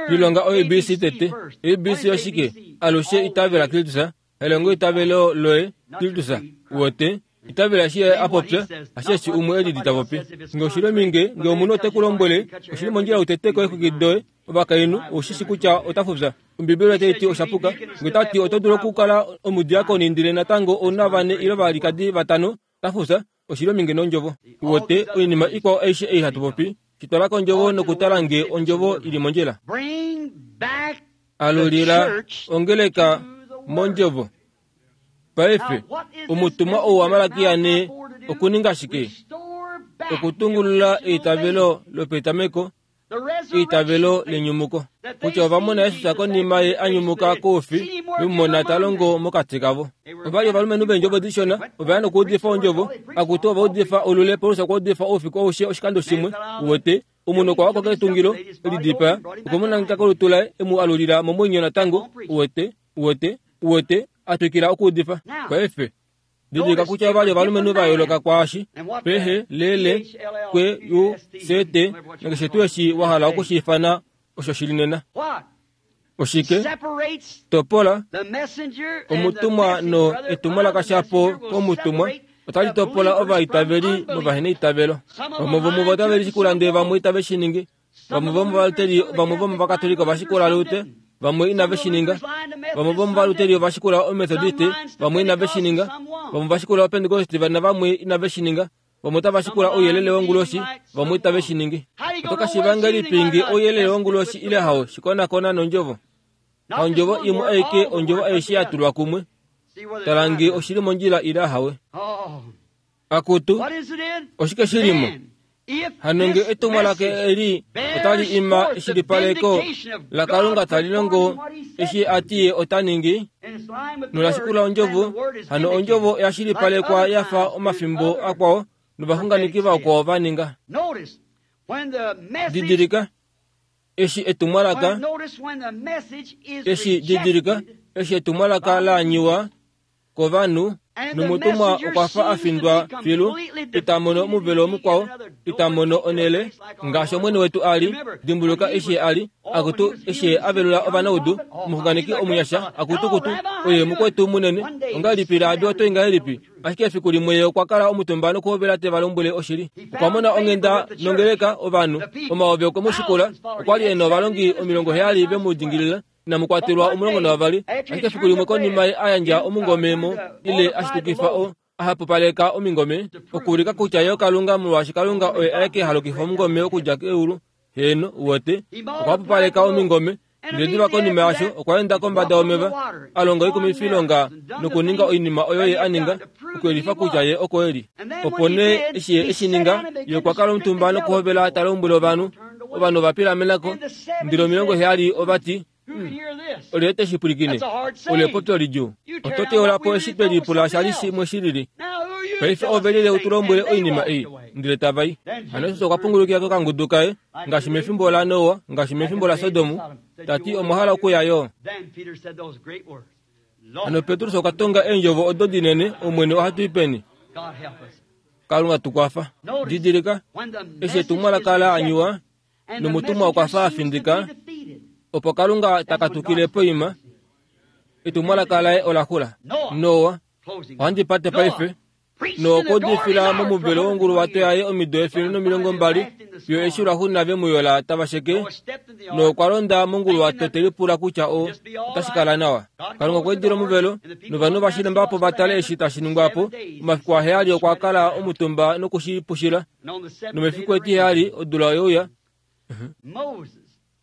Speaker 1: Lilonga oABC tete. ABC oshike? Alushe itavela Kristus. Elongo eitavelo loye, Kristus. Uwete? Itavela eshi ye a popya, ashe eshi umwe e lili ta popi. Nge oshi li ominge, nge omunhu ote ku lombwele, oshi li mondjila u tete ko eexwiki doye, ovakainhu, ou shi shi kutya ota fufya. Ombibeli otai ti osha puka. Nge ota ti oto dulu okukala omudiakoni ndele natango ou na vane ile ovalikadi vatano, ota fufya. Oshi li ominge nOndjovo. Uwete, oinima ikwao aishe ei hatu popi, shi twala kOndjovo nokutala nge Ondjovo i li mondjila. Alulila ongeleka mOndjovo. Paife, omutumwa ou waMalakia ne okuninga shike? Okutungulula eitavelo lopetameko eitavelo lenyumuko kutya ova mona Jesus konima ye a nyumuka koufi vemumona ta longo mokati kavo. Ova li ovalumenhu veendjovo dishona, ova ya nokuudifa ondjovo, akutu ova udifa olule. Paulus okwa udifa oufiku aushe oshikando shimwe. Uwete, omunhu okwa wako ketungilo, e lidipaa, okwe mu nangeka kolutu laye, e mu alulila momwenyo natango. Uwete, uwete, uwete, a twikila okuudifa. Paife, Didilika kutya ova li ovalumenhu va yooloka kwaashi P, H, L, L, Q, U, C, T nakeshe tuu eshi wa hala oku shi ifana osho shi li nena. Oshike? Topola omutumwa no etumwalaka shapo komutumwa otali topola ovaitaveli movaheneitavelo. Vamwe vomuvo otave lishikula ndele vamwe itave shi ningi. Vamwe vomovaluteri vamwe vomovakatolika ova shikula Luther, vamwe inave shi ninga. Vamwe vomovaluteri ova shikula Omethodiste, vamwe inave shi ninga. Vamwe ova shikula Opentekoste navamwe inave shi ninga. Vamwe otava shikula ouyelele wonguloshi, vamwe itave shi ningi. Oto ka shiiva ngahelipi nge ouyelele wonguloshi ile hao? Shi konakona nOndjovo. Haondjovo imwe aike, ondjovo aishe ya tulwa kumwe. Tala nge oshi li mondjila ile ahawe. Akutu, oshike shi li mo? Hano nge etumwalaka eli otali ima eshilipaleko laKalunga tali longo eshi a ti ye ota ningi, nola shikula ondjovo, hano ondjovo oya shilipalekwa ya fa omafimbo akwao novaxunganeki vakwao va ninga. Didilika, eshi etumwalaka, eshi didilika, eshi etumwalaka la anyiwa kovanhu, nomutumwa okwa fa a findwa filu, ita mono omuvelo mukwao, ita mono onhele, ngaashi Omwene wetu a li. Dimbuluka eshi Ye a li, akutu, eshi Ye a velula ovanaudu, omuxunganeki omunyasha, akutukutu, oye mukwetu munene. Ongahelipi Rahabi oto i ngahelipi? Ashike efiku limwe ye okwa kala omutumba nokuhovela te va lombwele oshili. Okwa mona onghenda nongeleka, ovanhu, omayovi okwe mu shikula. Okwa li e na ovalongi 70 ve mu dingilila. Inamu kwatelwa 12, ashike efiku limwe konima ye a yandja omungome mo ile a shitukifa o a hapupaleka omingome, okuulika kutya ye oKalunga, molwaashi Kalunga oye aeke ha lokifa omungome okudja keulu. Heeno, uwete, okwa hapupaleka omingome. Ndele diva konima yaasho, okwa enda kombada yomeva, a longa oikumifilonga nokuninga oinima oyo ye a ninga, okuyelifa kutya ye oko e li. Opo nee eshi ye e shi ninga, ye okwa kala omutumba nokuhovela ta lombwele ovanhu. Ovanhu ova pilamena ko, ndele 70 ova ti, Olyelye te shi pwilikine? Olo epopyo lidjuu. Oto teula po eshi twe lipula sha li shimwe shi lili. Paife ove lile u tu lombwele oinima ei. Ndele tava i. Hano Jesus okwa pungulukila kokangudu kaye, ngaashi mefimbo laNoa, ngaashi mefimbo laSodom, ta ti, Omwa hala okuya yo? Hano Petrus okwa tonga eendjovo odo dinene, Omwene, ohatu i peni? Kalunga tu kwafa. Didilika, eshi etumwalaka la anyuwa, nomutumwa okwa fa a findika, opo Kalunga ta katukile poima, etumwalaka laye ola xula. Noa, ohandi pate paife, Noa okwa udifila momuvelo wonguluwato yaye omido 120 fiyo eshi lwaxuuninwa ve mu yola tava sheke. Noa okwa londa monguluwato te lipula kutya o otashi kala nawa. Kalunga okwa idila omuvelo, novanhu ova shilemba po va tale eshi tashi ningwa po. Omafiku aheyali okwa kala omutumba noku shi pushila, nomefiku etiheyali odula oye uya.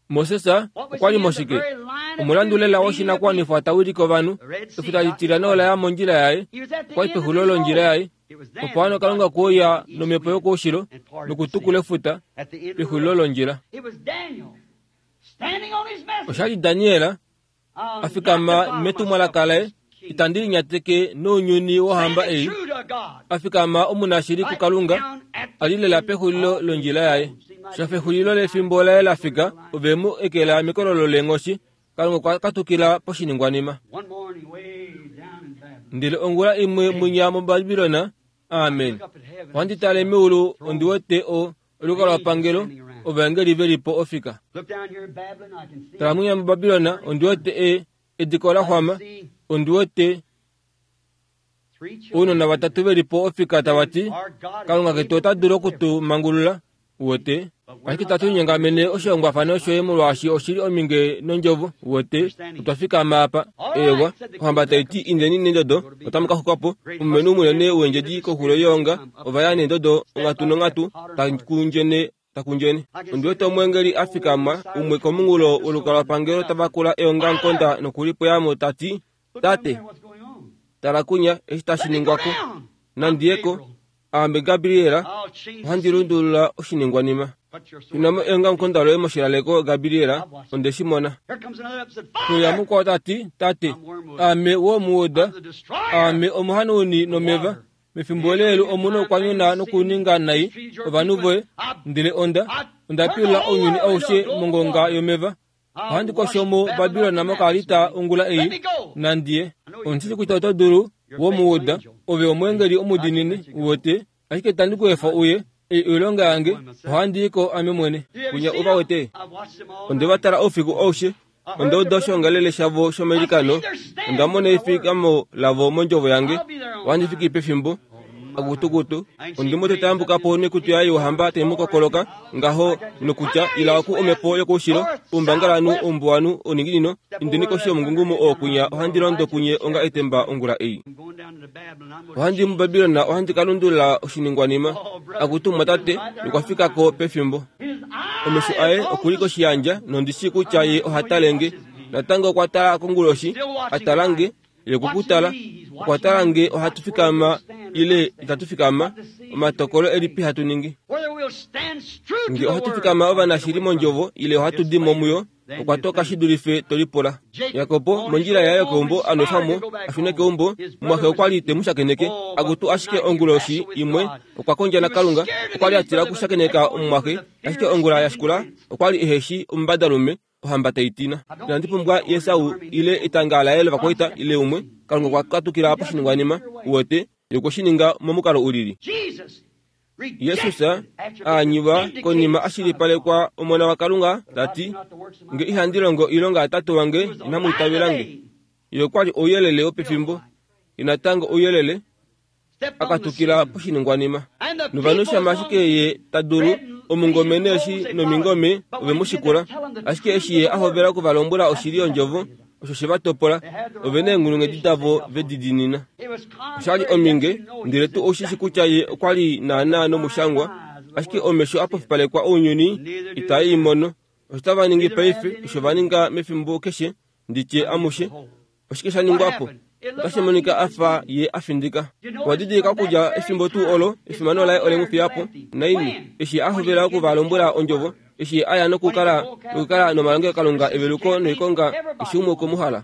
Speaker 1: Moses okwa li moshike? Omulandu lela woshinakuwanifwa ta wilike ovanhu. Efuta litilyana ola ya mondjila yaye. Okwa li pexulilo londjila yaye. Opo hano Kalunga kwe uya nomhepo yokoushilo nokutukula efuta pexulilo londjila. Osha li Daniel a fikama metumwalaka laye, Itandi linyateke nounyuni wohamba ei, a fikama omunashili kuKalunga, a li lela pexulilo londjila yaye. Shafexulilo lefimbo laye la fika, ove mu ekela mekololo leenghoshi. Kalunga okwa katukila poshiningwanima. Ndele ongula imwe mwinya muBabilon, amen, ohandi tale meulu ondi wete o olukalwapangelo ovaengeli ve li po ofika. Tala mwinya muBabilon, ondi wete e, ediko la xwama, ondi wete ounona vatatu ve li po ofika tava ti, Kalunga ketu ota dulu oku tu mangulula, uwete. Ashike tatu linyongamene oshihongwafano shoye molwaashi oshi li ominge nondjovo, uwete. Otwa fikama apa. Eewa, ohamba tai ti, Indeni nendodo, otamu ka xukwa po. Omulumenhu munene wendjedi koxulo yeonga, ova ya nendodo onghatu nonghatu, ta kundjene. Ondi wete omweengeli a fikama, umwe komunghulo wolukalwapangelo ta vakula eongamukonda noku li pweya mo, ta ti, Tate, tala kunya eshi tashi ningwa ko. Nandi ye ko. Aame Gabriel, ohandi lundulula oshiningwanima. Tuna mo eongamukonda loye moshilaleko, Gabriel, onde shi mona. Kuya mukwao ta ti, Tate, aame womuuda, aame omuhanauni nomeva. Mefimbo leelu omu nokwanyuna nokuninga nai ovanhu voye, ndele onda, onda pilula ounyuni aushe mongonga yomeva. Ohandi kosho mo Babilon mokaalita ongula ei, nandi ye. Ondi shii kutya oto dulu, womuuda, ove omweengeli omudiinini, uwete, ashike itandi ku efa uye. Ei oilonga yange, ohandi i ko ame mwene. Kunya ova wete? Onde va tala oufiku aushe. Onda uda oshoongalele shavo shomailikano. Onda mona efikamo lavo mondjovo yange. Ohandi fiki pefimbo. Akutukutu, ondi mu teta yambuka po noikutu yaye youhamba tai mu kokoloka ngaho nokutya, Ila oku omhepo yokoushilo, oumbangalanhu, oumbuwanhu, ouninginino, indeni koshi yomungungumo oo kwinya ohandi londo kunye onga etemba ongula ei. Ohandi i muBabilon ohandi ka lundulula oshiningwanima. Akutu mumwatate, nokwa fika ko pefimbo. Omesho aye oku li koshiyandja nondi shii kutya ye oha tale nge. Natango okwa tala konguloshi, a tala nge, ye okwe ku tala. Okwa tala nge ohatu fikama ile itatu fikama, omatokolo elipi hatu ningi. Nge ohatu fikama ovanashili mondjovo ile ohatu di mo muyo, okwa toka shi dulife to lipula. Jakob mondjila yaye yokeumbo a nwefwa mo a shune keumbo, omumwaxe okwa li te mu shakeneke. Akutu ashike onguloshi imwe okwa kondja naKalunga, okwa li a tila okushakeneka omumwaxe, ashike ongula ya shikula okwa li ehe shi omumbadalume, ohamba tai tina. Inandi pumbwa Esau ile etanga laye lovakwaita ile umwe. Kalunga okwa katukila poshiningwanima, uwete, ye okwe shi ninga momukalo u lili. Jesus a anyiwa konima a shilipalekwa Omona waKalunga, ta ti, Nge ihandi longo oilonga yaTate wange, inamu itavela nge. Ye okwa li ouyelele wopefimbo, ye natango ouyelele, a katukila poshiningwanima. Novanhu shama ashike ye ta dulu, omungome neeshi nomingome ove mu shikula. Ashike eshi ye a hovela oku va lombwela oshili yOndjovo, osho she va topola, ove neenghulunghedi davo ve di diinina. Osha li ominge, ndele tu oshi shi kutya ye okwa li naanaa nomushangwa, ashike omesho a pofipalekwa ounyuni itae i mono. Osho tava ningi paife, osho va ninga mefimbo keshe, ndi tye amushe. Oshike sha ningwa po? Otashi monika a fa ye a findika. Owa didilika okudja efimbo tuu olo efimano laye ole mu fiya po, naini, eshi a hovela oku va lombwela ondjovo, eshi a ya nokukala nokukala nomalongelokalunga eveluko noikonga eshi umwe okwe mu hala.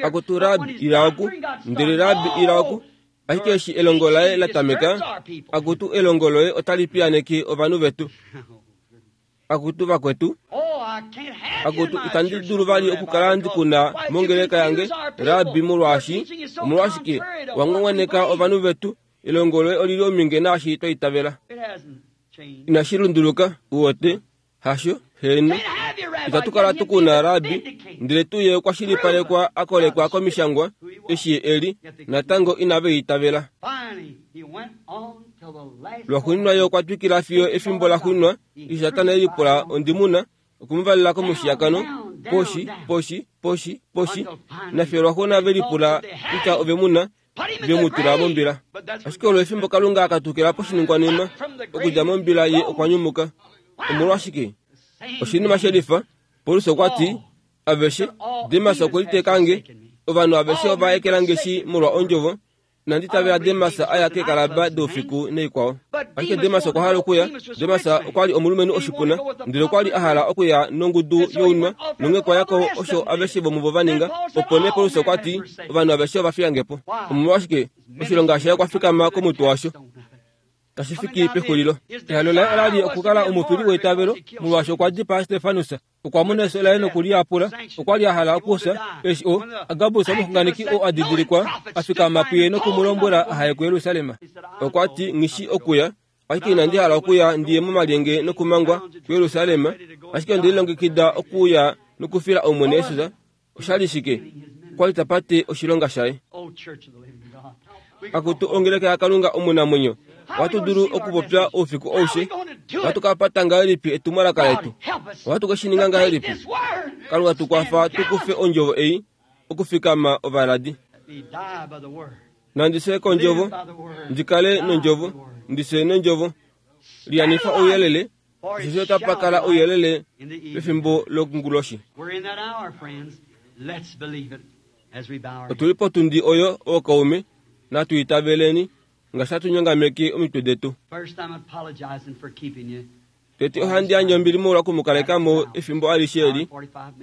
Speaker 1: Akutu Rabbi, ila oku, ndele Rabbi, ila oku. Ashike eshi elongo laye la tameka, akutu elongo loye otali piyaneke ovanhu vetu. Akutu vakwetu, akutu itandi dulu vali okukala ndi kuna mongeleka yange, Rabbi, molwaashi omolwashike wa ngwangwaneka ovanhu vetu? Elongo loye oli li ominge naashi twa itavela. Inashi lunduluka, uwete. Hasho, heeno. Itatu kala tu kuna Rabbi, ndele tu ye okwa shilipalekwa a kolekwa komishangwa, eshi ye e li, natango inave itavela. Lwaxuuninwa ye okwa twikila fiyo efimbo laxuuninwa, eshi Satana e lipula ondimuna, oku mu valela komushiyakano, poshi, poshi, poshi, poshi, nafiyo lwaxuuninwa ve lipula kutya ove mu na, ve mu tula mombila. Ashike olo efimbo Kalunga a katukila poshiningwanima, okudja mombila ye okwa nyumuka. Omolwashike? Oshinima shelifa, Paulus okwa ti, Aveshe, Demas okwe liteeka nge, ovanhu aveshe ova ekela nge shi molwa ondjovo, Inandi tavela Demas a ya keekalaba doufiku naikwao. Ashike Demas okwa hala okuya. Demas okwa li omulumenhu oshipuna, ndele okwa li a hala okuya nongudu younwa, nonghee okwa ya ko osho aveshe vomuvo va ninga. Opo nee Paulus okwa ti, Ovanhu aveshe ova fiya nge po. Omolwashike? Oshilonga shaye okwa fikama komutwe washo. Tashi fiki pexulilo. Ehalo laye ola li okukala omufili weitavelo, molwaashi okwa dipaa Stefanus. Okwa mona efyo laye noku li yapula. Okwa li a hala okufya, eshi o, Agabus omuxunganeki oo a didilikwa, a fikama puye noku mu lombwela aha ye kuJerusalem. Okwa ti, Nghi shii okuya, ashike inandi hala okuya ndi ye momalyenge nokumangwa kuJerusalem, ashike onde lilongekida okuuya nokufila Omwene Jesus. Osha li shike? Okwa li ta pate oshilonga shaye. Akutu ongeleka yaKalunga omunamwenyo, ohatu dulu okupopya oufiku aushe. Ohatu ka pata ngahelipi etumwalaka letu? Ohatu ke shi ninga ngahelipi? Kalunga tu kwafa tu kufe ondjovo ei okufikama ovaladi. Nandi fye kondjovo, ndi kale nondjovo, ndi fye nondjovo. Liyanifa ouyelele Osheshi otapa kala ouyelele pefimbo lokunguloshi. Otu li potundi oyo, ookaume, natu itaveleni, ngaashi hatu nyongameke omitwe detu. Tete ohandi yandje ombili molwa oku mu kaleka mo efimbo alishe eli,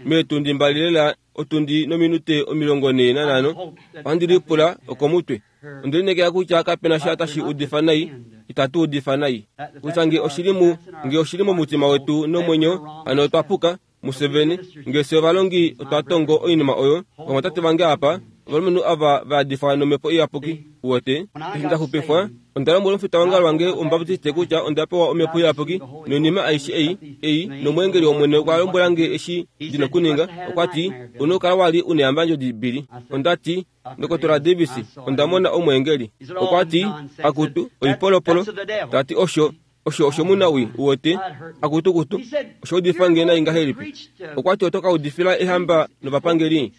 Speaker 1: meetundi mbali lela, otundi nominute 45, ohandi lipula okomutwe. Onde lineekela kutya kape na sha tashi udifa nai, itatu udifa nai. Kutya nge oshi li mu, nge oshi li momutima wetu nomwenyo, hano otwa puka, mufye vene. Nge fye ovalongi otwa tongo oinima oyo, ovamwatate vange apa, ovalumenhu ava va yadifwa nOmhepo Iyapuki, uwete. Eshi nda xupifwa, onda lombwela omufitaongalo wange wOmubaptiste kutya onda pewa Omhepo Iyapuki, noinima aishe ei, ei, nOmweengeli wOmwene okwa lombwela nge eshi ndi nokuninga. Okwa ti, U nokukala wa li u neyambandjodi, Billy. Onda ti, Ndokotola Davis, onda mona omweengeli. Okwa ti, Akutu, oipolopolo. Ta ti, Osho, osho oshomunawii, uwete. Akutu, kutu, osha udifa nge nai ngahelipi. Okwa ti, Oto ka udifila ehamba novapangeli?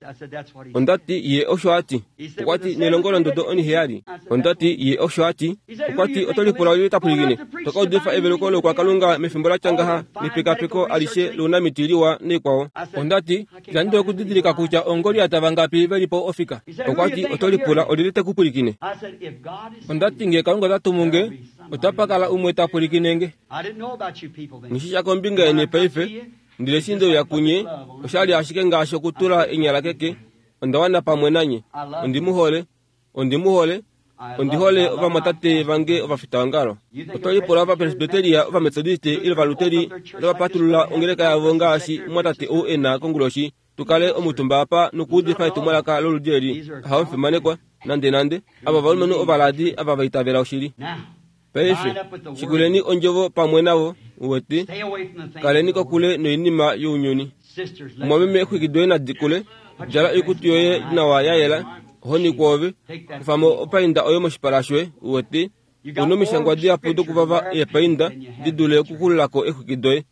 Speaker 1: Onda ti, Ye osho a ti. Okwa ti, Nelongo londodo oniheyali. Onda ti, Ye osho a ti. Okwa ti, Oto lipula olyelye ta pwilikine? To ka udifa eveluko loukwakalunga mefimbo la tya ngaha nepekapeko alishe lounamiti liwa naikwao. Onda ti, Itandi dulu okudidilika kutya oongoliat vangapi ve li po ofika. Okwa ti, Oto lipula olyelye te ku pwilikine? Onda ti, Nge Kalunga ota tumu nge, otapa kala umwe ta pwilikine nge. Nghi shi sha kombinga yeni paife, ndele eshi nde uya kunye, osha li ashike ngaashi okutula enyala keke. Onda wana pamwe nanye. Ondi mu hole. Ondi mu hole. Ondi hole ovamwatate vange ovafitaongalo. Oto lipula Ovapresbiteria, Ovametodiste ile Ovaluteri otava patulula ongeleka yavo ngaashi omumwatate ou e na konguloshi, tu kale omutumba apa nokuudifa etumwalaka loludi eli? Ahawe mufimanekwa, nandenande. Ava ovalumenhu ovaladi ava va itavela oshili. Paife, shikuleni ondjovo pamwe navo, uwete, kaleni kokule noinima younyuni. Mumwameme, exwiki doye nadi kule, djala oikutu yoye nawa ya yela, ohoni kwoove, kufa mo opainda oyo moshipala shoye, uwete, u nomishangwa dihapu dokuvava eepainda di dule okukulula ko exwiki doye.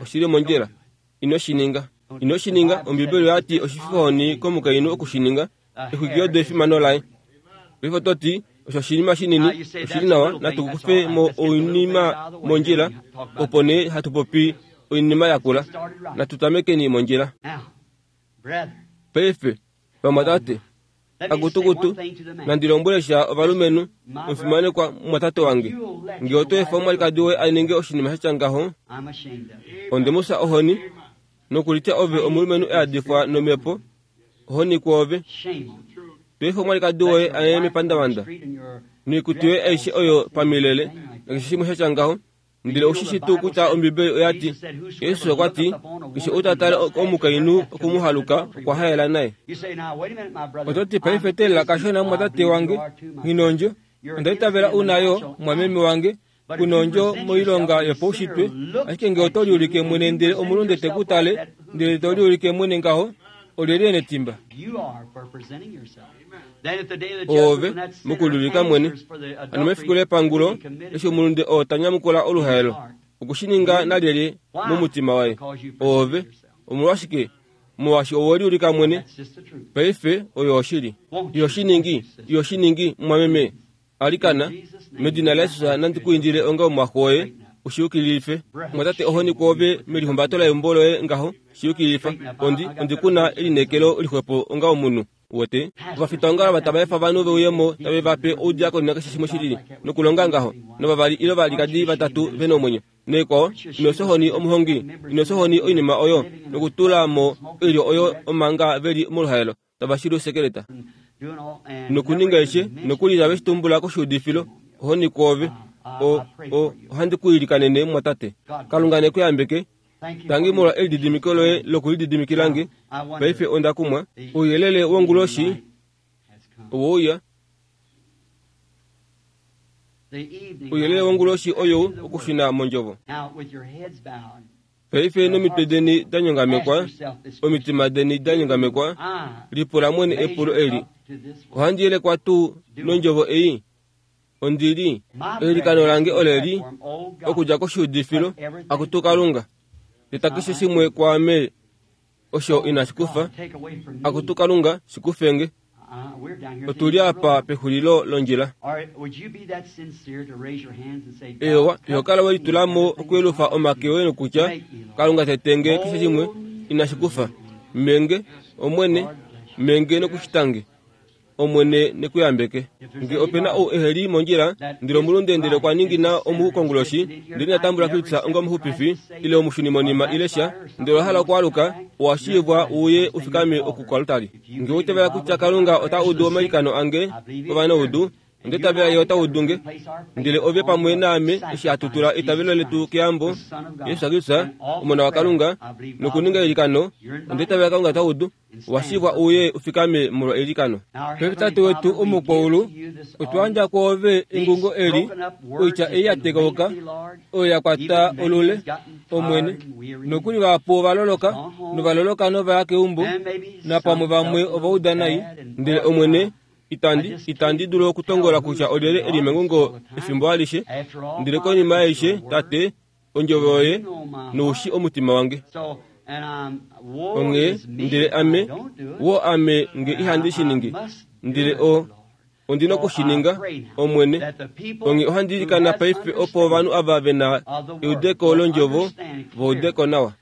Speaker 1: Oshi li mondjila. Ino shi ninga. Ino shi ninga. Ombibeli oya ti oshififohoni komukainhu oku shi ninga. Exwiki odo efimano laye. Paife oto ti, Osho oshinima shinini, oshi li nawa, natu kufe mo oinima mondjila, opo nee hatu popi oinima yakula. Natu tamekeni mondjila. Paife, Vamwatate, akutukutu, nandi lombwele sha ovalumenhu, omufimanekwa mumwatate wange, nge oto efa omwalikadi woye a ninge oshinima sha tya ngaho, onde mu fya ohoni, nokulitya ove omulumenhu e yadifwa nomhepo, ohoni kwoove. To efa omwalikadi woye a ye mepandavanda, noikutu yoye aishe oyo pamilele, nakeshe shimwe sha tya ngaho. Ndele ou shi shii tuu kutya Ombibeli oya ti, Jesus okwa ti, Keshe ou ta tale omukainhu oku mu haluka okwa haela naye. Oto ti, Paife teelela kashona mumwatate wange, nghi nondjo. Onda itavela u na yo, mumwameme wange, ku nondjo moilonga yopaushitwe. Ashike nge oto liulike mwene ndele omulunde te ku tale, ndele to liulike mwene ngaho, olyelye e netimba? Oove, mokuliulika mwene. Hano mefiku lepangulo, eshi omulunde oo ta nyamukula oluhaelo, oku shi ninga nalyelye momutima waye? Oove. Omolwashike? Molwaashi owe liulika mwene. Paife, oyo oshili. Iho shi ningi, iho shi ningi, mumwameme? Alikana, medina laJesus nandi ku indile onga omumwaxo woye, u shi yukililife. Mumwatate, ohoni kwoove melihumbato leumbo loye ngaho, shi yukililifa. Ondi, ondi ku na elineekelo lixwepo onga omunhu. Uwete? Ovafitaongalo ava tava efa ovanhu ve uye mo tave va pe oudiakoni nakeshe shimwe shilili, nokulonga ngaho, novavali ile ovalikadi vatatu ve nomwenyo, naikwao, ino fya ohoni omuhongi, ino fya ohoni oinima oyo, nokutula mo oilyo oyo omanga ve li moluhaelo, tava shili osekeleta. Nokuninga eshe, nokuli tave shi tumbula koshiudifilo, ohoni kwoove. O, o, ohandi ku ilikanene, mumwatate. Kalunga ne ku yambeke. Tangi molwa elididimiko loye lokulididimikila nge. Paife onda kumwa. Ouyelele wonguloshi owe uya. Ouyelele wonguloshi oyou okushuna mondjovo. Paife nomitwe deni da nyongamekwa, omitima deni da nyongamekwa, lipula mwene epulo eli, Ohandi yelekwa tuu nondjovo ei? Ondi li, eilikano lange ole li, okudja koshiudifilo, Akutu Kalunga, teta keshe shimwe kwaame osho inashi kufa. Akutu Kalunga, shi kufe nge. Otu li apa pexulilo londjila. Eewa, iho kala we litula mo okuyelufa omake oye nokutya, Kalunga tete nge keshe shimwe inashi kufa. Menge, Omwene, menge nokushita nge. Omwene ne ku yambeke. Nge ope na ou ehe li mondjila, ndele omulunde ndele okwa ningina omu konguloshi, ndele ina tambula Kristus onga omuxupifi, ile omushunimonima ile sha, ndele owa hala okwaaluka, owa shiivwa u uye u fikame oku koaltari. Nge owa itavela kutya Kalunga ota udu omailikano ange ovanaudu, Onda itavela Ye ota udu nge. Ndele ove pamwe naame eshi hatu tula eitavelo letu keyambo, Jesus Kristus, Omona waKalunga, nokuninga eilikano, onda itavela Kalunga ota udu. Owa shivwa uye u fikame molwa eilikano. Paife Tate wetu Omukwaulu, otwa yandja kwoove engungo eli, oitya ei ya tekauka, oyo ya kwata olule, Omwene. Nokuli vahapu ova loloka, nova loloka nova ya keumbo, napamwe vamwe ova uda nai. Ndele Omwene, Itandi, itandi dulu okutongola kutya olyelye e li mengungo efimbo alishe, ndele konima yaishe, Tate, ondjovo yoye nou shi omutima wange. Onghee, ndele ame, woo ame nge ihandi shi ningi, ndele o, ondi noku shi ninga, Omwene. Onghee ohandi ilikana paife opo ovanhu ava ve na eudeko londjovo va ude ko nawa.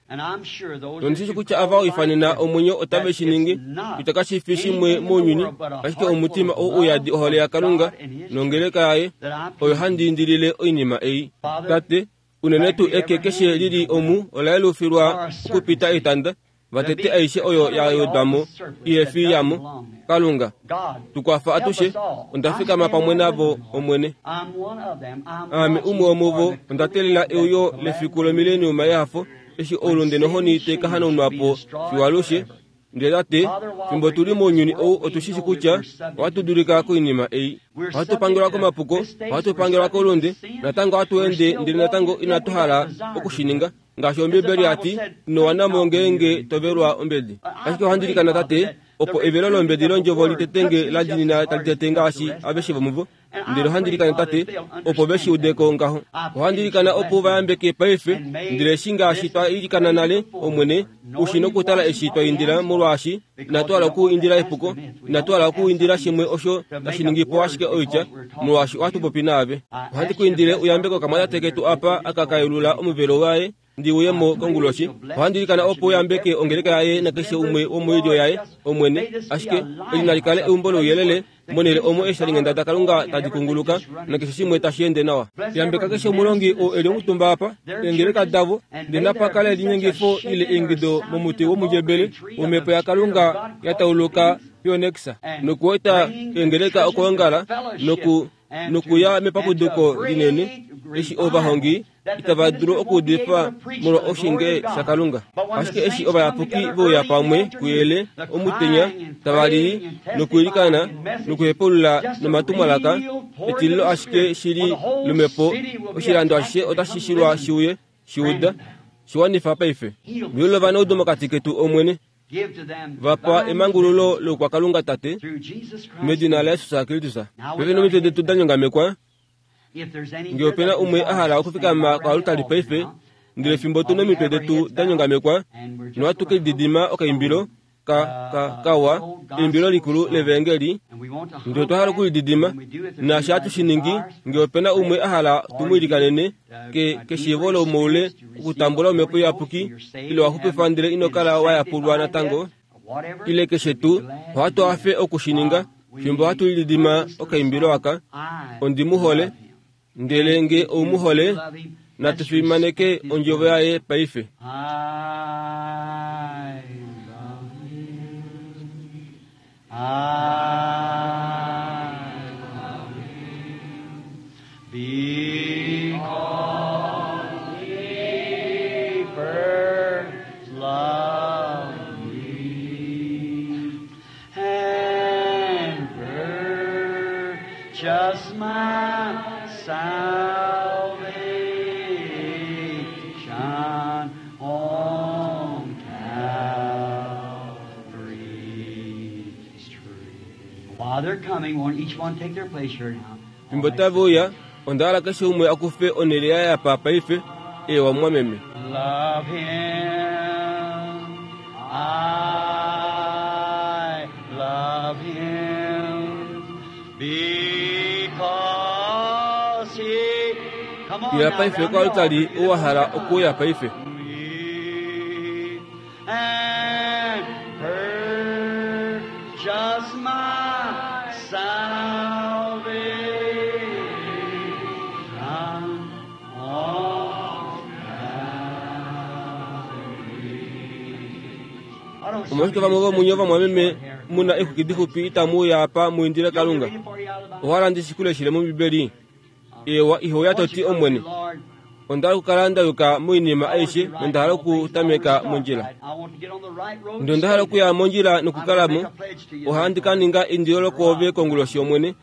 Speaker 1: Nondi shi kutya ava oifanena omwenyo otave shi ningi, kutya kashi fi shimwe mounyuni, ashike omutima ou uyadi ohole yaKalunga nongeleka yaye, oyo handi indilile oinima ei. Tate, unene tuu eke keshe li li omu ola yelufilwa okupita etanda, va tete aishe oyo ya wedwa mo ihe fi yamo. Kalunga, tu kwafa atushe. Onda fikama pamwe navo, Omwene. Aame umwe womuvo. Onda teelela euyo lefiku lomileniuma yehafo, eshi oulunde nohoni tai ka hanaunwa po fiyo alushe. Ndele Tate, fimbo tu li mounyuni ou otu shi shi kutya ohatu dulika koinima ei. Ohatu pangelwa komapuko, ohatu pangelwa koulunde, natango ohatu ende ndele natango inatu hala oku shi ninga. Ngaashi Ombiibeli ya ti, Ino wana mo ngeenge to velwa ombedi. Ashike ohandi ilikana, Tate, opo evelo lombedi lOndjovo li tetenge la dinina tali tete ngaashi aveshe vomuvo. Ndele ohandi ilikana, Tate, opo ve shi ude ko ngaho. Ohandi ilikana opo u va yambeke paife. Ndele eshi ngaashi twa ilikana nale, Omwene, u shi nokutala eshi twa indila, molwaashi inatu hala oku indila epuko, inatu hala oku indila shimwe osho tashi ningi po ashike oitya, molwaashi ohatu popi naave. Ohandi ku indile u yambeke okamwatate ketu apa aka ka yelula omuvelo waye. ndi uye mo konguloshi. Ohandi ilikana opo u yambeke ongeleka yaye nakeshe umwe womoilyo yaye, Omwene. Ashike eli nali kale eumbo louyelele, monhele omo eeshalinghenda daKalunga tadi kunguluka, nakeshe shimwe tashi ende nawa. Yambeka keshe omulongi oo e li omutumba apa, eengeleka davo, ndele napa kale elinyengifo ile eingido momuti womundjebele wOmhepo yaKalunga ya tauluka Phoenix, nokueta eengeleka okwoongala noku nokuya mepapuduko linene eshi ovahongi itava dulu okuudifa molwa oshinge shaKalunga. Ashike eshi ovayapuki ve uya pamwe kuyele omutenya tava lili nokwiilikana nokuhepaulula nomatumwalaka etililo ashike shili lomhepo, oshilando ashishe otashi shilwa shi uye, shi uda, shi wanifa paife. Vyula ovanaudu mokati ketu, Omwene. Va pa emangululo loukwakalunga, Tate, medina laJesus Kristus. Paife nomitwe detu da nyongamekwa, Nge ope na umwe a hala okufikama koalutali paife, ndele fimbo tu nomitwe detu da nyongamekwa, nohatu ke lididima okaimbilo ka, ka, kawa, eimbilo likulu levaengeli, ndele otwa hala okulididima, naashi hatu shi ningi, nge ope na umwe a hala tu mu ilikanene, ke, keshiivo lomoule okutambula Omhepo Iyapuki, ile wa xupifwa ndele ino kala wa yapulwa natango, ile keshe tuu, ohatu hafe oku shi ninga fimbo hatu lididima okaimbilo aka, Ondi mu hole. Ndele nge ou mu hole, natu fimaneke ondjovo yaye paife.
Speaker 4: I love him because he first loved me and purchased my salvation on Calvary's tree. While they're coming, won't each one take their place here now?
Speaker 1: Fimbo tave uya, onda hala keshe umwe a kufe onhele yaye apa paife. Eewa, mumwameme.
Speaker 4: Love him, I love him, because he. Come on
Speaker 1: Uya
Speaker 4: now,
Speaker 1: paife
Speaker 4: round the
Speaker 1: koalutali
Speaker 4: altar.
Speaker 1: ou wa hala okuuya paife.
Speaker 4: And purchase my salvation on Calvary.
Speaker 1: Omolwashike vamwe vomunye ovamwameme mu na exwiki dixupi itamu uya apa mu indile Kalunga? Owa hala ndi shi ku leshele mOmbibeli? Eewa, iho uya to ti, Omwene, Onda hala okukala nda yuka moinima aishe nonda hala okutameka mondjila. Ndele onda hala okuya mondjila nokukala mo. Ohandi ka ninga eindilo lokwoove konguloshi, Omwene.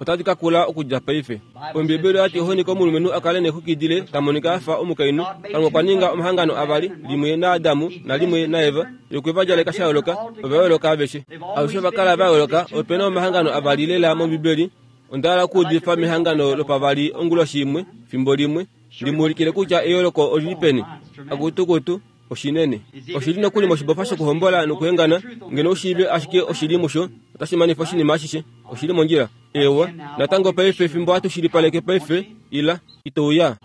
Speaker 1: Otadi ka kula okudja paife. Ombiibeli oya ti ohoni komulumenhu a kale nexwiki dile ta monika a fa omukainhu. Kalunga okwa ninga omahangano avali, limwe naAdamu nalimwe naEva, ye okwe va djaleka sha yooloka. Ova yooloka aveshe. Alushe ova kala va yooloka. Ope na omahangano avali lela mOmbiibeli. Onda hala okuudifa mehangano lopavali onguloshi imwe, fimbo limwe, ndi mu ulikile kutya eyooloko oli li peni. Akutukutu, oshinene. Oshi li nokuli moshibofa shokuhombola nokuhengana, ngeno u shiive ashike oshili musho, otashi manifa oshinima ashishe. Oshi li mondjila. Eewa. Natango paife fimbo hatu shilipaleke paife, ila. Ito uya?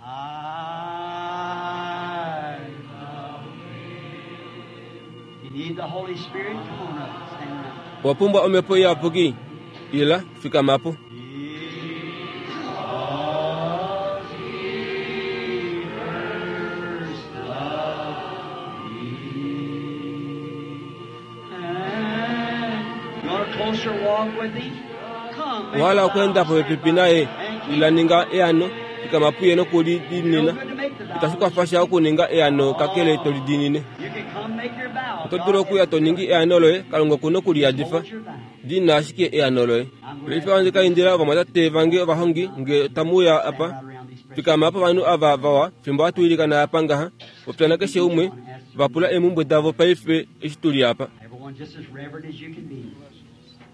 Speaker 1: Owa pumbwa Omhepo Iyapuki? Ila, fikama po. Owa hala okweenda popepi naye? Ila, ninga eano. Fikama puye nokulidiinina. Itashi kwafa sha okuninga eano kakele to lidiinine. Oto dulu okuya to ningi eano loye, Kalunga oku noku li yadifa. Diinina ashike eano loye. Paife ohandi ka indila ovamwatate vange ovahongi nge tamu uya apa. Fikama povanhu ava vawa fimbo hatu ilikana apa ngaha. Popya nakeshe umwe, va pula eemhumbwe davo paife eshi tu li apa.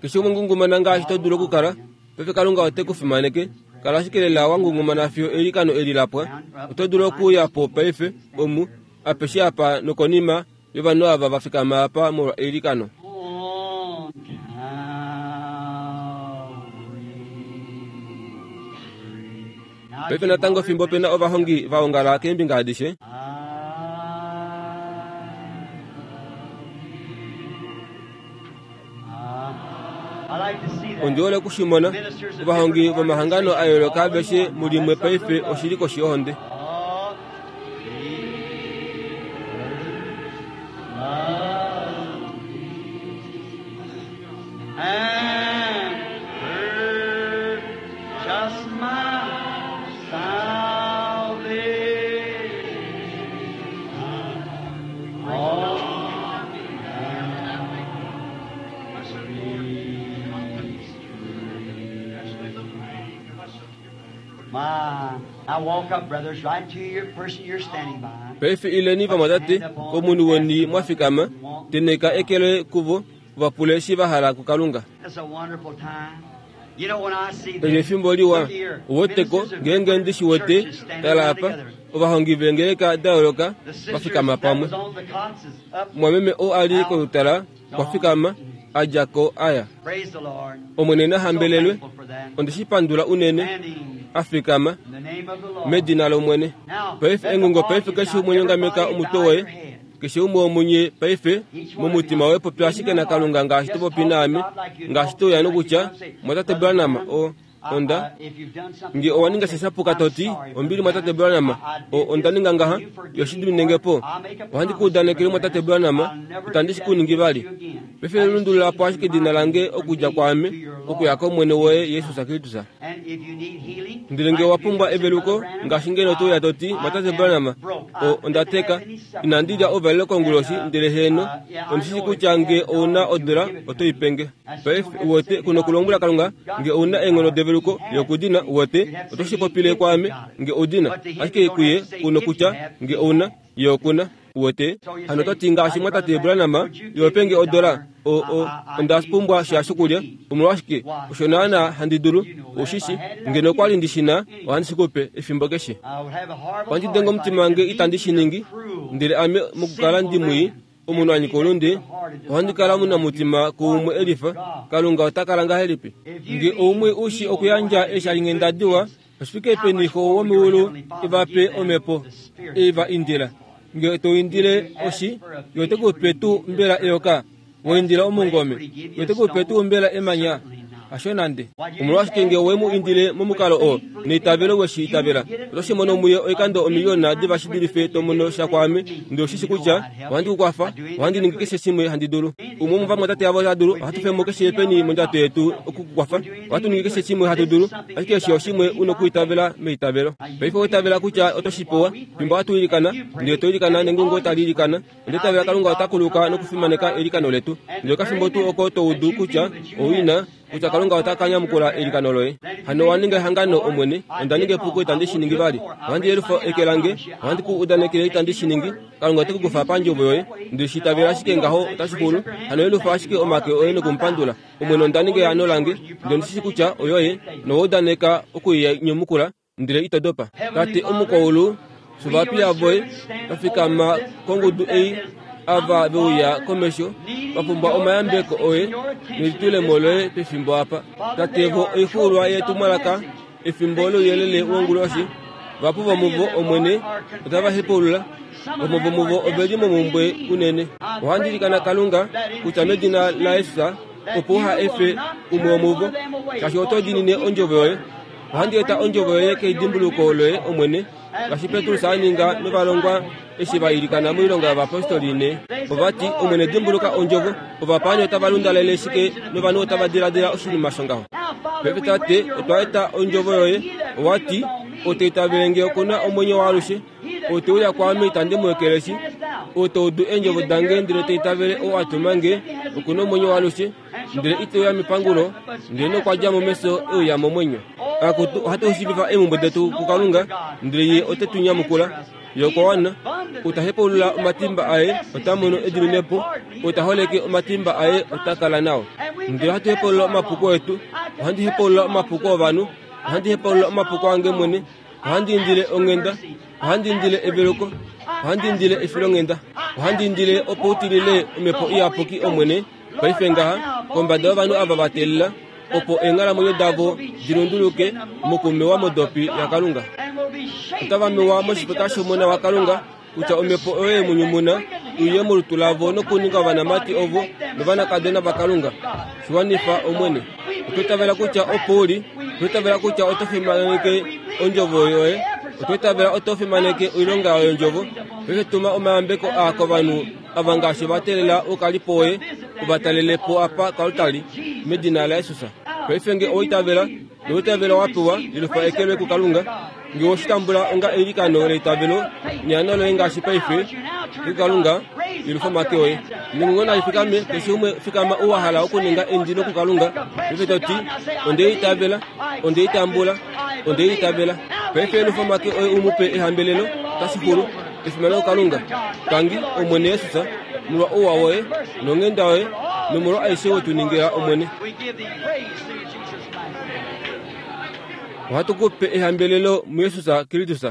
Speaker 1: Keshe umwe ngungumana ngaashi to dulu okukala. Paife Kalunga ote ku fimaneke. Kala ashike lela wa ngungumana fiyo eilikano eli la pwa. Oto dulu okuuya po paife, omu, apeshe apa nokonima yovanhu ava va fikama apa molwa eilikano. Paife natango fimbo pe na ovahongi va ongala keembinga adishe. Ondi hole oku shi mona. Ovahongi vomahangano a yooloka aveshe mulimwe paife oshi li koshi yohonde. Paife ileni vamwatate komunhu weni mwa fikama, tenheka eke loye kuvo, va pule eshi va hala kuKalunga. Eli efimbo liwa. Uweteko, ngeenge ndi shi wete, tala apa, ovahongi veengeleka da yooloka va fikama pamwe. Mumwameme oo a li kolutala okwa fikama, a dja ko a ya. Omwene na hambelelwe, onde shi pandula unene, a fikama, medina lOmwene. Paife engungo paife keshe umwe nyongameka omutwe woye, keshe umwe womunye paife, momutima woye popya ashike naKalunga ngaashi to popi naame, ngaashi to uya nokutya, Mwatate Branham, o, onda, nge owa ninga sha shapuka to ti, Ombili Mwatate Branham, o, onda ninga ngaha, yo shi diminenge po. Ohandi ku udanekele Mwatate Branham, itandi shi ku ningi vali. Paife lundulula po ashike edina lange okudja kwaame okuya kOmwene woye Jesus Kristus. Ndele nge owa pumbwa eveluko, ngaashi ngeno to uya to ti, Mwatate Branham, o, onda teka, inandi lya ouvalelo konguloshi, ndele heeno, ondi shi shii kutya nge ou na odula, oto i pe nge. Paife, uwete, ku nokulombwela Kalunga, nge ou na eenghono develuko, ye oku di na, uwete, oto shi popile kwaame, nge ou di na. Ashike kuye, ku nokutya, nge ou na, ye oku na. Uwete? Hano oto ti ngaashi mwatate Branham, iwe pe nge odola, o, o, onda pumbwa sha shokulya. Omolwashike, osho naana handi dulu, ou shi shi. Ngeno okwa li ndi shi na, ohandi shi ku pe, efimbo keshe. Ohandi denge omutima wange itandi shi ningi, ndele ame mokukala ndi mwii, omunhu a nyika oulunde, ohandi kala omunamutima kuumwe e lifa, Kalunga ota kala ngahelipi? Nge oumwe u shi okuyandja eeshalinghenda diwa, oshifike peni Xo womeulu e va pe omhepo e va indila? Nge to indile oshi, ye ote ku pe tuu mbela eyoka? Wa indila omungome, ye ote ku pe tuu mbela emanya? Hasho nande. Omolwashike nge we mu indile momukalo oo, neitavelo we shi itavela, oto shi mono muye oikando omiliyona diva shi dulife to mono sha kwaame, ndele ou shi shi kutya ohandi ku kwafa, ohandi ningi keshe shimwe handi dulu. Umwe womovamwatate avo ota dulu, ohatu fe mo keshe peni mondjato yetu oku ku kwafa. Ohatu ningi keshe shimwe hatu dulu, ashike eshi oshimwe u nokuitavela meitavelo. Paife owa itavela kutya oto shi pewa, fimbo hatu ilikana, ndele to ilikana nengungo tali ilikana. Onda itavela Kalunga ota kuluka nokufimaneka eilikano letu. Ndele okafimbo tuu oko to udu kutya ou ina, kutya Kalunga ota ka nyamukula eilikano loye. Hano owa ninga ehangano, Omwene, onda ninga epuko itandi shi ningi vali. Ohandi yelufa eke lange, ohandi ku udanekele itandi shi ningi. Kalunga ote ku kufa pandjovo yoye. Nde shi itavela ashike ngaho otashi xulu. Hano yelufa ashike omake oye noku mu pandula. Omwene onda ninga eano lange, ndele ondi shi shii kutya oyoye, nowa udaneka oku i nyamukula. Ndele ito dopa. Tate omukwaulu, shovapiya voye va fikama kongudu ei, ava ve uya komesho, va pumbwa omayambeko oye nelitulemo loye pefimbo apa. Tate, vo oixuulwa yetumwalaka, efimbo louyelele wonguloshi. Vahapu vomuvo, Omwene, otava hepaulula. Vamwe vomuvo ove li momhumbwe unene. Ohandi ilikana, Kalunga, kutya medina laJesus, opo uha efe umwe womuvo, shaashi oto diinine ondjovo yoye. Ohandi eta ondjovo yoye kedimbuluko loye, Omwene, ngaashi Petrus a ninga novalongwa eshi va ilikana moilonga yovapostoli ne. Ova ti, Omwene, dimbuluka ondjovo. Ovapaani otava lundalele shike novanhu otava diladila oshinima shongaho? Paife Tate, otwa eta ondjovo yoye. Owa ti, Ou ta itavele nge oku na omwenyo waalushe. Ou te uya kwaame itandi mu ekeleshi. Ou ta udu eendjovo dange ndele ta itavele ou a tuma nge, oku na omwenyo waalushe. ndele ite uya mepangulo, ndele nokwa dja mo mefyo e uya momwenyo. Akutu, ohatu shiivifa eemhumbwe detu kuKalunga, ndele Ye ote tu nyamukula. Ye okwa wana. Ou ta hepaulula omatimba aye ota mono ediminepo, ou ta holeke omatimba aye ota kala nao. Ndele ohatu hepaulula omapuko etu. Ohandi hepaulula omapuko ovanhu. Ohandi hepaulula omapuko ange mwene. Ohandi indile onghenda. Ohandi indile eveluko. Ohandi indile efilonghenda. Ohandi indile opo u tilile Omhepo Iyapuki, Omwene, Paife ngaha, kombada yovanhu ava va teelela, opo eenghalamwenyo davo di lunduluke mokumewa modopi yaKalunga. Otava mewa moshifeka shOmona waKalunga, kutya Omhepo oyo ye mu nyumuna, uye molutu lavo nokuninga ovanamati ovo novanakadona vaKalunga. Shi wanifa, Omwene. Otwa itavela kutya opo u li. Otwa itavela kutya oto fimaneke Ondjovo Yoye. Otwa itavela oto fimaneke oilonga yOndjovo. Paife tuma omayambeko aa kovanhu ava ngaashi va teelela oukalipo woye u va talele po apa koaltari, medina laJesus. Paife nge owa itavela, nowa itavela wa pewa, yelufa eke loye kuKalunga. Nge owe shi tambula onga eilikano leitavelo neano loye ngaashi paife, kuKalunga, yelufa omake oye. Nengungo nali fikame, keshe umwe fikama ou wa hala okuninga eindilo kuKalunga, paife to ti, Onde i itavela, onde i tambula, onde i itavela. Paife yelufa omake oye u mu pe ehambelelo, otashi xulu. Efimano kuKalunga. Tangi, Omwene Jesus, molwa ouwa woye, nonghenda yoye, nomolwa aishe we tu ningila, Omwene. Ohatu ku pe ehambelelo muJesus Kristus.